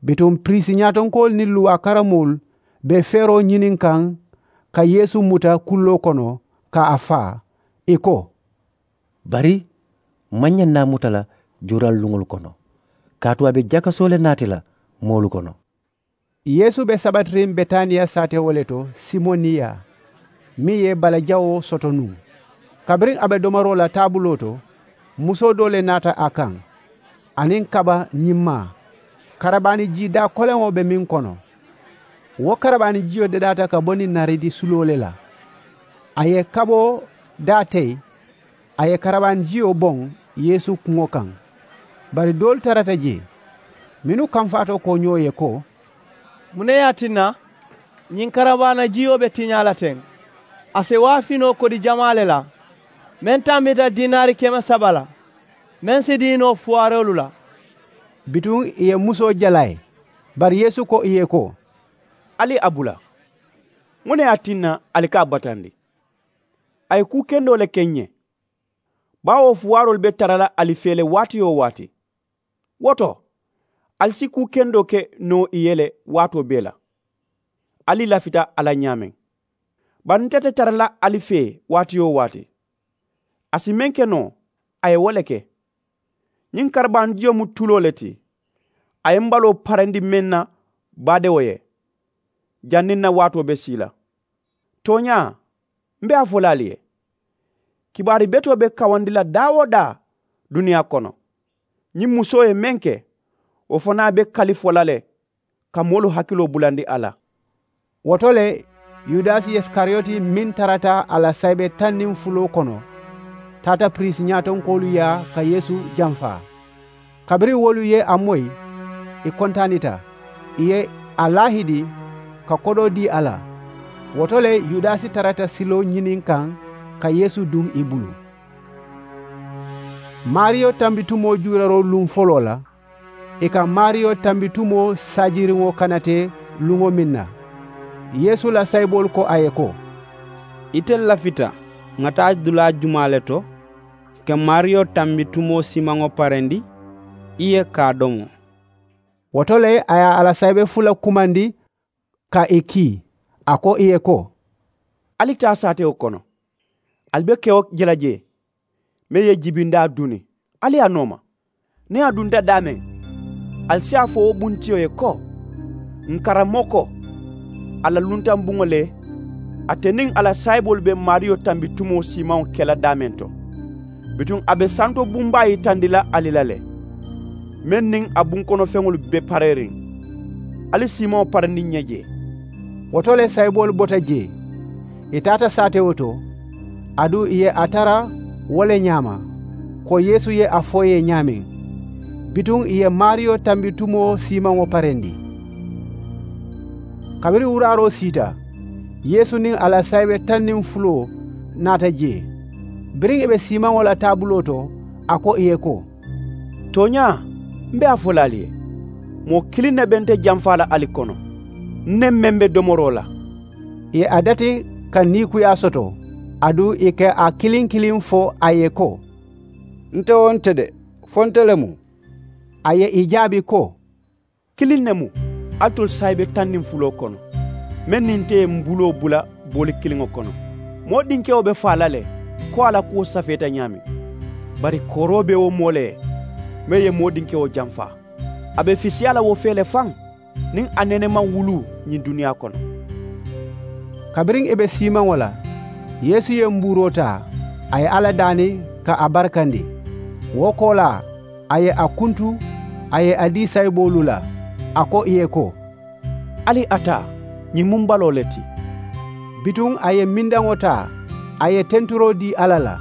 Bituŋ piriisi ñaatonkoolu niŋ luwaa karamoolu be feeroo ñiniŋ kaŋ ka yeesu muta kulloo kono ka a faa, ì ko, bari m maŋ ñaŋ naa muta la juuralu luŋolu kono, kaatu a be jakasoo le naati la moolu kono. Yeesu be sabatiriŋ betaniya saatewo le to simoniya, meŋ ye bala jawoo soto nuŋ. Kabiriŋ a be domoroo la taabuloo to, musoo doo le naata a kaŋ, aniŋ kaba ñimmaa, karabaani jii daa koleŋo be meŋ kono. Wo karabaani jiyo dadaata ka bo niŋ naridi suloo le la. A ye kaboo daa teyi, a ye karabaani jiyo boŋ yeesu kuŋo kaŋ. Bari doolu tarata jee mennu kamfaatoo ko ñoo ye ko, muŋ ne ye a tinna ñiŋ karabaana jiyo be tiñaa la teŋ? A si waafinoo kodi jamaa le la meŋ tambita diinaari keme saba la, meŋ si dii noo fuwaaroolu la. Bituŋ ì ye musoo jala ì ye. Bari yeesu ko ì ye ko, ali a bula. Muŋ ne ye a tinna ali ka a batandi? A ye kuu kendoo le ke ǹ ye. Baawo fuwaaroolu be tara la ali fee le waati-wo-waati. Wo to, ali si kuu kendoo ke noo ì ye le waatoo bee la. Ali lafita a la ñaameŋ. Bari nte te tara la ali fee waati-wo-waati. A si meŋ ke noo, a ye wo le ke. Ñiŋ karabaani jiyo mu tuloo le ti. A ye m baloo parendi meŋ na baadewo ye, janniŋ n na waatoo be sii la. Tooñaa, m be a fo la ali ye, kibaari betoo be kawandi la daa-wo-daa duniyaa kono. Ñiŋ musoo ye meŋ ke, wo fanaa be kali fo la le ka moolu hakiloo bulandi a la. Wo to le, yudasi isikariyoti meŋ tarata a la saayibe taŋ niŋ fuloo kono, taata piriisi ñaatonkoolu yaa ka yeesu jamfaa. Kabiriŋ wolu ye a moyi, ì kontaanita. Ì ye a laahidi ka kodoo dii a la. Wo to le, yudasi tarata siloo ñiniŋ kaŋ ka yeesu duŋ ì bulu. Maariyo tambitumoo juuraroo luŋ foloo la, ì ka maariyo tambitumoo saajiriŋo kanatee luŋo meŋ na, yeesu la saayiboolu ko a ye ko, ite lafita ŋa taa dulaa jumaa le to ka maariyo tambitumoo siimaŋo parendi i ye ka a domo? Wo to le, a ye a la saayibe fula kumandi ka ì kii, a ko ì ye ko, ali taa saatewo kono. Ali be kewo je la jee, meŋ ye jibindaa duni, ali a nooma. Niŋ a dunta daameŋ, ali si a fo wo buntiyo ye ko, n karamoko, a la luntaŋ buŋo le, ate niŋ a la saayiboolu be maariyo tambitumoo siimaŋo ke la daameŋ to. Bituŋ a be santo bumbaa yitandi la ali la le, meŋ niŋ a bunkonofeŋolu be pareeriŋ. Ali siimaŋo parendi ǹ ye jee. Wo to le saayiboolu bota jee, ì taata saatewo to, aduŋ ì ye a tara wo le ñaama, ko yeesu ye a fo ì ye ñaameŋ. Bituŋ ì ye maariyo tambitumoo siimaŋo parendi. Kabiriŋ wuraaroo siita, yeesu niŋ a la saayibe taŋ niŋ fuloo naata jee. Biriŋ ì be siimaŋo la taabuloo to, a ko ì ye ko, tooñaa, m be a fo la ali ye, moo kiliŋ ne be nte jamfaa la ali kono, n ne meŋ be domoroo la. Ì ye a dati ka niikuyaa soto, aduŋ ì ka a kiliŋ kiliŋ fo a ye ko, nte wo nte de, fo nte le mu. A ye ì jaabi ko, kiliŋ ne mu, alitolu saayibe taŋ niŋ fuloo kono, meŋ niŋ nte ye m buloo bula booli kiliŋo kono. Moo dinkewo be faa la le, ko a la kuwo safeeta ñaameŋ. Bari kooroo be wo moo le ye, meŋ ye moo dinkewo jamfaa. A be fisiyaa la wo fee le faŋ, niŋ a nene maŋ wuluu ñiŋ duniyaa kono. Kabiriŋ ì be siimaŋo la, yeesu ye mbuuroo taa, a ye alla daani ka a barikandi. Wo koolaa, a ye a kuntu, a ye a dii sayiboolu la, a ko ì ye ko, ali a taa, ñiŋ mu m baloo le ti. Bituŋ a ye mindaŋo taa, a ye tenturoo dii alla la.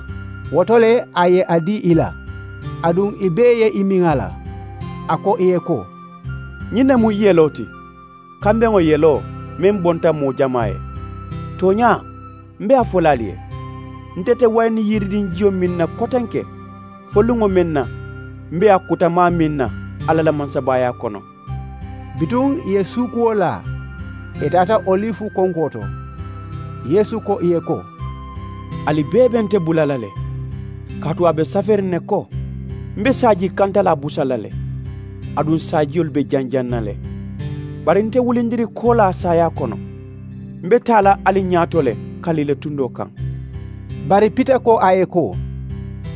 Wo to le a ye a dii ì la, aduŋ ì bee ye ì miŋ a la. A ko ì ye ko, ñiŋ ne mu yeloo ti, kambeŋo yeloo meŋ bonta moo jamaa ye. Tooñaa, m be a fo la ali ye, nte te wayini yiridiŋ jiyo miŋ na kotenke fo luŋo meŋ na m be a kutamaa miŋ na alla la mansabaayaa kono. Bituŋ ì ye suukuwo laa, ì taata olifu konkoo to. Yeesu ko ì ye ko, ali bee be nte bula la le, kaatu a be saferiŋ ne ko, m be saajii kantalaa busa la le, aduŋ saajiyolu be janjaŋ na le. Bari nte wulindiri koolaa saayaa kono, m be taa la ali ñaato le kaliile tundoo kaŋ. Bari pita ko a ye ko,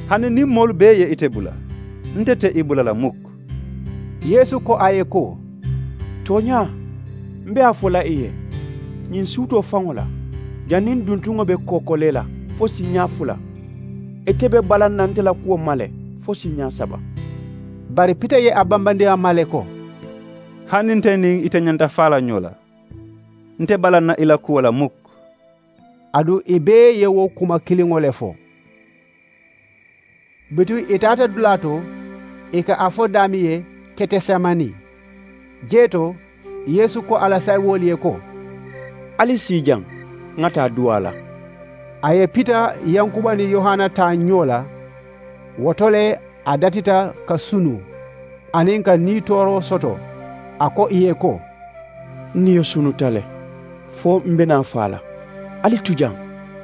hani niŋ moolu bee ye ite bula, nte te i bula la muk. Yeesu ko a ye ko, tooñaa, m be a fo la i ye, ñiŋ suutoo faŋo la, janniŋ duntuŋo be kookolee la fo siiñaa fula, ite be balaŋ na nte la kuwo ma le fo siiñaa saba. Bari pita ye a bambandi a ma le ko, hani nte niŋ ite ñanta faa la ñoo la, Nte bala n na i la kuwo la muk. Aduŋ ì bee ye wo kuma kiliŋo le fo. Bituŋ ì taata dulaa to, ì ka a fo daameŋ ye ketesemani. Jee to, yeesu ko a la saayiboolu ye ko, ali sii jaŋ, ŋa taa duwaa la. A ye pita yankuba niŋ yohana taa ñoo la. Wo to le a datita ka sunu aniŋ ka nii tooroo soto. A ko ì ye ko, n niyo sunuta le, fo m be naa faa la. Ali tu jaŋ,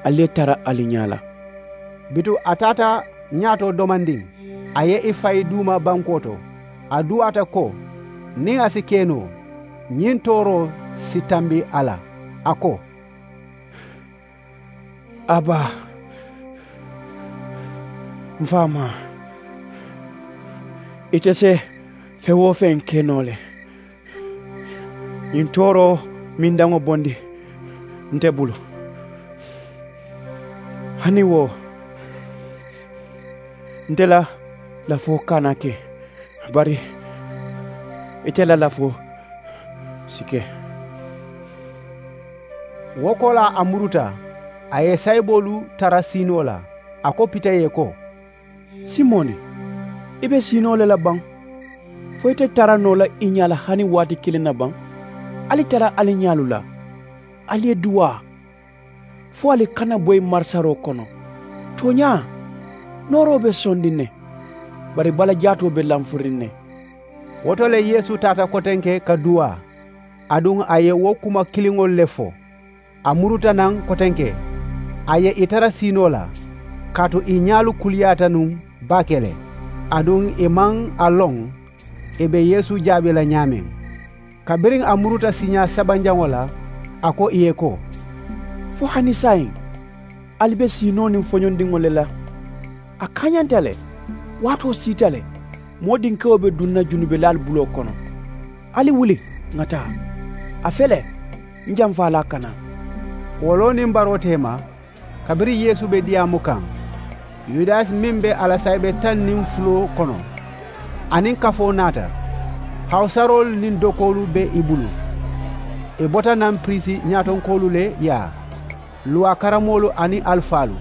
ali ye tara ali ñaa la. Bituŋ a taata ñaatoo domandiŋ, a ye ì fayi duuma bankoo to. A duwaata ko, niŋ a si ke noo, ñiŋ tooroo si tambi a la. A ko, abaa, m faamaa, ite se feŋ-wo-feŋ ke noo le. Ñiŋ tooroo mindaŋo bondi nte bulu. Hani wo, nte la lafoo kana ke, bari ite la lafoo si ke. Wo koolaa a muruta, a ye saayiboolu tara siinoo la. A ko pita ye ko, simoni, i be siinoo le la baŋ? Fo ite tara noo la i ñaa la hani waati kiliŋ na baŋ? Ali tara ali ñaalu la, ali ye duwaa, fo ali kana boyi marisaroo kono. Tooñaa, nooroo be sondiŋ ne, bari bala jaatoo be lamfuriŋ ne. Wo to le yeesu taata kotenke ka duwaa. Aduŋ a ye wo kuma kiliŋolu le fo. A muruta naŋ kotenke, a ye ì tara siinoo la, kaatu ì ñaalu kuliyaata nuŋ baake le. Aduŋ ì maŋ a loŋ ì be yeesu jaabi la ñaameŋ. Kabiriŋ a muruta siiñaa sabanjaŋo la, a ko ì ye ko, fo hani saayiŋ ali be siinoo niŋ foñondiŋo le la? A kaañanta le, waatoo siita le, moo dinkewo be duŋ na junubelaalu buloo kono. Ali wuli, ŋa taa. A fele, n jamfaalaa ka naa. Wo loo niŋ baroo teema, kabiriŋ yeesu be diyaamu kaŋ, yudasi meŋ be a la saayibe taŋ niŋ fuloo kono, aniŋ kafoo naata. Hawusaroolu niŋ dokoolu be i bulu. I bota naŋ piriisi ñaatonkoolu le yaa, luwaa karamoolu aniŋ alifaalu.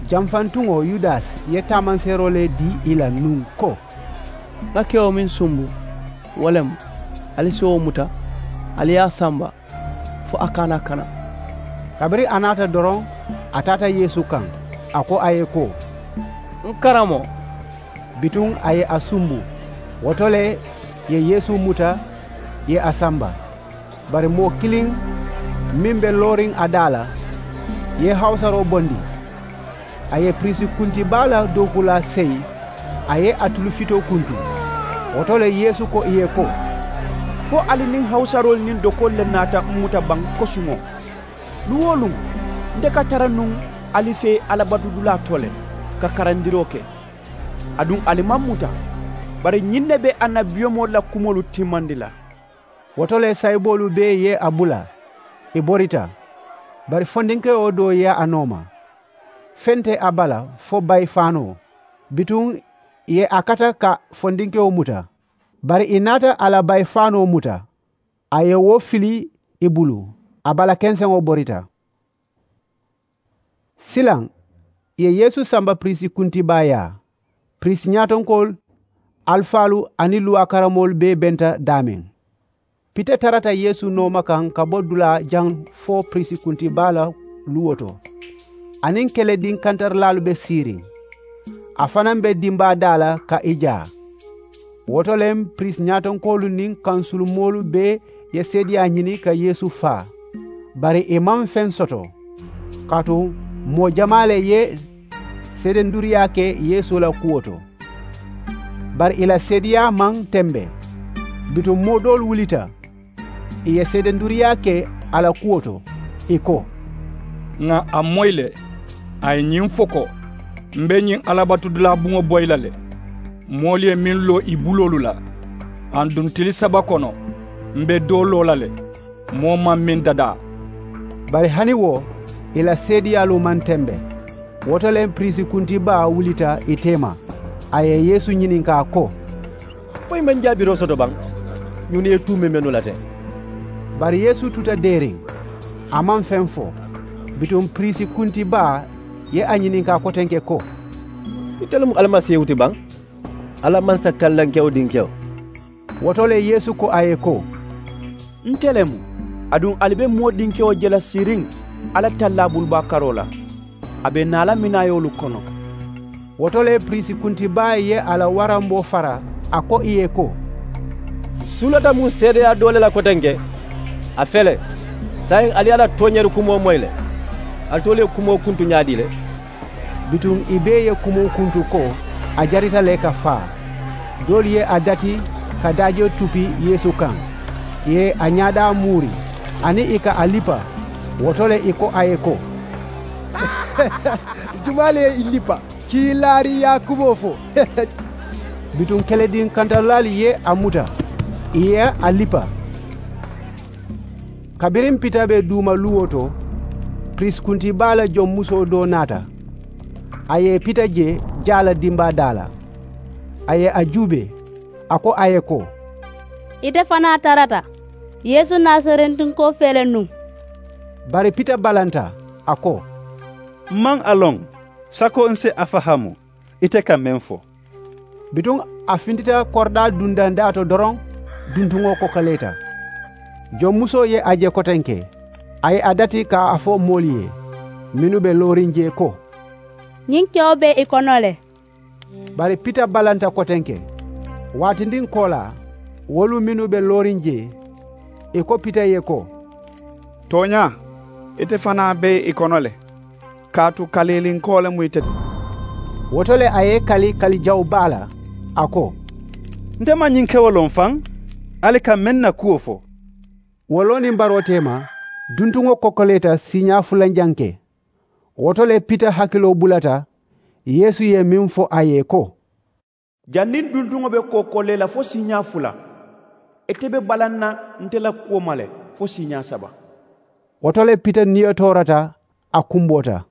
Jamfantuŋo yudasi ye taamanseeroo le dii ì la nuŋ ko, ŋa kewo meŋ sumbu, wo le mu, ali si wo muta, ali ye a samba, fo a kana kana. Kabiriŋ a naata doroŋ, a taata yeesu kaŋ, a ko a ye ko, n karamoo. Bituŋ a ye a sumbu. Wo to le ì ye yeesu muta, ì ye a samba. Bari moo kiliŋ meŋ be looriŋ a daa la, ye hawusaroo bondi. A ye piriisi kunti baa la dookulaa seyi, a ye a tulu fitoo kuntu. Wo to le yeesu ko ì ye ko, fo ali niŋ hawusaroolu niŋ dokoolu le naata m muta baŋ kosuŋo? Luŋ-wo-luŋ, nte ka tara nuŋ ali fee alabatudulaa to le, ka karandiroo ke. Aduŋ ali maŋ muta. Bari ñiŋ ne be annabiyomoolu la kumoolu timmandi la. Wo to le saayiboolu bee ye a bula, ì borita. Bari fondinkewo doo ye a nooma. Feŋ te a bala fo bayi faanoo. Bituŋ ì ye a kata ka fondinkewo muta. Bari ì naata a la bayi faanoo muta, a ye wo fili ì bulu. A bala kenseŋo borita. Silaŋ ì ye yeesu samba piriisi kunti baa yaa. Piriisi ñaatonkoolu, alifaalu aniŋ luwaa karamoolu bee benta daameŋ. Pita tarata yeesu nooma kaŋ ka bo dulaa jaŋ fo piriisi kunti baa la luwo to. Aniŋ kelediŋ kantarilaalu be siiriŋ. A fanaŋ be dimbaa daa la ka i jaa. Wo to le piriisi ñaatonkoolu niŋ kansulumoolu bee ye seedeyaa ñini ka yeesu faa. Bari ì maŋ feŋ soto, kaatu moo jamaa le ye seedenduriyaa ke yeesu la kuwo to. Bari ì la seedeyaa maŋ tembe. Bituŋ moo doolu wulita, ì ye seedenduriyaa ke a la kuwo to, ì ko, ŋà a moyi le. A ye ñiŋ fo ko, m be ñiŋ alabatudulaa buŋo boyi la le. Moolu ye meŋ loo ì buloolu la, aduŋ tili saba kono m be doo loo la le, moo maŋ meŋ dadaa. Bari hani wo, ì la seedeyaalu maŋ tembe. Wo to le piriisi kunti baa wulita ì teema. A ye yeesu ñininkaa ko, fo i maŋ jaabiroo soto baŋ? Ñunu ye tuu memennu la teŋ. Bari yeesu tuta deeriŋ. A maŋ feŋ fo. Bituŋ piriisi kunti baa ye a ñininkaa kotenke ko, ite le mu alimasiihu ti baŋ, alla mansa kallankewo dinkewo? Wo to le yeesu ko a ye ko, nte le mu. Aduŋ ali be moo dinkewo je la siiriŋ alla tallaa bulubaa karoo la. A be naa la minaayoolu kono. Wo to le piriisi kunti baa ye a la waramboo fara, a ko ì ye ko, n sulata muŋ seedeyaa doo le la kotenke. A fele, saayiŋ ali ye a la tooñeeri kumoo moyi le. Ali toolu ye kumoo kuntu ñaadii le? Bituŋ ì bee ye kumoo kuntu ko a jarita le ka faa. Doolu ye a dati ka daajoo tupi yeesu kaŋ, ì ye a ñaadaa muuri, aniŋ ì ka a lipa. Wo to le ì ko a ye ko, jumaa le ye i lipa? Kiilaariyaa kumoo fo. Bituŋ kelediŋ kantalaalu ye a muta, ì ye a lipa. Kabiriŋ pita be duuma luwo to, piriisi kunti baa la joŋ musoo doo naata. A ye pita je jaa la dimbaa daa la. A ye a juubee, a ko a ye ko, ite fanaa tarata yeesu nasarentunkoo fee le nuŋ. Bari pita balanta, a ko, m maŋ a loŋ. Sako n si a fahaamu ite ka meŋ fo. Bituŋ a fintita koridaa dundandaa to doroŋ, duntuŋo kokoleeta. Joŋ musoo ye a je kotenke, a ye a dati ka a fo moolu ye mennu be looriŋ jee ko, ñiŋ kewo be i kono le. Bari pita balanta kotenke. Waatindiŋ koolaa, wolu mennu be looriŋ jee, ì ko pita ye ko, tooñaa, ite fanaa be i kono le, kaatu kaliilinkoo le mu ite ti. Wo to le a ye i kali kali jawu baa la, a ko, nte maŋ ñiŋ kewo loŋ faŋ. Ali ka meŋ na kuwo fo. Wo loo niŋ baroo teema, duntuŋo kokoleeta siiñaa fulanjanke. Wo to le pita hakiloo bulata yeesu ye meŋ fo a ye ko, janniŋ duntuŋo be kokolee la fo siiñaa fula, ite be balaŋ na nte la kuwo ma le fo siiñaa saba. Wo to le pita niyo toorata, a kumboota.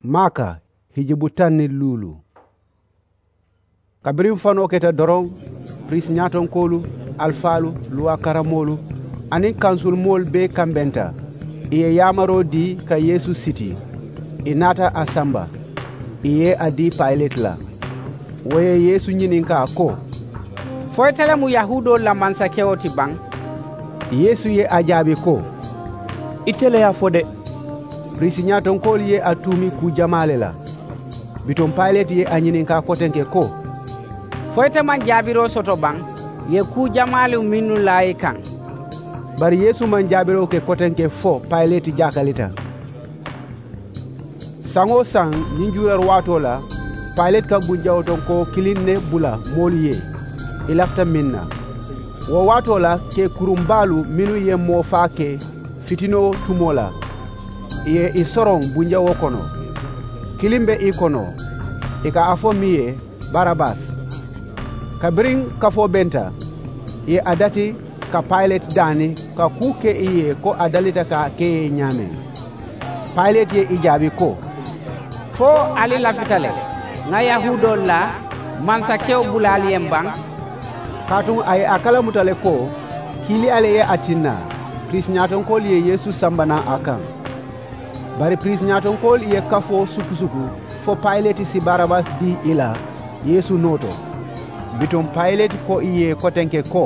Maaka hijibu taŋ niŋ luulu. Kabiriŋ fanoo keta doroŋ, piriisi ñaatonkoolu, alifaalu, luwaa karamoolu, aniŋ kansulimoolu bee kambenta. Ì ye yaamaroo dii ka yeesu siti. Ì naata a samba, ì ye a dii payileti la. Wo ye yeesu ñininkaa ko, fo ite le mu yahuudoolu la mansakewo ti baŋ? Yeesu ye a jaabi ko, ite le ye a fo de. Piriisi ñaatonkoolu ye a tuumi kuu jamaa le la. Bituŋ payileti ye a ñininkaa kotenke ko, fo ite maŋ jaabiroo soto baŋ? Ì ye kuu jamaalu mennu laa i kaŋ. Bari yeesu maŋ jaabiroo ke kotenke fo payileti jaakalita. Saŋ-wo-saŋ ñiŋ juuraari waatoo la, payileti ka bunjawotonkoo kiliŋ ne bula moolu ye, ì lafita meŋ na. Wo waatoo la keekuruŋ baalu mennu ye moo faa ke fitinoo tumoo la, ì ye ì soroŋ bunjawoo kono. Kiliŋ be ì kono, ì ka a fo meŋ ye, barabasi. Kabiriŋ kafoo benta, ì ye a dati ka payileti daani ka kuu ke ì ye ko a dalita ka a ke ì ye ñaameŋ. Payileti ye ì jaabi ko, fo ali lafita le ŋà yahuudoolu la mansakewo bula ali ye m̀ baŋ? Kaatu a ye a kalamuta le ko kiiliyaa le ye a tinna piriisi ñaatonkoolu ye yeesu samba naŋ a kaŋ. Bari piriisi ñaatonkoolu ye kafoo sukusuku fo payileti si barabasi dii ì la yeesu noo to. Bituŋ payileti ko ì ye kotenke ko,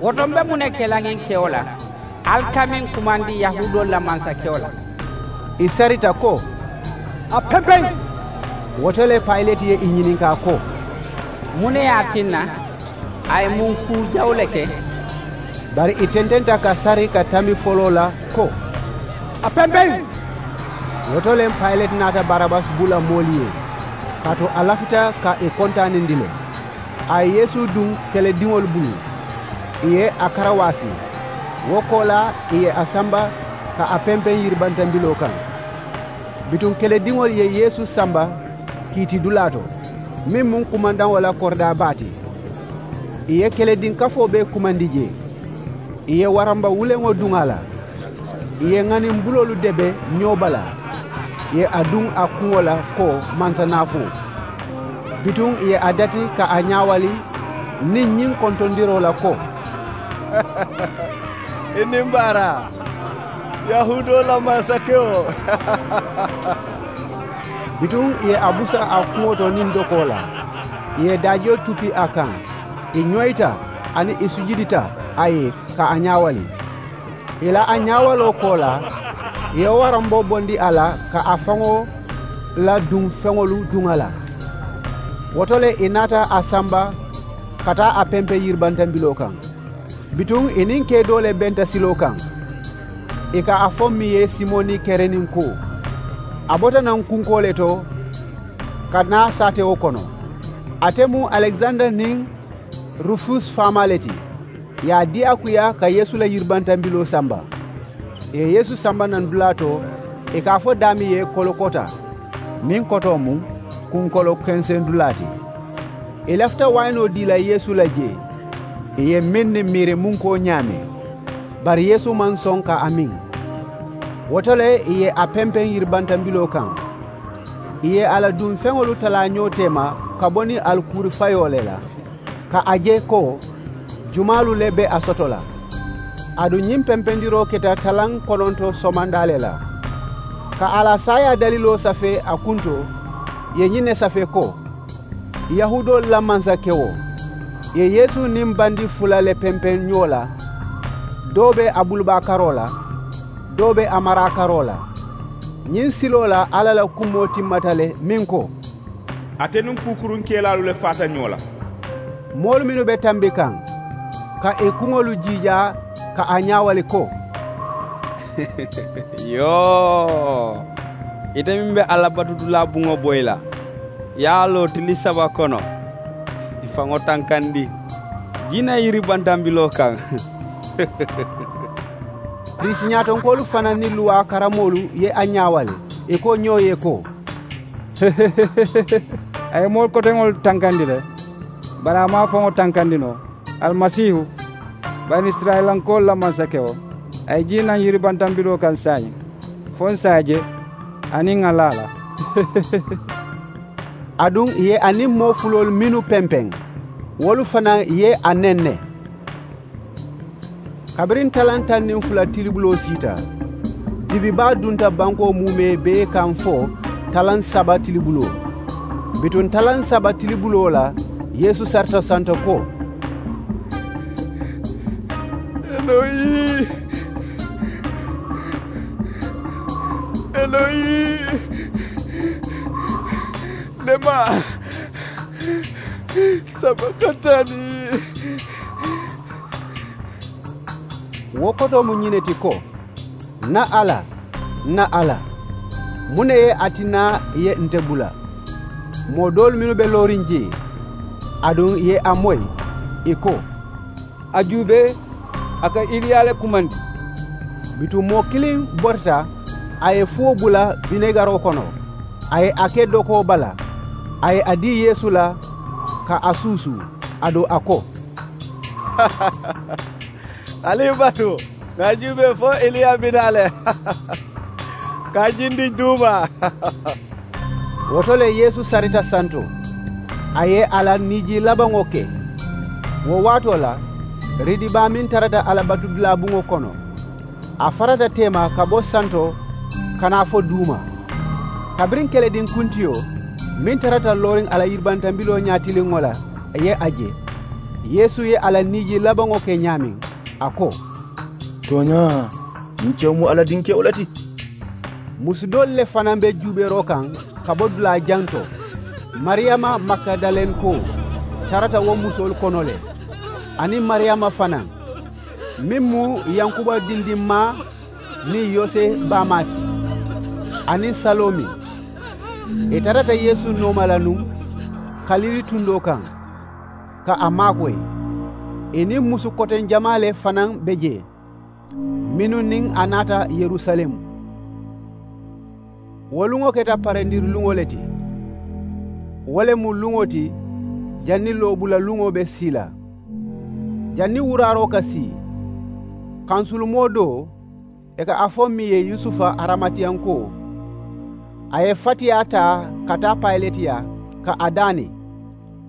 wo to m̀ be muŋ ne ke la ñiŋ kewo la? Ali ka meŋ kumandi yahuudoolu la mansakewo la? Ì sarita ko, a pempeŋ. Wo to le payileti ye ì ñininkaa ko, muŋ ne ye a tinna a ye muŋ kuu jawu le ke? Bari ì tententa ka sari ka tambi foloo la ko, a pempeŋ. Wo to le payileti naata barabasi bula moolu ye, kaatu a lafita ka ì kontaanindi le. A ye yeesu duŋ kelediŋolu bulu, ì ye a karawaasi. Wo koolaa ì ye a samba ka a pempeŋ yiribantambiloo kaŋ. Bituŋ kelediŋolu ye yeesu samba kiitidulaa to, meŋ mu kumandaŋo la koridaa baa ti. Ì ye kelediŋ kafoo bee kumandi jee. Ì ye waramba wuleŋo duŋ a la, ì ye ŋaniŋ buloolu debe ñoo bala, ì ye a duŋ a kuŋo la ko mansa naafoo. Bituŋ ì ye a dati ka a ñaawali niŋ ñiŋ kontondiroo la ko, I niŋ baaraa, yahuudoolu la mansakewo. Bituŋ ì ye a busa a kuŋo to niŋ dokoo la, ì ye daajiyo tupi a kaŋ, ì ñoyita aniŋ ì sujudita a ye ka a ñaawali. Ì la a ñaawaloo koolaa, ì ye waramboo bondi a la ka a faŋo la duŋ feŋolu duŋ a la. Wo to le ì naata a samba ka taa a pempeŋ yiribantambiloo kaŋ. Bituŋ ì niŋ kee doo le benta siloo kaŋ, ì ka a fo meŋ ye simoni kereninkoo. A bota naŋ kunkoo le to ka naa saatewo kono. Ate mu alekisanda niŋ rufus faamaa le ti. Ì ye a diyaakuyaa ka yeesu la yiribantambiloo samba. Ì ye yeesu samba naŋ dulaa to, ì ka a fo daameŋ ye kolokota, meŋ kotoo mu kunkolo kenseŋ dulaa ti. Ì lafita wayinoo dii la yeesu la jee, ì ye meŋ niŋ miirimunkoo ñaame. Bari yeesu maŋ soŋ ka a miŋ. Wo to le ì ye a pempeŋ yiribantambiloo kaŋ. Ì ye a la duŋ feŋolu talaa ñoo teema ka bo niŋ alikuuri fayoo le la, ka a je ko jumaalu le be a soto la. Aduŋ ñiŋ pempendiroo keta talaŋ kononto somandaa le la. Ka a la saayaa daliloo safee a kunto, ì ye ñiŋ ne safee ko, yahuudoolu la mansakewo. Ì ye yeesu niŋ bandi fula le pempeŋ ñoo la. Doo be a bulubaa karoo la, doo be a maraa karoo la. Ñiŋ siloo la alla la kumoo timmata le meŋ ko, ate niŋ kuukurunkeelaalu le faata ñoo la. Moolu mennu be tambi kaŋ, ka ì kuŋolu jiijaa ka a ñaawali ko, yoo, ite meŋ be alla batudulaa buŋo boyi la, ye a loo tili saba kono, ì faŋo tankandi jiinaŋ yiribantambiloo kaŋ. Piriisi ñaatonkoolu fanaa niŋ luwaa karammoolu ye a ñaawali, ì ko ñoo ye ko, a ye moolu koteŋolu tankandi le, bari a maŋ a faŋo tankandi noo. Alimasiihu, banisirayilankoolu la mansakewo, a ye jii naŋ yiribantambiloo kaŋ saayiŋ, fo ǹ si a je aniŋ ŋà laa la. Aduŋ ì ye a niŋ moo fuloolu mennu pempeŋ, wolu fanaa ye a nenne. Kabiriŋ talaŋ taŋ niŋ fula tilibuloo siita, dibi baa dunta bankoo muumee bee kaŋ fo talaŋ saba tilibuloo. Bituŋ talaŋ saba tilibuloo la, yeesu sarita santo ko, eloyi, eloyi, lema sabakatani. Wo kotoo mu ñiŋ ne ti ko, ǹ na alla, ǹ na alla, muŋ ne ye a tinna ì ye nte bula? Moo doolu mennu be looriŋ jee, aduŋ ì ye a moyi, ì ko, a juubee, a ka iliya le kumandi. Bituŋ moo kiliŋ borita, a ye fuwo bula binegaroo kono, a ye a ke dokoo bala, a ye a dii yeesu la ka a suusuu, aduŋ a ko, ali ì batu, ŋà a juubee fo iliya bi naa le ka a jindi juuma. Wo to le yeesu sarita santo, a ye a la niijii labaŋo ke. Wo waatoo la, ridibaa meŋ tarata a la batudulaa buŋo kono, a farata teema ka bo santo ka naa fo duuma. Kabiriŋ kelediŋ kuntiyo meŋ tarata looriŋ a la yiribantambiloo ñaatiliŋo la ye a je, yeesu ye a la niijii labaŋo ke ñaameŋ, a ko, tooñaa, ñiŋ kewo mu alla dinkewo le ti. Musu doolu le fanaa be juubeeroo kaŋ ka bo dulaa jaŋ to. Mariyama magidalenkoo tarata wo musoolu kono le, aniŋ mariyama fanaa, meŋ mu yankuba dindimmaa niŋ yose baamaa ti, aniŋ saloomi. Ì tarata yeesu nooma la nuŋ kalili tundoo kaŋ ka a maakoyi. Ì niŋ musu koteŋ jamaa le fanaa be jee, mennu niŋ a naata yerusalemu. Wo luŋo keta parendiri luŋo le ti. Wo le mu luŋo ti janniŋ loobula luŋo be sii la. Janniŋ wuraaroo ka sii, kansulumoo doo, ì ka a fo meŋ ye yusufa aramatiyankoo, a ye fatiyaa taa ka taa payileti yaa ka a daani,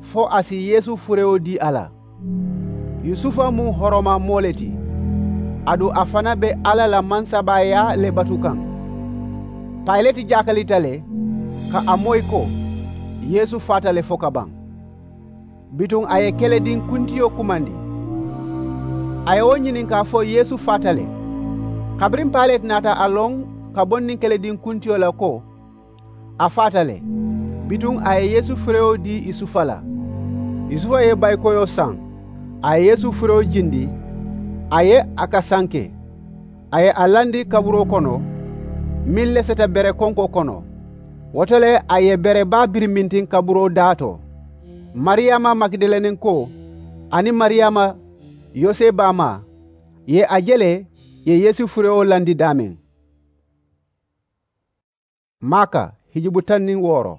fo a si yeesu furewo dii a la. Yusufa mu horoma moo le ti. Aduŋ a fanaa be alla la mansabaayaa le batu kaŋ. Payileti jaakalita le ka a moyi ko yeesu faata le fo ka baŋ. Bituŋ a ye kelediŋ kuntiyo kumandi. A ye wo ñininkaa fo yeesu faata le. Kabiriŋ payileti naata a loŋ ka bo niŋ kelediŋ kuntiyo la ko a faata le. Bituŋ a ye yeesu furewo dii yusufa la. Yusufa ye bayikoyoo saŋ. A ye yeesu furewo jindi. A ye a kasanke. A ye a landi kaburoo kono meŋ leseta bere konkoo kono. Wo to le a ye bere baa birimintiŋ kaburoo daa to. Mariyaama magidaleninkoo aniŋ mariyaama yosebaamaa ye a je le, ye yeesu furewo landi daameŋ. Maaka hijubu taŋ niŋ wooro.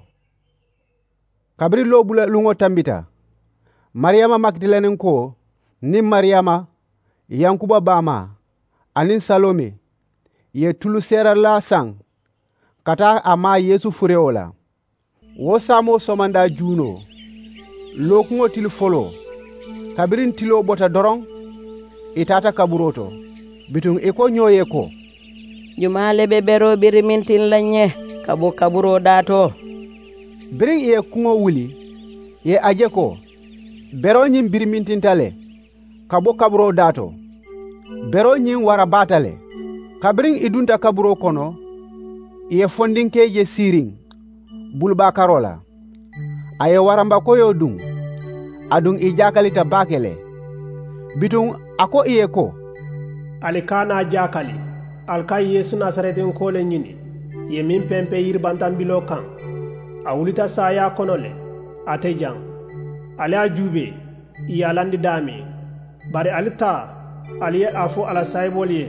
Kabiriŋ loobula luŋo tambita, mariyaama magidaleninkoo niŋ mariyaama yankuba baamaa aniŋ saloome ye tulu seeranlaa saŋ ka taa a maa yeesu furewo la. Wo saamoo somandaa juunoo lookuŋo tili foloo, kabiriŋ tiloo bota doroŋ ì taata kaburoo to. Bituŋ ì ko ñoo ye ko, jumaa le be beroo birimintiŋ la ñe ka bo kaburoo daa to? Biriŋ ì ye kuŋo wuli, ì ye a je ko beroo ñiŋ birimintinta le ka bo kaburoo daa to. Beroo ñiŋ wara baata le. Kabiriŋ ì dunta kaburoo kono, ì ye fondinkee je siiriŋ bulubaa karoo la. A ye warambakoyoo duŋ. Aduŋ ì jaakalita baake le. Bituŋ a ko ì ye ko, ali kana a jaakali. Ali ka yeesu nasaretinkoo le ñini, ì ye meŋ pempe yiribantambiloo kaŋ. A wulita saayaa kono le, ate jaŋ. Ali a juubee, ì ye a landi daameŋ. Bari ali taa, ali ye a fo a la saayiboolu ye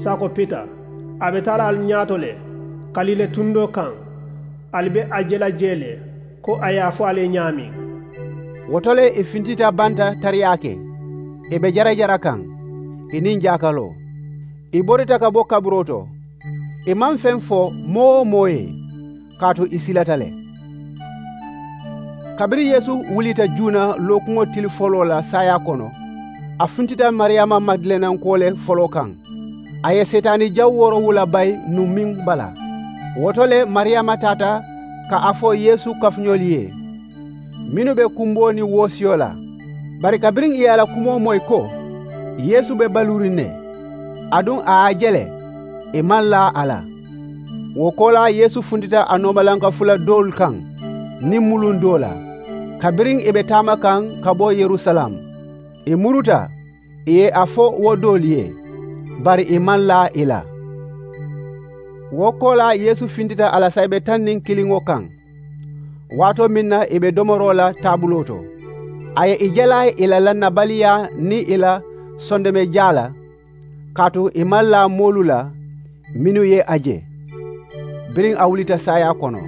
sako pita, a be taa la ali ñaato le kaliile tundoo kaŋ. Ali be a je la jee le ko a ye a fo ali ye ñaameŋ. Wo to le ì fintita banta tariyaa ke, ì be jarajara kaŋ, ì niŋ jaakaloo. Ì borita ka bo kaburoo to. Ì maŋ feŋ fo moo-wo-moo ye, kaatu ì silata le. Kabiriŋ yeesu wulita juuna lookuŋo tili foloo la saayaa kono, a funtita mariyaama magidalenankoo le foloo kaŋ. A ye seetaani jaŋ woorowula bayi nuŋ meŋ bala. Wo to le mariyaama taata ka a fo yeesu kafuñolu ye, mennu be kumboo niŋ woosiyo la. Bari kabiriŋ ì ye a la kumoo moyi ko yeesu be baluuriŋ ne, aduŋ a ye a je le, ì maŋ laa a la. Wo koolaa yeesu funtita a noomalanka fula doolu kaŋ niŋ muluŋ doo la. Kabiriŋ ì be taama kaŋ ka bo yerusalem, ì muruta ì ye a fo wo doolu ye, bari ì maŋ laa ì la. Wo koolaa yeesu fintita a la saayibe taŋ niŋ kiliŋo kaŋ, waatoo meŋ na ì be domoroo la taabuloo to. A ye ì jalaa ì la lannabaliyaa niŋ ì la sondomejaa la, kaatu ì maŋ laa moolu la mennu ye a je. Biriŋ a wulita saayaa kono,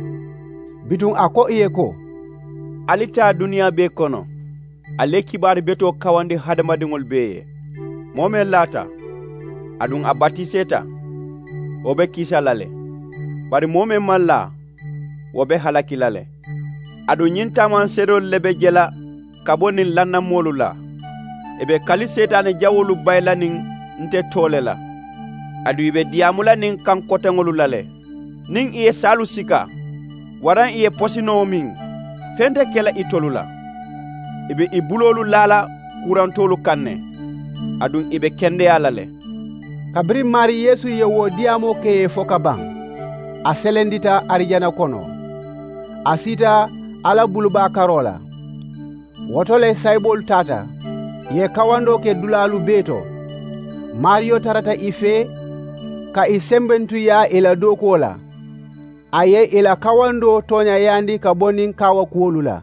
bituŋ a ko ì ye ko, ali taa duniyaa bee kono, ali ye kibaaru betoo kawandi hadamadiŋolu bee ye. Moo meŋ laata, aduŋ a batiseeta, wo be kisa la le. Bari moo meŋ maŋ laa, wo be halaki la le. Aduŋ ñiŋ taamanseedoolu le be je la ka bo niŋ lannamoolu la. Ì be kali seetaane jawoolu bayi la niŋ nte too le la. Aduŋ ì be diyaamu la niŋ kaŋ koteŋolu la le. Niŋ ì ye saalu sika waraŋ ì ye posinoo miŋ, feŋ te ke la itolu la. Ì be ì buloolu laa la kuurantoolu kaŋ ne, aduŋ ì be kendeyaa la le. Kabiriŋ maarii yeesu ye wo diyaamoo ke ì ye fo ka baŋ, a selendita arijana kono. A siita alla bulubaa karoo la. Wo to le sayiboolu taata, ì ye kawandoo ke dulaalu bee to. Maariyo tarata ì fee ka ì sembentuyaa ì la dookuwo la. A ye ì la kawandoo tooñayaandi ka bo niŋ kaawakuwolu la.